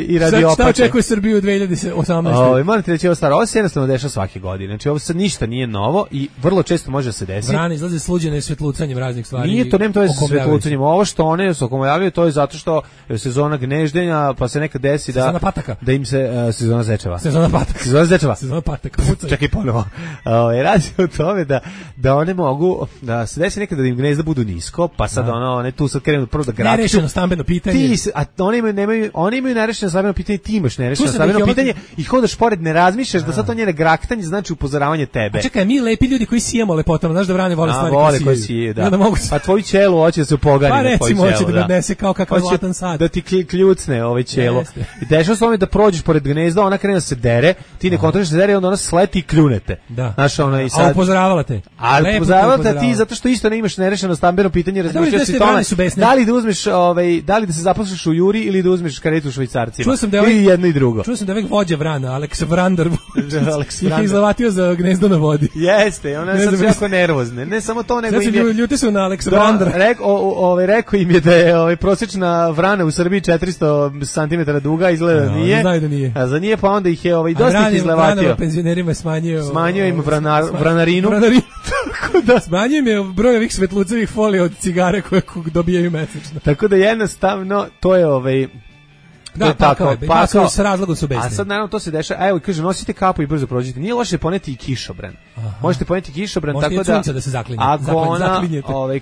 i radiopate. Šta očekuje Srbiju u 2018? Moram ti reći ovo staro, ovo se jednostavno dešava svake godine. Znači, ovo sad ništa nije novo i vrlo često može se desiti. Vrane izlaze sluđene svetlucanjem raznih stvari. Nije to, nema to veze sa svetlucanjem. Ovo što one se okomljavaju, to je zato što sezona gneždenja, pa se nekad desi sezona pataka. Da im se sezona zečeva. Sezona pataka. Sezona zečeva. Sezona pataka. Čekaj ponovo. Radi o tome da one mogu, da se desi nekada da im gnezda budu nisko, pa sad one tu sad krenu prvo da grakću. Nerešeno stambeno pitanje. Oni imaju nerešeno stambeno pitanje, ti imaš nerešeno stambeno pitanje i hodaš pored, ne razmišljaš da sad to njene graktanje znači upozoravanje tebe. A čekaj, mi lepi ljudi koji sijemo lepotama, znaš da vrane vole stvari koje sije. Da. Pa tvoj ćelo hoće da se upogani na tvoj ćelo. Pa recimo hoće da odnese kao kakav hoće zlatan sad. Da ti kljucne ovaj ćelo. I dešava se tome da prođeš pored gnezda, ona krene da se dere, ti ne kontroliš se dere, onda ona sleti i kljunete. Da. Znaš, ona i sad... A upozoravala te. Ali upozoravala te ti zato što isto ne imaš nerešeno stambeno pitanje, razmišljaš si tome. Da li da uzmeš da li da se zaposliš u Juri ili da uzmeš karetu u Švajcarcima. Čuo sam da je jedno i drugo. Čuo sam da je vođa Vrana, Alex Vrander. Ih izlavatio za gnezdo na vodi. Jeste, ona je sad jako nervozna. Ne samo to, nego im je... Ljuti su na Alex Vrandera. Rekao im je da je prosječna vrana u Srbiji 400 cm duga, izgleda nije. Znaju da nije. A za nije, pa onda ih je dosta ih izlevatio. Vranova penzionerima smanjio im vranarinu. Tako da smanjio im je broj ovih svetlucevih folija od cigare koje dobijaju mesečno. Tako da jednostavno to je Da, tako, pa s razlogom su besni. A sad naravno to se dešava, evo kaže nosite kapu i brzo prođite. Nije loše poneti i kišobran. Možete poneti kišobran tako da se zaklinje. Ako ona,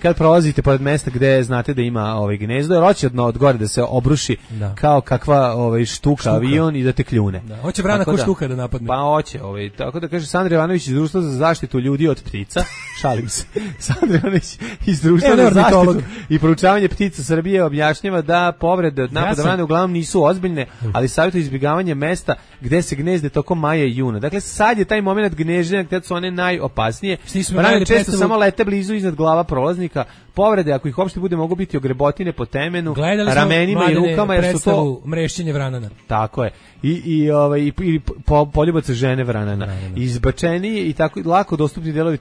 kad prolazite pored mesta gde znate da ima gnezdo, jer hoće od gore da se obruši kao kakva štuka avion i da te kljune. Da, hoće vrana ko štuka da napadne. Pa hoće, tako da kaže Sandra Ivanović iz Društva za zaštitu ljudi od ptica. Šalim se. Sandra Ivanović iz Društva za zaštitu i proučavanje ptica Srbije objašnjava da povrede od napada vrane uglavnom nisu ozbiljne, ali savjetuje izbjegavanje mesta gde se gnezde tokom maja i juna. Dakle, sad je taj moment gnezdenja gde su one najopasnije. Vrane često samo lete blizu iznad glava prolaznika. Povrede, ako ih uopšte bude, mogu biti ogrebotine po temenu, ramenima i rukama, jer su to mrešćenje vranana. Tako je. I poljubac žene vranana. Izbačeniji i tako lako dostupni delovi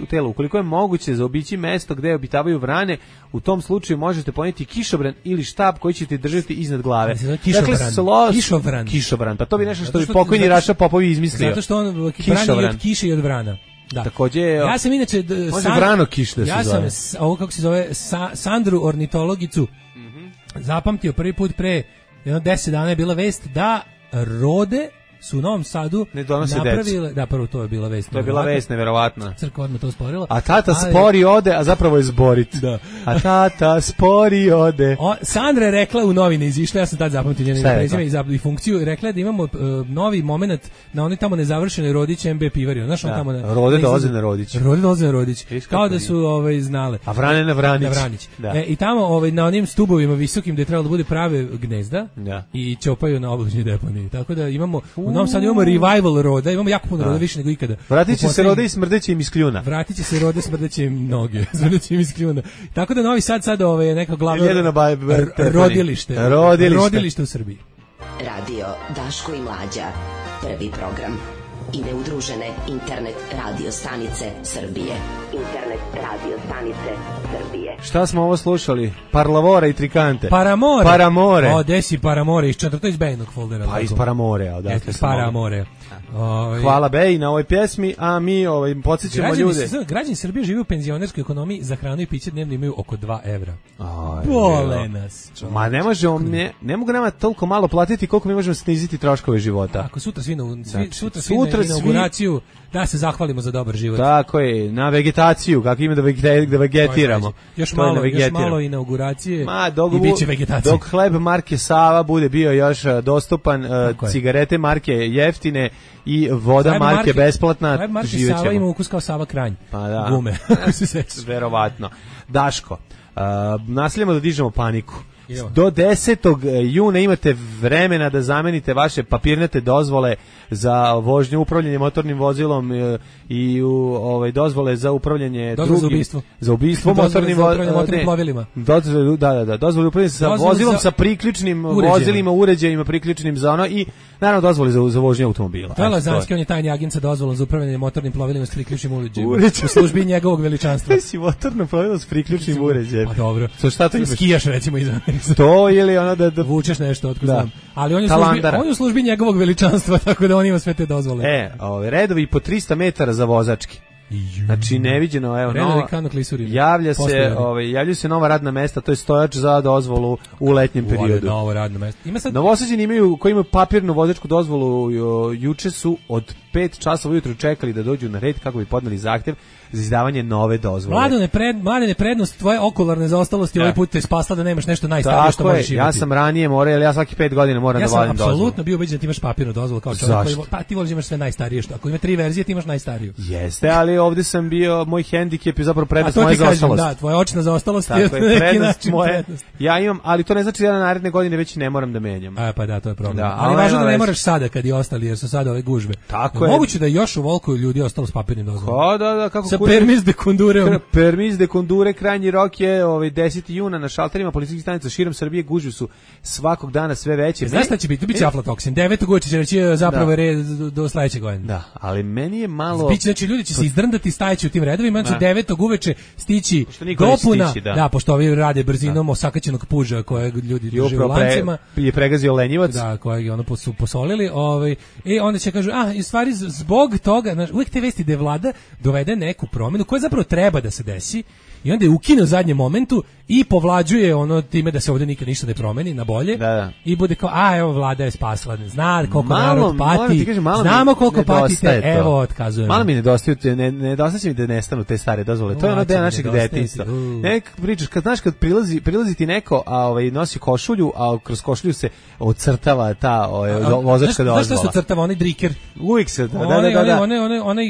tela. Ukoliko je moguće zaobići mesto gde obitavaju vrane, u tom slučaju možete poneti kišobran ili štab koji ćete držati iznad glave. Kišobran. Pa to bi nešto što bi pokojni Raša Popovi izmislio. Zato što on brani od kiše i od vrana. Da. Takođe, ja sam inače vrano kiš da se zove. Ja sam ovo kako se zove Sandru ornitologicu zapamtio prvi put pre 10 dana je bila vest da rode su u Novom Sadu napravile, da prvo to je bila vest. To je bila vest neverovatna. Crkva odmah to sporila. A tata spori ode, a zapravo je zborit. Da. A tata spori ode. Sandra je rekla u novine, izišla, ja sam tad zapamtio njeno prezime i funkciju, i rekla je da imamo novi moment na onoj tamo nezavršenoj Rodić MB pivari. Znaš, on tamo na Rode dolaze na Rodić. Rode dolaze na Rodić. Kao da su znale. A vrane na Vranić. I tamo na onim stubovima visokim gde je trebalo da bude prave gnezda i ćopaju na obližnjoj deponiji. Tako da imamo u Novom Sadu imamo revival roda, imamo jako puno roda, više nego ikada. Vratit će se rode i smrdeće im iz kljuna. Vratit će se rode, smrdeće im noge, smrdeće im iz kljuna. Tako da Novi Sad je neka glavno rodilište u Srbiji. Radio Daško i Mlađa, prvi program. I neudružene internet radio stanice Srbije. Internet radio stanice Srbije. Šta smo ovo slušali? Parlavora i Trikante. Paramore. O, desi Paramore, to iz Bejnog foldera. Pa iz Paramore, odakle smo. Paramore. Hvala Bej na ovoj pjesmi, a mi podsjećamo ljude. Građani Srbije žive u penzionerskoj ekonomiji, za hranu i piće dnevno imaju oko 2 evra. Bole nas. Ma ne mogu nama toliko malo platiti koliko mi možemo sniziti troškove života. Ako sutra svi na inauguraciju, da se zahvalimo za dobar život. Tako je, na vegetaciju, kako ima da vegetiramo. Još malo inauguracije i bit će vegetacija. Dok hleb marke Sava bude bio još dostupan, cigarete marke jeftine i voda marke besplatna, hleb marke Sava ima ukus kao Sava Kranj. Pa da. Gume. Verovatno. Daško, nastavljamo da dižemo paniku. Do 10. juna imate vremena da zamenite vaše papirnate dozvole za vožnju, upravljanje motornim vozilom i dozvole za upravljanje za ubistvo motornim plovilima. Dozvole upravljanje sa vozilom sa priključnim vozilima, uređajima priključnim za ono i naravno dozvole za vožnju automobila. To je Lazanski, on je tajni agent sa dozvolom za upravljanje motornim plovilima s priključnim uređajima. U službi njegovog veličanstva. Ti si motorno plovilo s priključnim uređajem. Pa dobro. Šta to imaš? Skijaš recimo iza. To ili ono da vučeš nešto, otkud znam. Ali on je u službi njegovog veličanstva, tako da on ima sve te dozvole. Redovi po 300 metara za vozački. Znači neviđeno, evo, javljaju se nova radna mesta, to je stojač za dozvolu u letnjem periodu. Novo radno mesto. Novosađeni koji imaju papirnu vozačku dozvolu, juče su od 5 časova ujutro čekali da dođu na red kako bi podneli zahtev za izdavanje nove dozvole. Mladene, prednost tvoje okularne zaostalosti ovaj put te spasla da nemaš nešto najstarije što možeš imati. Ja sam ranije morao, ali ja svaki 5 godina moram da vadim dozvolu. Ja sam apsolutno bio ubeđen da ti imaš papirnu dozvolu kao čovjek koji, pa ti voliš imaš sve najstarije što. Ako ima 3 verzije ti imaš najstariju. Jeste, ali ovdje sam bio, moj hendikep je zapravo prednost moje zaostalosti. Da, tvoja očna zaostalost je prednost moje. Ja imam, ali to ne znači da ja na naredne godine već ne moram da menjam. Pa da, to je problem. Ali važno da ne moraš sada kad i ostali jer su sada ove gužve. Tako je. Moguće da još u Volkovu ljudi ostalo s papirnim dozvolama. Da, kako sa permis de kondure. Permis de kondure, krajnji rok je 10. juna na šalterima policijskih stanica širom Srbije, gužve su svakog dana sve veće. Znaš šta će biti? Biće aflatoksin. 9. uveče će reći zapravo red do sledećeg godine. Da, ali meni je malo... Znači ljudi će se izdrndati, stajeći u tim redovima, znači 9. uveče stići dopuna. Da, pošto ovi rade brzinom osakaćenog puža kojeg ljudi drže u lancima. Je pregazio lenjivac. Da, kojeg je ono su posolili. I onda će kažu, u stvari zbog toga, znači, uvijek te vesti da je vlada dovede neku promjenu koja zapravo treba da se desi i onda je ukine u zadnjem momentu i povlađuje ono time da se ovdje nikad ništa ne promeni na bolje i bude kao, evo vlada je spasla, zna koliko narod pati, znamo koliko patite, evo otkazujemo. Malo mi nedostaje mi da nestanu te stare dozvole, to je ono deo našeg detinjstva. Nek pričaš, kad prilazi ti neko, a nosi košulju, a kroz košulju se ocrtava ta vozačka dozvola. Znaš što se ocrtava, onaj driker? Uvijek se, onaj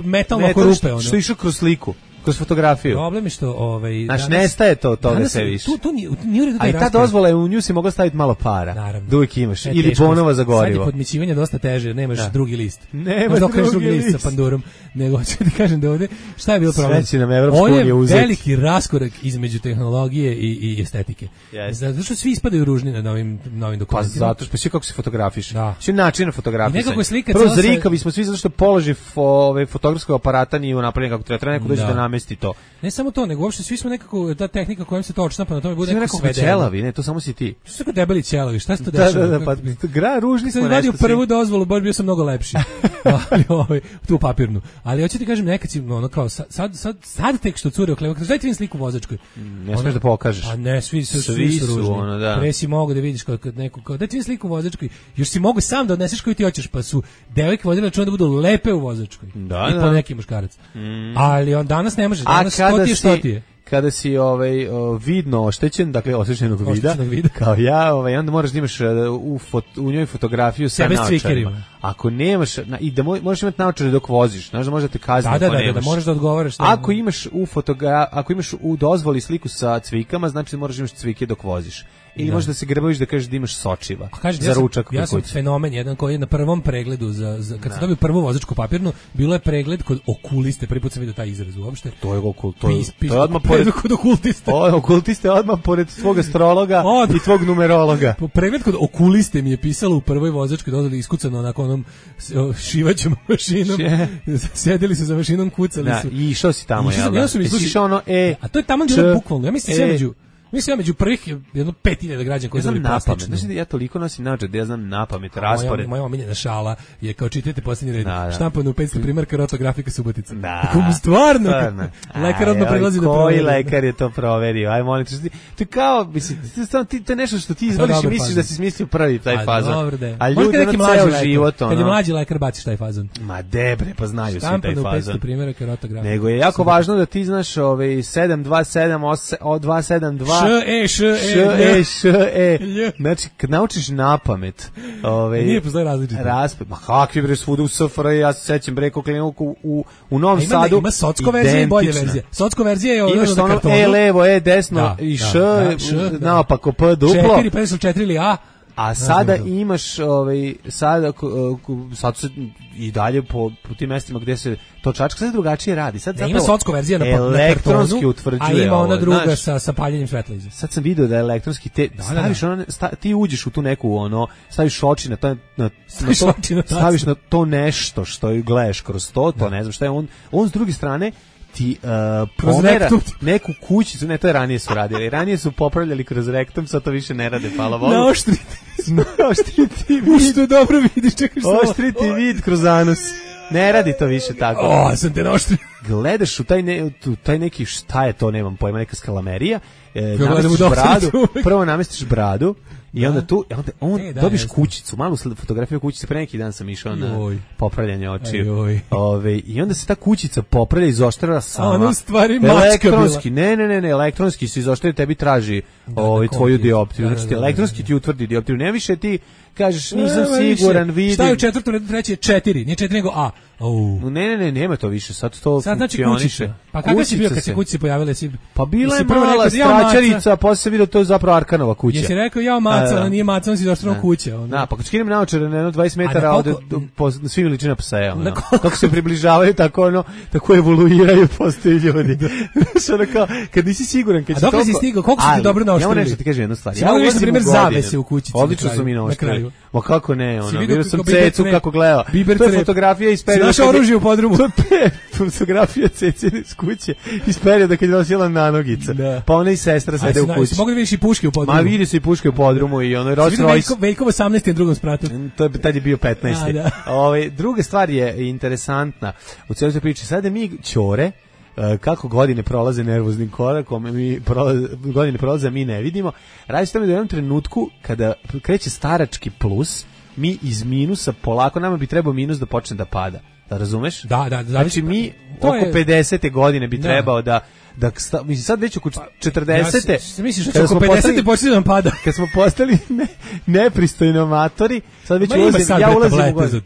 metalno korupe. Što išao kroz sliku. Kroz fotografiju. Problem je što znači nestaje toga sve više. Tu nije uredu taj ta dozvola je u nju si mogla staviti malo para. Naravno. Da uvijek imaš. Ili bonova za gorivo. Sad je podmićivanje dosta teže, nemaš drugi list. Nemaš drugi list sa pandurom. Nego ću ti kažem da ovdje, šta je bilo problem? Sve će nam Evropska unija uzeti. Ovo je veliki raskorak između tehnologije i estetike. Zato što svi ispadaju ružni na novim dokumentima. Pa zato što svi kako se fotografiš. Svi način fotografisanja. Prvo zrikavi smo svi zato što položaj fotografskog aparata nije napravljen kako treba. Neko dođe da namesti to. Ne samo to, nego uopšte svi smo nekako, ta tehnika kojom se to odštampa na tome bude nekako sve ćelavi, ne, to samo si ti. Što su tako debeli ćelavi, šta se to dešava? Da, pa ružni smo nešto. Sam vadio prvu dozvolu, baš bio sam mnogo lepši. Ali tu papirnu. Ali hoću ti kažem, nekad si, ono kao, sad tek što cure oklevo, dajte mi sliku vozačku. Ne smiješ da pokažeš. A ne, svi su ružni. Pre si mogu da vidiš kad neko, dajte mi sliku vozačku, još si mogu sam da odneseš koju ti hoćeš, pa su devojke vodile računa da budu lepe u vozačkoj. I po neki muškarac. Ali on danas ne može, danas što ti je. Kada si vidno oštećen, dakle oštećenog vida, kao ja, onda moraš da imaš u njoj fotografiju sa naočarima. Ako nemaš, i da možeš imati naočare dok voziš, znaš da možda te kazni ako nemaš. Da možeš da odgovaraš. Ako imaš u dozvoli sliku sa cvikama, znači da moraš imati cvike dok voziš. Ili možda se grbaviš da kažeš da imaš sočiva za ručak. Ja sam fenomen jedan koji je na prvom pregledu, kad sam dobio prvu vozačku papirnu, bilo je pregled kod okuliste, prvi put sam vidio taj izraz uopšte. To je odmah pored kod okultiste. Okultiste odmah pored svog astrologa i tvog numerologa. Pregled kod okuliste mi je pisalo u prvoj vozačkoj dozvoli iskucano onako onom šivaćom mašinom. Sedeli su za mašinom, kucali su. I išao si tamo, jel da? A to je tamo bilo bukvalno. Ja mislim među prvih jedno 5000 građana koji znaju plastično. Znači ja toliko nosim naočare da ja znam napamet raspored. Moja omiljena šala je kao čitajte posljednji red. Štampano u 500 primjerka rotografika Subotica. Stvarno. Lekar odmah prilazi da proveri. Koji lekar je to proverio? Aj molim te. To je kao, mislim, to je nešto što ti izvoliš i misliš da si smislio prvi taj fazon. A ljudi na ceo život. Kad je mlađi lekar baciš taj fazon. Ma debre, pa znaju svi taj fazon. Štampano u 500 primjerka rotografika. Nego je jako važno da ti znaš 727 272 Znači, kad naučiš napamet, nije postoji različito. Ma kakvi bre svuda u SFRJ, ja se sećam bre Koklenovku u Novom Sadu. Ima socko verzija i bolje verzija. Socko verzija je ono na kartonu. Levo, desno i š, naopako P duplo. 4, pa su 4 ili A. A sada imaš sad se i dalje po tim mestima gde se to čačka sad drugačije radi. Sad ima socko verzija na elektronski utvrđuje. A ima ona druga sa paljenjem svetla iza. Sad sam video da je elektronski staviš ti uđeš u tu neku staviš oči na to staviš na to nešto što gledaš kroz to ne znam šta je on s druge strane ti pomera neku kućicu, ne, to je ranije su radili. Ranije su popravljali kroz rektum, sad to više ne rade, hvala Bogu. Naoštriti vid. Što dobro vidiš, čekaš samo. Oštriti vid kroz anus. Ne radi to više tako. Sam te naoštrio. Gledaš u taj neki, šta je to, nemam pojma, neka skalamerija, namestiš bradu, prvo namestiš bradu, i onda dobiš kućicu, malu fotografiju kućice, pre neki dan sam išao na popravljanje očiju. I onda se ta kućica popravlja i izoštrava sama. Ono stvari mačka bila. Ne, elektronski se izoštrava, tebi traži tvoju dioptriju. Znači elektronski ti utvrdi dioptriju. Ne više ti kažeš nisam siguran, vidim. Šta je u četvrtom redu, treći je 4, nije 4 nego A. Ne, nema to više, sad to funkcioniše. Pa kako si bio kad se kući pojavila? Pa bila je mala stračarica, posle se vidio to je zapravo Arkanova kuća. Jesi rekao ja maca, ali nije maca, on si došao kuća. Da, pa kad skinem naočare na 20 metara ode svi veličina psa. Kako se približavaju, tako evoluiraju postaju ljudi. Kad nisi siguran, kad dok si stigao, koliko si ti dobro naoštrili? Ja nešto ti kažem jednu stvar. Ja ulazim na primjer zavese u kućici. Odlično su mi naoštrili. Ma kako ne, vidio sam cecu kako gledao. To je fotografija iz perioda. Naše oružje u podrumu. To je fotografija cecine iz kuće iz perioda kad je nosila nanogica. Pa ona i sestra sede u kući. Mogu da vidiš i puške u podrumu. Ma vidi se i puške u podrumu i ono Rolls Royce. Veljkov 18. na drugom spratu. Tad je bio 15. Druga stvar je interesantna u cijeloj toj priči. Sada mi ćore kako godine prolaze nervoznim korakom, godine prolaze, mi ne vidimo. Radi se tome da u jednom trenutku, kada kreće starački plus, mi iz minusa polako, nama bi trebao minus da počne da pada. Da razumeš? Da. Znači mi oko 50. godine bi trebao da mislim sad već oko 40. Misliš da oko 50. počne da pada? Kad smo postali nepristojni amatori, sad već ja ulazim u godinu.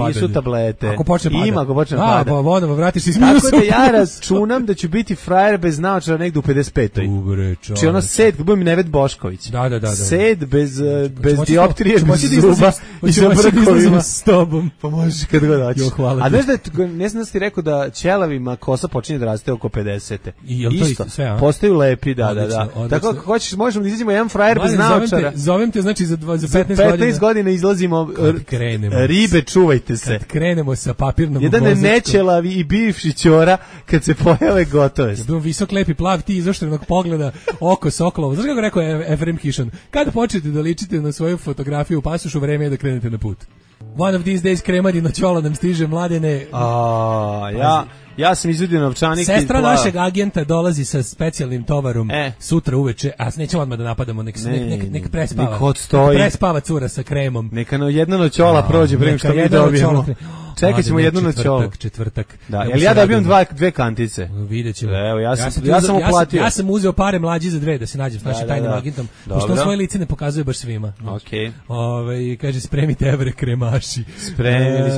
Nisu tablete. Ako počne pada. Ima, ako počne pada. Pa vodom, vratiš iz minusa. Tako da ja računam da ću biti frajer bez naočara negde u 55. Či ono sed, kad budem Nevet Bošković. Da. Sed bez dioptrije, bez zuba i sa brkovima. S tobom. Pa možeš kad god hoćeš. A znaš da, ne znam da si rekao da ćelavima kosa počinje da raste oko 50. Isto, postaju lepi, da. Tako ako hoćeš, možemo da izađemo jedan frajer bez naočara. Zovem te, znači za 15 godina izlazimo, ribe, čuvajte se. Kad krenemo sa papirnom jedan je nećelavi i bivši ćora, kad se pojave gotove. Bio visok, lepi, plav, ti izoštrenog pogleda, oko sokolovo. Znaš kako rekao Efrem Kišan? Kada počnete da ličite na svoju fotografiju u pasošu, vreme je da krenete na put. One of these days kremadino ćola nam stiže, Mladene. Ja sam izvedio novčanik. Sestra našeg agenta dolazi sa specijalnim tovarom sutra uveče, a nećemo odmah da napadamo, nek prespava. Prespava cura sa kremom. Neka jedna noćola prođe prema što mi dobijemo. Čekat ćemo jednu noćolu. Četvrtak. Da, jel ja dobijem dve kantice? Vidjet ćemo. Evo, ja sam uplatio. Ja sam uzeo pare Mlađi za 2 da se nađem s našim tajnim agentom, pošto on svoje lice ne pokazuje baš svima. Okej. Kaže, spremite evre kremaši.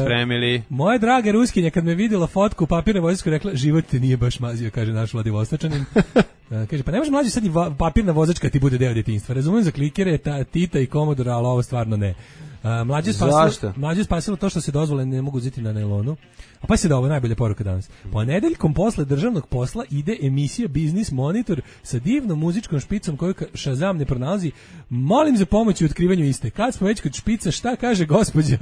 Spremili. Moja draga Ruskinja, kad me vidjela fotku papirne vozisku, rekla, život te nije baš mazio, kaže naš Vladivostočanin. Kaže, pa ne može Mlađi sad i papirna vozačka ti bude deo djetinjstva. Razumijem za klikere, Tita i Komodora, ali ovo stvarno ne. Mlađe spasilo to što se dozvole ne mogu uzeti na nailonu. A pa se da ovo najbolja poruka danas. Ponedeljkom posle državnog posla ide emisija Biznis Monitor sa divnom muzičkom špicom koju Shazam ne pronalazi. Molim za pomoć u otkrivanju iste. Kad smo već kod špica, šta kaže gospođa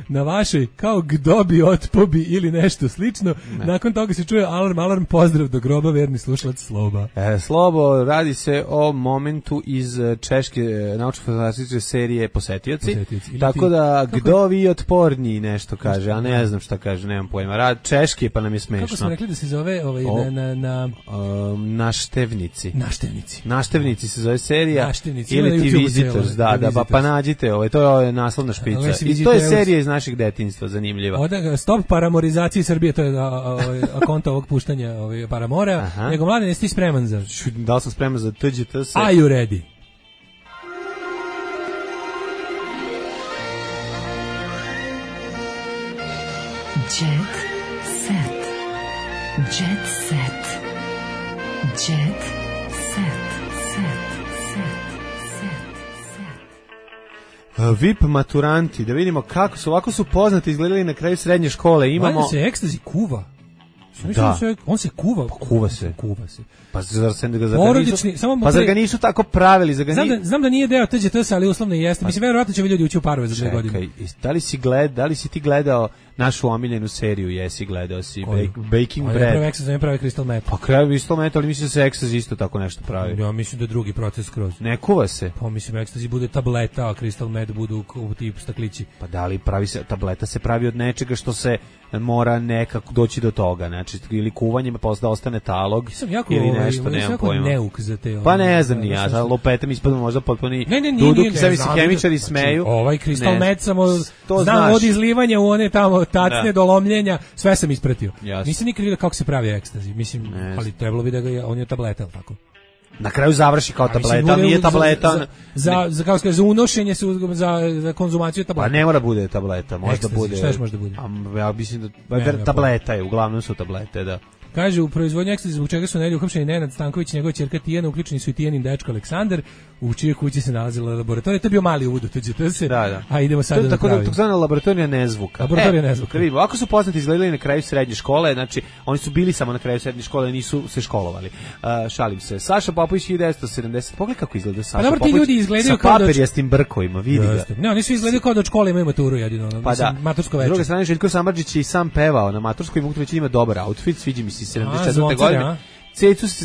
na vašoj kao gdobi, otpobi ili nešto slično? Ne. Nakon toga se čuje alarm, pozdrav do groba, verni slušalac Sloba. Slobo, radi se o momentu iz češke naučno-fantastične serije Posetioci. Tako da, kdo vi otporniji nešto kaže, a ne znam šta kaže, nemam pojma. Rad češki, pa nam je smešno. Kako smo rekli da se zove Naštevnici. Naštevnici se zove serija. Naštevnici. Ili ti Visitors, pa nađite, to je naslovna špica. I to je serija iz naših detinjstva, zanimljiva. Stop paramorizaciji Srbije, to je akonta ovog puštanja Paramora. Nego mladen, jesi ti spreman za... Da li sam spreman za TGTS? Are you ready? Jet set. Jet set. Jet set. VIP maturanti, da vidimo kako su, ovako su poznati izgledali na kraju srednje škole. Imamo... Valjda se ekstazi kuva. Da. On se kuva. Kuva se. Pa zar se ga porodični, zar ga nisu tako pravili? Znam da nije deo TGTS, ali uslovno jeste. Mislim, verovatno će ljudi ući u parove za 2 godine. Da li si ti gledao našu omiljenu seriju? Jesi gledao si Baking Bread. Prvo ekstazi pravi Crystal Meth. Pa kraju Crystal Meth, ali mislim da se ekstazi isto tako nešto pravi. Ja mislim da je drugi proces skroz. Ne kuva se. Pa mislim ekstazi bude tableta, a Crystal Meth budu u tip staklići. Pa da li pravi se, tableta se pravi od nečega što se mora nekako doći do toga, znači ili kuvanjem pa da ostane talog ili nešto, nemam pojma. Neuk za te. Pa ne znam ni ja, za lopetem ispadamo možda potpuni duduk, sami se hemičari smeju. Ovaj Crystal Meth samo znam od izlivanja u one tamo tacne do lomljenja, sve sam ispratio. Nisam nikad vidio kako se pravi ekstazi, mislim, ali trebalo bi da ga on je tableta, tako. Na kraju završi kao tableta, nije tableta. Za kao za unošenje za konzumaciju tableta. Pa ne mora bude tableta, možda bude. Šta još možda bude? Ja mislim da tableta je, uglavnom su tablete, da. Kaže, u proizvodnji ekstazi zbog čega su nedjelju uhapšeni Nenad Stanković i njegova ćerka Tijana, uključeni su i Tijanin dečko Aleksandar, u čijoj kući se nalazila laboratorija. To je bio mali uvod u TGTS. Da. A idemo sad tako da takozvana laboratorija nezvuka. Laboratorija nezvuka. Vidimo, ako su poznati izgledali na kraju srednje škole, znači oni su bili samo na kraju srednje škole, nisu se školovali. Šalim se. Saša Popović 1970. Pogledaj kako izgleda Saša Popović. Ljudi izgledaju kao da papirjastim brkovima, vidi ga. Ne, oni su izgledaju kao da od škole imaju maturu jedino, matursko veče. S druge strane Željko Samardžić je i sam pevao na maturskoj, mogu reći ima dobar outfit, sviđa mi se 74. godine.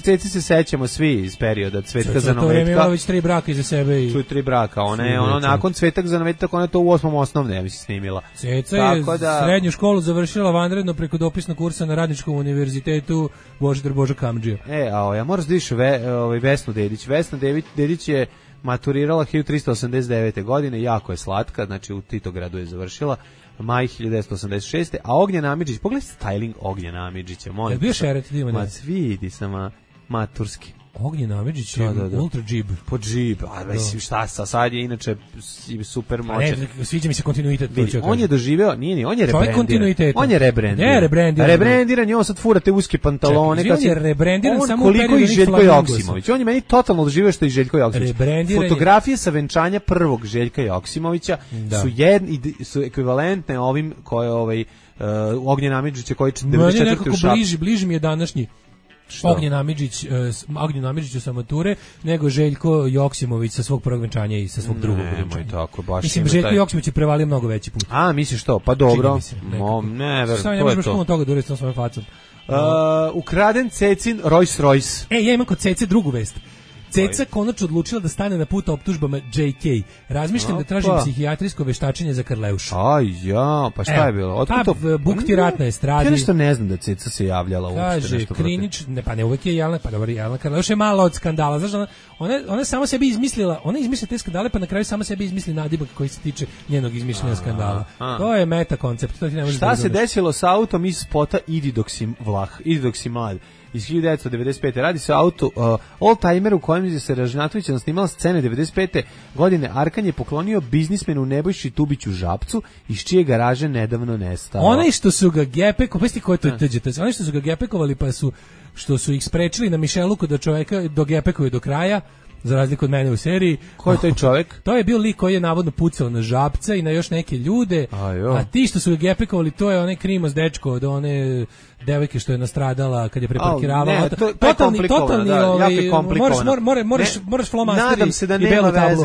Ceci se sećamo svi iz perioda Cvetka za novetka. To je imala već 3 braka iza sebe. I 3 braka, ona nakon Cvetak za novetak, ona je to u 8. osnovne, ja mislim, snimila. Ceca je srednju školu završila vanredno preko dopisnog kursa na Radničkom univerzitetu Božidar Boža Kamdžija. Ja moram da dišu Vesnu Dedić. Vesna Dedić je maturirala 1389. godine, jako je slatka, znači u Titogradu je završila. Maj 1986. A Ognjen Amidžić, pogledaj styling Ognjena Amidžića, molim. Je bio šeret, idemo da. Vidi sama maturski. Ognjen Amidžić je ultra džib. Po džib, mislim šta sad je inače super moćan. Sviđa mi se kontinuitet. On je doživeo, on je rebrendiran. On je rebrendiran. Rebrendiran je, on sad fura te uske pantalone. On je rebrendiran samo u periodu Željko Joksimović. On je meni totalno doživeo što je Željko Joksimović. Fotografije sa venčanja prvog Željka Joksimovića su ekvivalentne ovim koje Ognjen Amidžić koji 94. u Šapcu. Bliži mi je današnji Ognjen Amidžić sa mature, nego Željko Joksimović sa svog prvog venčanja i sa svog drugog venčanja. Mislim, Željko Joksimović je prevalio mnogo veći put. A, misliš to? Pa dobro. Ne, možeš puno toga da uresti na svojom facom. Ukraden Cecin Rolls Royce. Ja imam kod Cece drugu vest. Ceca konačno odlučila da stane na put optužbama JK. Razmišljam da tražim psihijatrijsko veštačenje za Karleušu. Pa šta je bilo? Bukti rat na estradi. Ja nešto ne znam da Ceca se javljala uopšte. Kaže, Krinić, ne uvek je Jelena, pa dobro, Jelena Karleuša je malo od skandala. Znaš, ona sama sebi izmislila, ona izmislila te skandale, pa na kraju sama sebi izmisli nadimak koji se tiče njenog izmišljenja skandala. To je meta koncept. Šta se desilo sa autom iz spota Idi dok si mlad? Iz 1995. Radi se o autu oldtimer u kojem je se Ražnatović snimala scene 95. godine. Arkan je poklonio biznismenu Nebojši Tubiću Žapcu, iz čije garaže nedavno nestao. Onaj što su ga oni što su ga gepekovali pa što su ih sprečili na Mišeluku da čoveka dogepekuju do kraja, za razliku od mene u seriji. Ko je taj čovjek? To je bio lik koji je navodno pucao na Žapca i na još neke ljude, a ti što su ga gepekovali, to je onaj Krimos dečko od one devojke što je nastradala kad je preparkiravala. Totalni, moraš flomasteri.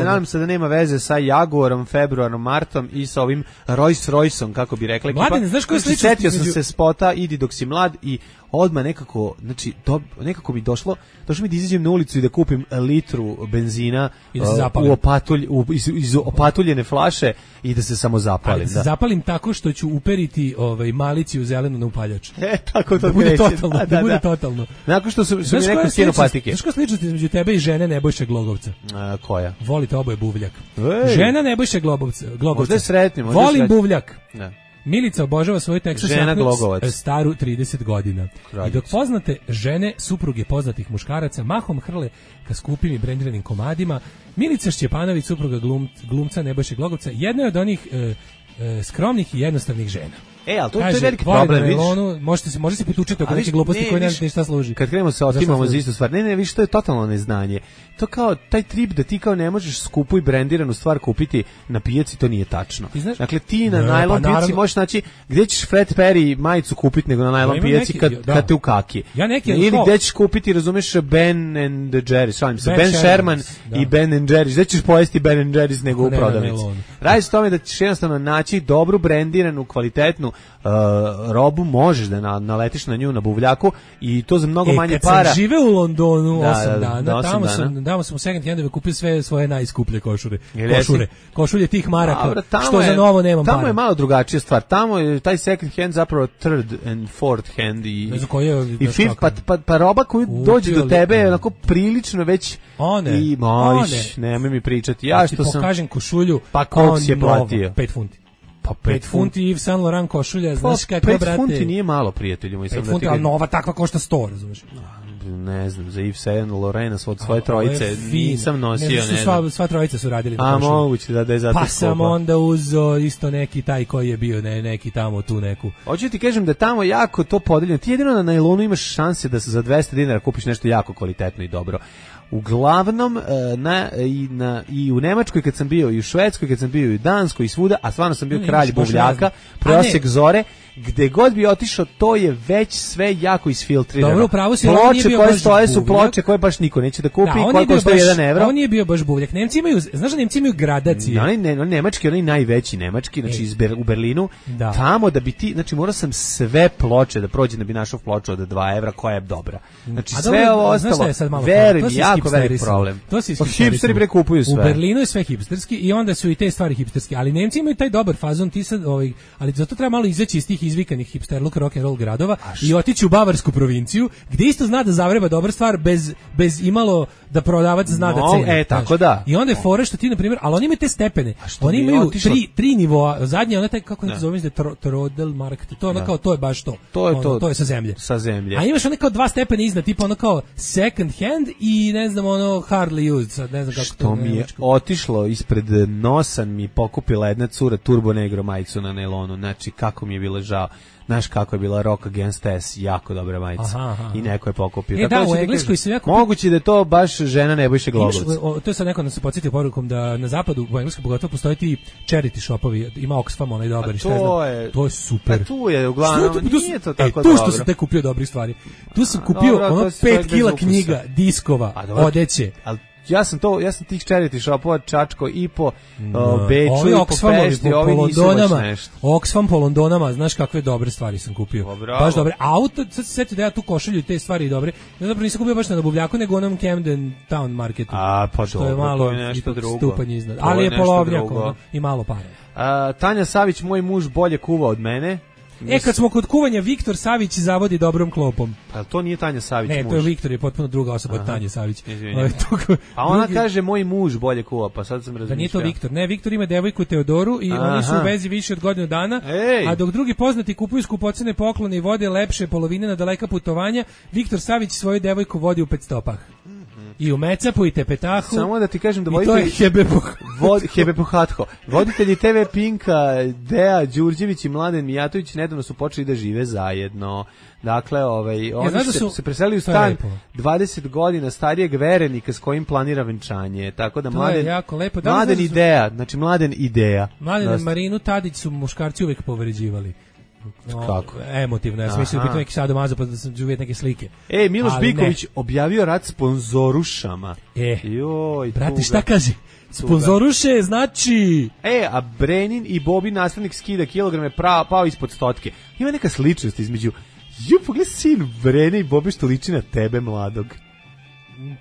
Nadam se da nema veze sa Jaguarom, Februarom, Martom i sa ovim Rolls Royceom, kako bi rekla. Mladen, znaš koji sličnosti? Setio sam se spota Idi dok si mlad i odmah nekako, znači, nekako mi došlo mi da izađem na ulicu i da kupim litru benzina iz opatuljene flaše i da se samo zapalim. Ali da se zapalim tako što ću uperiti maliciju zelenu na upaljač. Tako to bude totalno. Da bude totalno. Nakon što su mi neko skinu patike. Znaš koja sličnost između tebe i žene Nebojše Glogovca? Koja? Volite oboje buvljak. Žena Nebojše Glogovca. Možda je sretni. Volim buvljak. Da. Milica obožava svoju Texas staru 30 godina. I dok poznate žene, supruge poznatih muškaraca, mahom hrle ka skupim i brendiranim komadima, Milica Šćepanović, supruga glumca Nebojše Glogovca, jedna je od onih skromnih i jednostavnih žena. Ali to je veliki problem, vidiš. Može se potučiti oko neke gluposti koje ne šta služi. Kad krenemo se otimamo za istu stvar. Ne, vidiš, to je totalno neznanje. To kao taj trip da ti kao ne možeš skupu i brendiranu stvar kupiti na pijaci, to nije tačno. Dakle, ti na najlon pijaci možeš naći, gdje ćeš Fred Perry majicu kupiti nego na najlon pijaci kad te u kaki. Ili gdje ćeš kupiti, razumeš, Ben and Jerry's, Ben Sherman i Ben and Jerry's. Gdje ćeš pojesti Ben and Jerry's nego u prodavnici. Radi se tome da ćeš jednostavno naći dobru brendiranu, kvalitetnu robu, možeš da naletiš na nju na buvljaku i to za mnogo manje para. Kad sam žive u Londonu 8 dana, tamo sam u second handove kupio sve svoje najskuplje košulje tih maraka, što za novo nemam para. Tamo je malo drugačija stvar. Tamo je taj second hand zapravo third and fourth hand i fifth, pa roba koju dođe do tebe je onako prilično već nemoj mi pričati. Ja što sam pokažem košulju, pa koliko si je platio? 5 funti. Pa 5 funti Yves Saint Laurent košulja, znaš kako, brate. 5 funti nije malo, prijatelju moj. 5 funti, ali nova takva košta 100, razumiješ? Ne znam, za Yves Saint Laurent od svoje trojice nisam nosio, ne znam. Sva trojica su radili na košulju. Moguće da je zato pa sam onda uzeo isto neki taj koji je bio, neki tamo tu neku. Hoću ti kažem da tamo jako to podeljeno. Ti jedino na najlonu imaš šanse da se za 200 dinara kupiš nešto jako kvalitetno i dobro. Uglavnom i u Nemačkoj kad sam bio, i u Švedskoj kad sam bio, i u Danskoj, i svuda, a stvarno sam bio kralj buvljaka, prosjek zore, gde god bi otišao, to je već sve jako isfiltrirano. Dobro, pravo si, ploče koje stoje su ploče koje baš niko neće da kupi, koje koštaju 1 evro. On nije bio baš buvljak. Nemci imaju gradacije. Nemački, onaj najveći nemački, znači u Berlinu, tamo da bi ti, znači morao sam sve ploče da prođem da bi našao ploču od 2 evra koja je dobra. Znači sve ovo ostalo, verujem, jako velik problem. Hipsteri prekupuju sve. U Berlinu je sve hipsterski i onda su i te stvari hipsterski, ali Nemci imaju taj dobar fazon, ti sad, ali zato treba malo izaći iz tih izvikanih hipsterluk rock and roll gradova i otići u bavarsku provinciju, gdje isto zna da zavreba dobra stvar bez imalo da prodavac zna da ceni. Tako da. I onda je fore što ti, na primjer, ali oni imaju te stepene. Oni imaju tri nivoa. Zadnje, ona taj, kako ne zove, Trodelmarkt, to je ono kao, to je baš to. To je sa zemlje. A imaš ono kao 2 stepena iznad, tipa ono kao second hand i ne znam, ono hardly used, sad ne znam kako što mi je otišlo ispred nosa, mi pokupila jedna cura Turbo Negro majicu na nailonu, znači kako mi je bilo žao. Znaš kako je bila Rock Against S, jako dobra majica. I neko je pokupio. U Engleskoj se jako... Moguće da je to baš žena Nebojše Glogovca. To je sad neko nas podsjetio porukom da na zapadu, u Engleskoj pogotovo, postoji ti charity shopovi, ima Oxfam, onaj dobar, to je super. A tu je, uglavnom, nije to tako dobro. Tu što sam te kupio dobri stvari. Tu sam kupio 5 kila knjiga, diskova, odeće. Ja sam tih charity shopova čačko i po Beču i po Pešti, ovi nisu baš nešto. Oxfam po Londonama, znaš kakve dobre stvari sam kupio. Baš dobre. Auto, sad se sjetio da ja tu košulju i te stvari dobre. Ja zapravo nisam kupio baš na buvljaku, nego onom Camden Town marketu. Pa što je malo nešto drugo. Stupanj iznad. Ali je polovnjak i malo para. Tanja Savić, moj muž bolje kuva od mene. Kad smo kod kuvanja, Viktor Savić zavodi dobrom klopom. Pa to nije Tanja Savić muž. Ne, to je Viktor, je potpuno druga osoba od Tanje Savić. A ona kaže moj muž bolje kuva, pa sad sam razmišljao. Da nije to Viktor. Ne, Viktor ima devojku Teodoru i oni su u vezi više od godinu dana, a dok drugi poznati kupuju skupocene poklone i vode lepše polovine na daleka putovanja, Viktor Savić svoju devojku vodi u Petstopah. I u Mecapu i Tepetahu. Samo da ti kažem da Hebepohatho. Voditelji TV Pinka, Deja Đurđević i Mladen Mijatović nedavno su počeli da žive zajedno. Dakle, oni se preselili u stan 20 godina starijeg verenika s kojim planira venčanje. Tako da Mladen Ideja. Mladen i Marinu Tadić su muškarci uvek povređivali. Kako? Emotivno, ja sam mislio da pitam neki sadomazo pa da sam ću vidjeti neke slike. Miloš Biković objavio rat sponzorušama. Joj, brate, šta kaže? Sponzoruše znači... A Brenin i Bobi nastavnik skida kilograme pao ispod stotke. Ima neka sličnost između... Pogledaj sin Brene i Bobi što liči na tebe, mladog.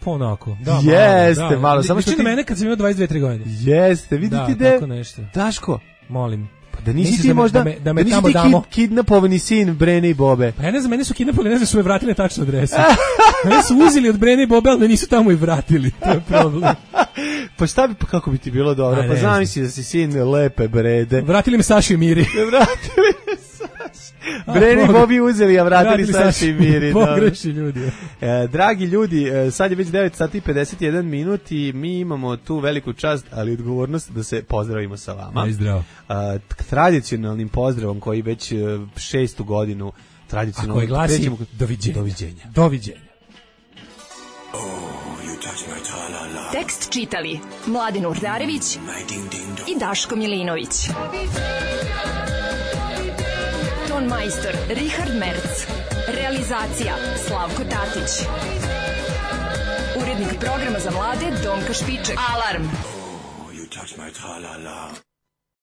Ponako. Da, jeste, malo. Samo što ti... mene kad sam imao 22-3 godine. Jeste, vidite da. Tako nešto. Daško. Molim. Da nisi ti možda, da nisi ti kidnapovani sin Brene i Bobe. Pa ja ne znam, mene su kidnapovali, ne znam su me vratili na tačnu adresu. Mene su uzeli od Brene i Bobe, ali nisu tamo i vratili. To je problem. Pa šta bi, pa kako bi ti bilo dobro? Pa zamisli da si sin lepe Brede. Vratili me Saši i Miri. Vratili me Saši. Brene i Bobi uzeli, a vratili Saši i Miri. Pogreši ljudi. Dragi ljudi, sad je već 9 sati i 51 minut i mi imamo tu veliku čast, ali odgovornost da se pozdravimo sa vama. Zdravo. Tradicionalnim pozdravom koji već 6. godinu tradicionalno... A koji glasi doviđenja. Tekst čitali Mladen Urdarević i Daško Milinović. Ton majstor Richard Merc. Realizacija Slavko Tatić. Urednik programa za mlade Donka Špiček. Alarm!